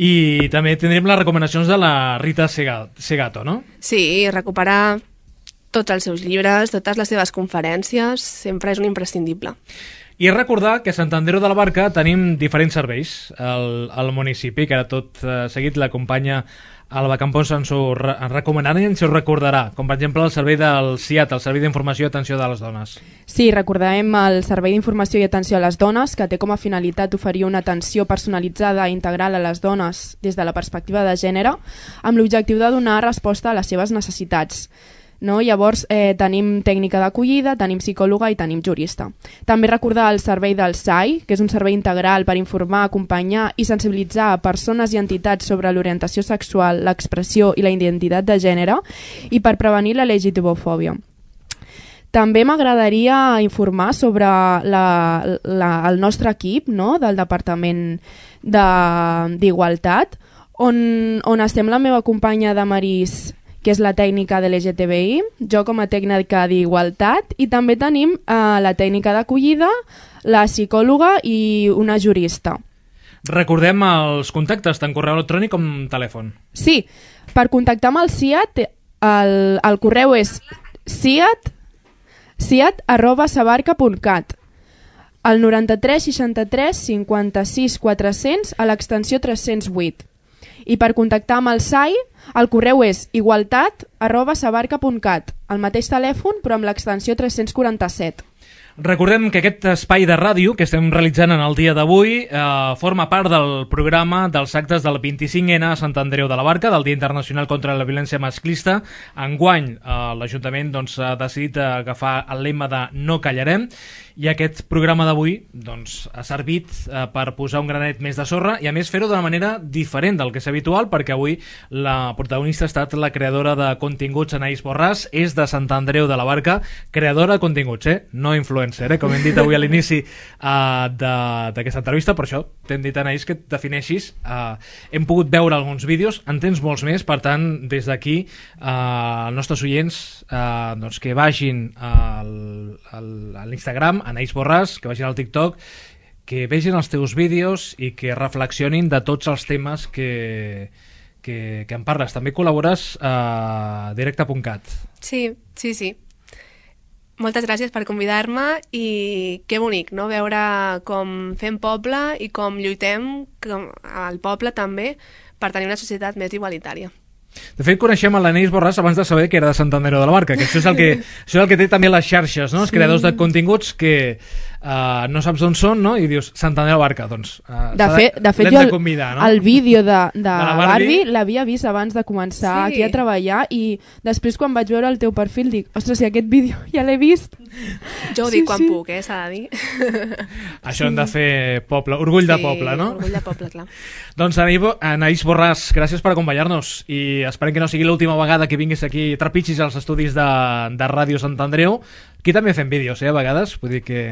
I també tindrem les recomanacions de la Rita Segato, no? Sí, recuperar tots els seus llibres, totes les seves conferències, sempre és un imprescindible. I recordar que a Sant Andreu de la Barca tenim diferents serveis al, al municipi, que ara tot eh, seguit la companya Alba Campos ens ho re recomanarà i ens ho recordarà, com per exemple el servei del C I A T, el Servei d'Informació i Atenció de les Dones. Sí, recordarem el Servei d'Informació i Atenció a les Dones, que té com a finalitat oferir una atenció personalitzada i integral a les dones des de la perspectiva de gènere, amb l'objectiu de donar resposta a les seves necessitats. No? Llavors eh, tenim tècnica d'acollida, tenim psicòloga i tenim jurista. També recordar el servei del S A I, que és un servei integral per informar, acompanyar i sensibilitzar a persones i entitats sobre l'orientació sexual, l'expressió i la identitat de gènere i per prevenir la L G T B-fòbia. També m'agradaria informar sobre la, la, el nostre equip, no? Del Departament d'Igualtat, on, on estem la meva companya Damaris, que és la tècnica de L G T B I, jo com a tècnica d'igualtat, i també tenim eh, la tècnica d'acollida, la psicòloga i una jurista. Recordem els contactes, tant correu electrònic com telèfon. Sí, per contactar amb el C I A T, el, el correu és ciat, ciat arroba sabarca punt cat, al noranta-tres seixanta-tres cinquanta-sis quatre-cents a l'extensió tres-cents vuit. I per contactar amb el S A I, el correu és igualtat arroba sabarca punt cat, el mateix telèfon però amb l'extensió tres-cents quaranta-set. Recordem que aquest espai de ràdio que estem realitzant en el dia d'avui eh, forma part del programa dels actes del vint-i-cinc ena a Sant Andreu de la Barca, del Dia Internacional contra la Violència Masclista. Enguany eh, l'Ajuntament doncs, ha decidit agafar el lema de No callarem, i aquest programa d'avui doncs, ha servit eh, per posar un granet més de sorra i a més fer-ho d'una manera diferent del que és habitual, perquè avui la protagonista ha estat la creadora de continguts Anaïs Borràs, és de Sant Andreu de la Barca, creadora de continguts, eh? No influencer, eh? Com hem dit avui a l'inici uh, d'aquesta entrevista, per això t'hem dit, Anaïs, que et defineixis. Uh, hem pogut veure alguns vídeos, en tens molts més, per tant, des d'aquí, uh, els nostres oients uh, doncs que vagin al, al, a l'Instagram, Anaïs Borràs, que vagin al TikTok, que vegin els teus vídeos i que reflexionin de tots els temes que, que, que en parles. També col·labores a directe punt cat. Sí, sí, sí. Moltes gràcies per convidar-me i que bonic, no? Veure com fem poble i com lluitem com al poble també per tenir una societat més igualitària. De fet, coneixem a l'Anaïs Borràs abans de saber que era de Sant Andreu de la Barca, que això és el que, això és el que té també les xarxes, no? Els sí. creadors de continguts que uh, no saps on són, no? I dius Sant Andreu de la Barca, doncs uh, de, fe, de fet jo de convidar, no? El vídeo de, de, de la Barbie, Barbie l'havia vist abans de començar sí. aquí a treballar i després quan vaig veure el teu perfil dic, ostres, si aquest vídeo ja l'he vist. Jo ho sí, dic quan sí. puc, eh, s'ha de dir. Això hem de fer poble, orgull sí, de poble, no? Orgull de poble, clar. Doncs Anaïs Borràs, gràcies per acompanyar-nos i esperem que no sigui l'última vegada que vinguis aquí i trepitgis als estudis de, de Ràdio Sant Andreu. Aquí també fem vídeos, eh, a vegades, vull dir que...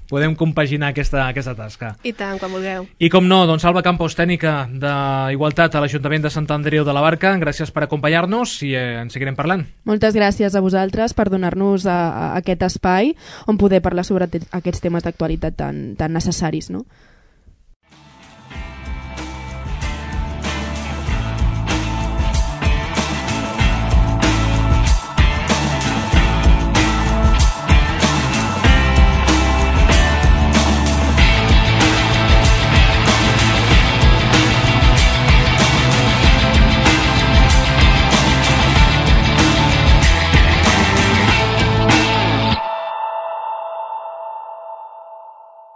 podem compaginar aquesta, aquesta tasca. I tant, quan vulgueu. I com no, doncs Alba Campos, tècnica d'Igualtat a l'Ajuntament de Sant Andreu de la Barca, gràcies per acompanyar-nos i eh, en seguirem parlant. Moltes gràcies a vosaltres per donar-nos a, a aquest espai on poder parlar sobre aquests temes d'actualitat tan, tan necessaris, no?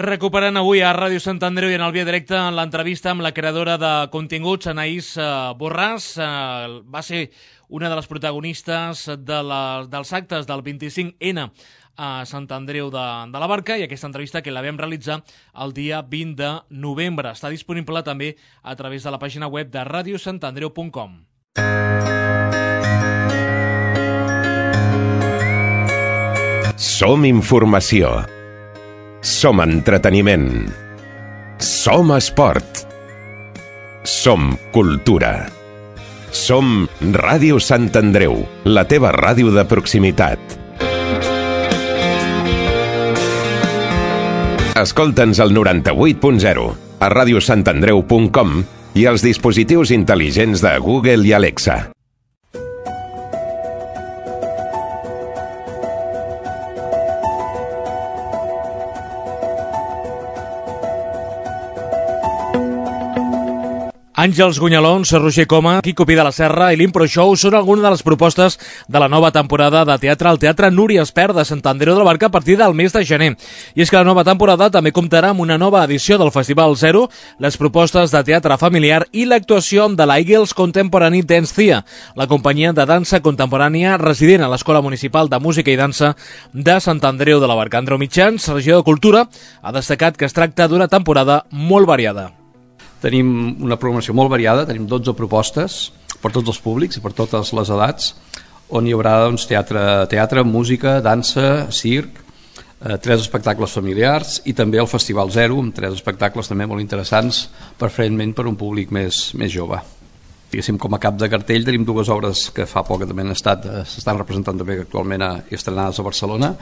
Recuperant avui a Ràdio Sant Andreu i en el Via Directe en l'entrevista amb la creadora de continguts, Anaïs Borràs. Va ser una de les protagonistes de la, dels actes del vint-i-cinc ena a Sant Andreu de, de la Barca, i aquesta entrevista que la vam realitzar el dia vint de novembre. Està disponible també a través de la pàgina web de ràdio sant andreu punt com. Som informació. Som entreteniment. Som esport. Som cultura. Som Ràdio Sant Andreu, la teva ràdio de proximitat. Escolta'ns al noranta-vuit punt zero, a ràdio sant andreu punt com i als dispositius intel·ligents de Google i Alexa. Àngels Gunyalons, Roger Coma, Quico Pi de la Serra i l'Impro Show són algunes de les propostes de la nova temporada de teatre al Teatre Núria Espert de Sant Andreu de la Barca a partir del mes de gener. I és que la nova temporada també comptarà amb una nova edició del Festival Zero, les propostes de teatre familiar i l'actuació de la Eagles Contemporary Dance Thea, la companyia de dansa contemporània resident a l'Escola Municipal de Música i Dansa de Sant Andreu de la Barca. Andreu Mitjans, regidor de Cultura, ha destacat que es tracta d'una temporada molt variada. Tenim una programació molt variada, tenim dotze propostes per tots els públics i per totes les edats, on hi haurà doncs, teatre, teatre, música, dansa, circ, eh, tres espectacles familiars i també el Festival Zero, amb tres espectacles també molt interessants, preferentment per un públic més, més jove. Diguéssim, com a cap de cartell tenim dues obres que fa poc que també han estat, s'estan representant també actualment a, estrenades a Barcelona,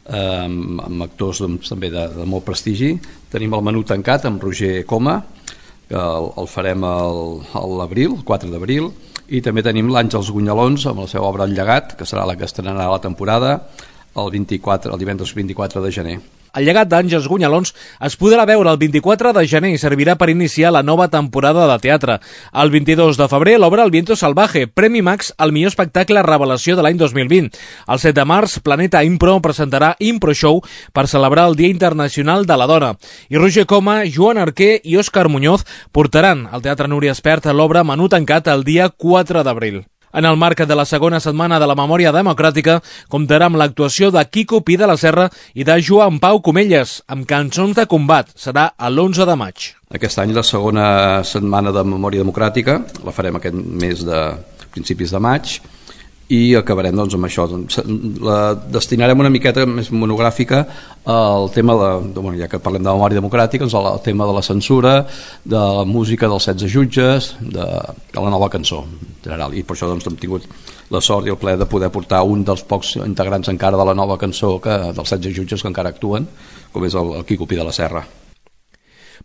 eh, amb, amb actors doncs, també de, de molt prestigi. Tenim el Menú tancat amb Roger Coma, que el, el farem a l'abril, el quatre d'abril, i també tenim l'Àngels Gunyalons amb la seva obra El Llegat, que serà la que estrenarà la temporada el, vint-i-quatre, el divendres vint-i-quatre de gener. El Llegat d'Àngels Gunyalons es podrà veure el vint-i-quatre de gener i servirà per iniciar la nova temporada de teatre. El vint-i-dos de febrer l'obra El Viento Salvaje, Premi Max al millor espectacle revelació de l'any dos mil vint. El set de març, Planeta Impro presentarà Impro Show per celebrar el Dia Internacional de la Dona. I Roger Coma, Joan Arquer i Òscar Muñoz portaran al Teatre Núria Espert l'obra Menú tancat el dia quatre d'abril. En el marc de la segona setmana de la Memòria Democràtica, comptarà amb l'actuació de Quico Pi de la Serra i de Joan Pau Comelles, amb cançons de combat. Serà l'onze de maig. Aquest any la segona setmana de Memòria Democràtica la farem aquest mes de principis de maig i acabarem doncs, amb això. La destinarem una miqueta més monogràfica al tema de, de bueno, ja que parlem de memòria democràtica, doncs, el tema de la censura, de la música dels setze jutges, de, de la nova cançó en general. I per això doncs, hem tingut la sort i el plaer de poder portar un dels pocs integrants encara de la nova cançó que, dels setze jutges que encara actuen, com és el, el Quico Pi de la Serra.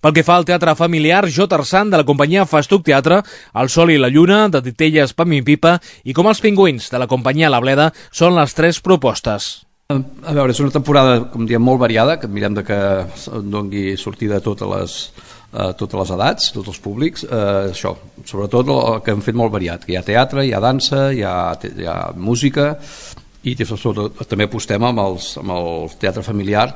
Pel que fa al teatre familiar, Jo Tarzan, de la companyia Festuc Teatre, El Sol i la Lluna, de Titelles, Pam i Pipa, i Com els Pingüins, de la companyia La Bleda, són les tres propostes. A veure, és una temporada, com diem, molt variada, que mirem de que doni sortida a totes les, a totes les edats, tots els públics. Eh, això, sobretot el que hem fet molt variat, que hi ha teatre, hi ha dansa, hi ha, hi ha música, i sobretot també apostem amb, els, amb el teatre familiar,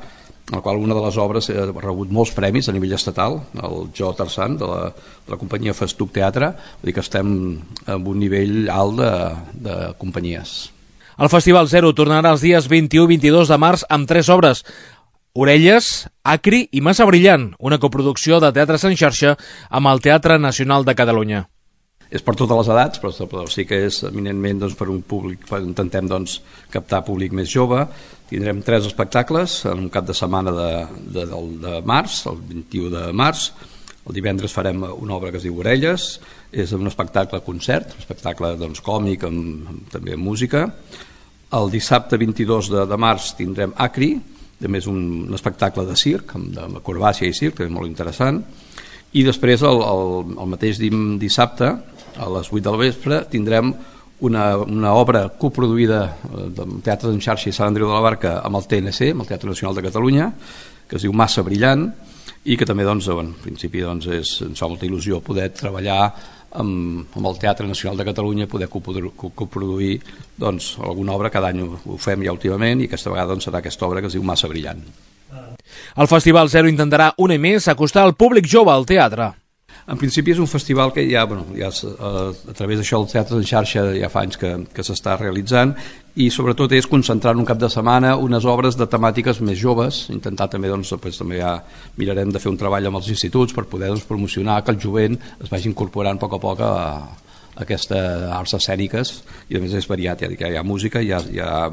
en el qual una de les obres ha rebut molts premis a nivell estatal, el Jo Tarzan de la, de la companyia Festuc Teatre, vull dir que estem en un nivell alt de, de companyies. El Festival Zero tornarà els dies vint-i-u i vint-i-dos de març amb tres obres: Orelles, Acri i Massa Brillant, una coproducció de teatres en xarxa amb el Teatre Nacional de Catalunya. és per totes les edats, però, però sí que és eminentment doncs, per un públic, per, intentem doncs, captar públic més jove. Tindrem tres espectacles en un cap de setmana de, de, de, de març, el vint-i-u de març. El divendres farem una obra que es diu Orelles, és un espectacle concert, un espectacle doncs, còmic amb, amb també amb música. El dissabte vint-i-dos de, de març tindrem Acri, també és un, un espectacle de circ, amb, de acrobàcia i circ, que és molt interessant. I després el, el, el mateix dissabte, a les vuit del vespre, tindrem una, una obra coproduïda del Teatre en Xarxa i Sant Andreu de la Barca amb el T N C, amb el Teatre Nacional de Catalunya, que es diu Massa Brillant, i que també doncs, en principi doncs, és, ens fa molta il·lusió poder treballar amb, amb el Teatre Nacional de Catalunya, poder coproduir doncs, alguna obra. Cada any ho, ho fem ja últimament, i aquesta vegada doncs, serà aquesta obra que es diu Massa Brillant. El Festival Zero intentarà un any més acostar el públic jove al teatre. En principi és un festival que ja, bueno, ja a, a través d'això el Teatre en Xarxa ja fa anys que, que s'està realitzant, i sobretot és concentrar en un cap de setmana unes obres de temàtiques més joves. Intentar també, doncs, després també ja mirarem de fer un treball amb els instituts per poder doncs, promocionar que el jovent es vagi incorporant a poc a poc a, a aquestes arts escèniques, i a més és variat, ja dic, hi ha música, hi ha, hi ha,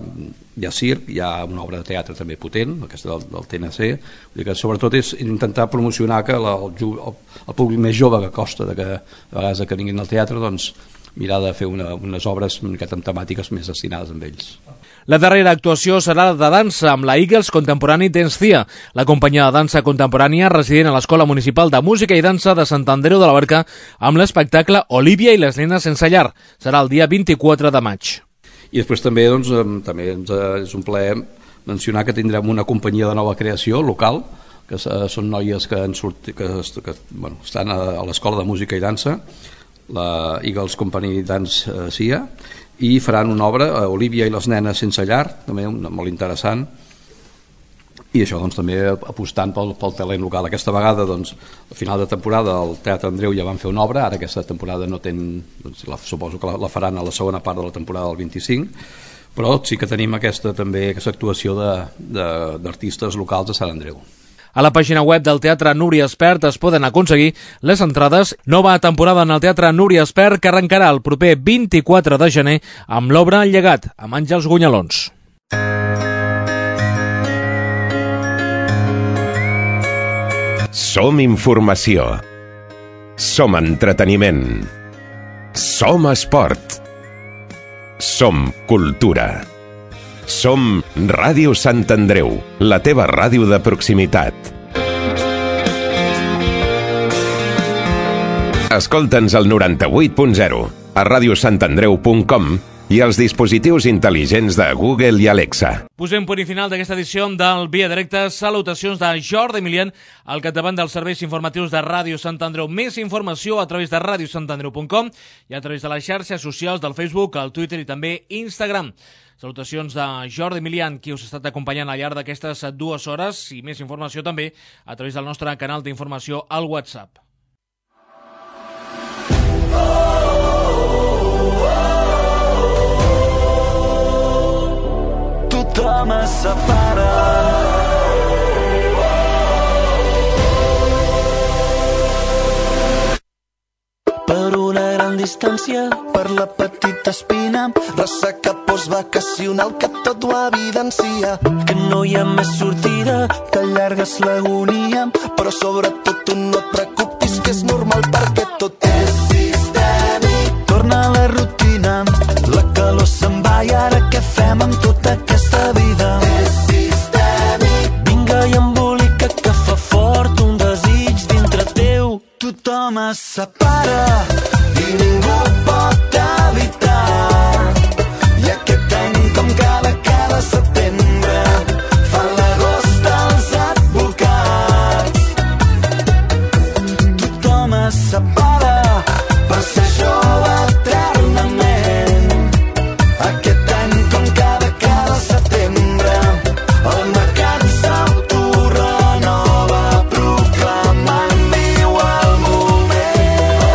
hi ha circ, hi ha una obra de teatre també potent, aquesta del, del T N C. Vull dir que sobretot és intentar promocionar que la, el, el, el públic més jove que costa de que a vegades que vinguin al teatre, doncs mirar de fer una, unes obres una miqueta amb temàtiques més destinades amb ells. La darrera actuació serà de dansa amb la Eagles Contemporary Dance Thea, la companyia de dansa contemporània resident a l'Escola Municipal de Música i Dansa de Sant Andreu de la Barca, amb l'espectacle Olivia i les nenes sense llar. Serà el dia vint-i-quatre de maig. I després també, doncs, també és un plaer mencionar que tindrem una companyia de nova creació local, que són noies que, han sortit, que, que bueno, estan a, a l'Escola de Música i Dansa, la Eagles Company Dance uh, C I A, i faran una obra, uh, Olivia i les nenes sense llar, també una, molt interessant, i això doncs, també apostant pel, pel talent local. Aquesta vegada, doncs, al final de temporada al Teatre Andreu ja van fer una obra, ara aquesta temporada no ten, doncs, la, suposo que la, la faran a la segona part de la temporada del vint-i-cinc, però sí que tenim aquesta, també, aquesta actuació d'artistes locals de Sant Andreu. A la pàgina web del Teatre Núria Espert es poden aconseguir les entrades. Nova temporada en el Teatre Núria Espert, que arrencarà el proper vint-i-quatre de gener amb l'obra El llegat, amb Àngels Gunyalons. Som informació. Som entreteniment. Som esport. Som cultura. Som Ràdio Sant Andreu, la teva ràdio de proximitat. Escolta'ns al noranta-vuit punt zero, a ràdio sant andreu punt com i als dispositius intel·ligents de Google i Alexa. Posem punt i final d'aquesta edició del Via Directa. Salutacions de Jordi Emilian, al capdavant dels serveis informatius de Ràdio Sant Andreu. Més informació a través de ràdio sant andreu punt com i a través de les xarxes socials del Facebook, el Twitter i també Instagram. Salutacions de Jordi Emilian, qui us ha estat acompanyant al llarg d'aquestes dues hores, i més informació també a través del nostre canal d'informació al WhatsApp. Tothom es separa. Per una gran distància, per la petita espina, ressaca postvacacional que tot ho evidencia. Que no hi ha més sortida, que allargues l'agonia, però sobretot tu no et preocupis, que és normal perquè tot és sistèmic. Torna a la rutina, la calor se'n va i ara què fem amb tota aquesta vida? És sistèmic. Vinga i embolica que fa fort un desig dintre teu. Tothom es separa i ningú pot evitar. I aquest any, com cada, cada setembre, fan l'agost els advocats. Tothom es separa per ser jove eternament. Aquest any, com cada, cada setembre, el mercat s'autorenova proclamant viu el moment.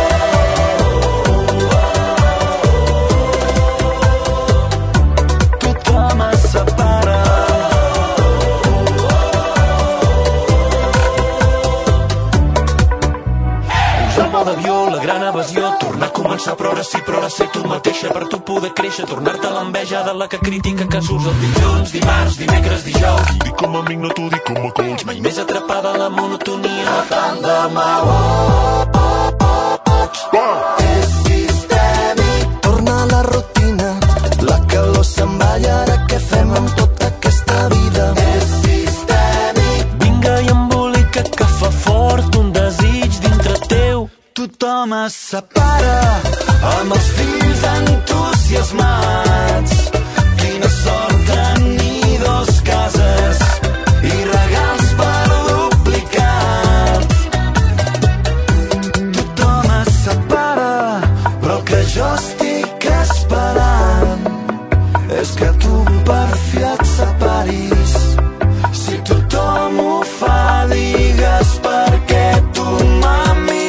començar a progressar, progressar tu mateixa per tu poder créixer, tornar-te l'enveja de la que critica que surts els dilluns, dimarts, dimecres, dijous. Dic com a amic, no t'ho dic com a coach. Mai més atrapada a la monotonia, no tant demà. Oh, oh, oh, oh. És sistèmic. Torna a la rutina, la calor se'n va i ara què fem amb tota aquesta vida? És sistèmic. Vinga i embolica que fa fort un desig dintre teu. Tothom es separa amb els fills entusiasmats. Quina sort tenir dos cases i regals per duplicat. Tothom es separa, però el que jo estic esperant és que tu per fi et separis. Si tothom ho fa, digues per què tu, mami,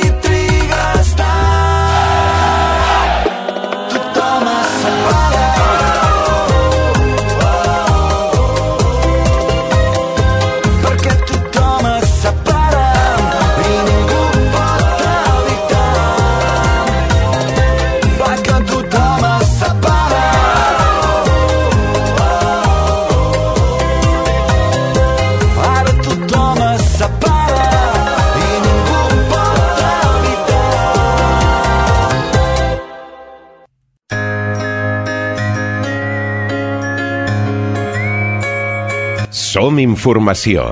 Som informació.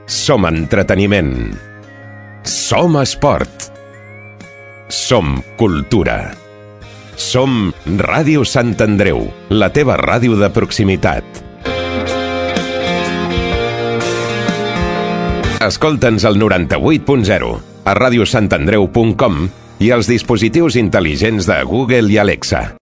Som entreteniment. Som esport. Som cultura. Som Ràdio Sant Andreu, la teva ràdio de proximitat. Escolta'ns al noranta-vuit punt zero, a radiosantandreu punt com i als dispositius intel·ligents de Google i Alexa.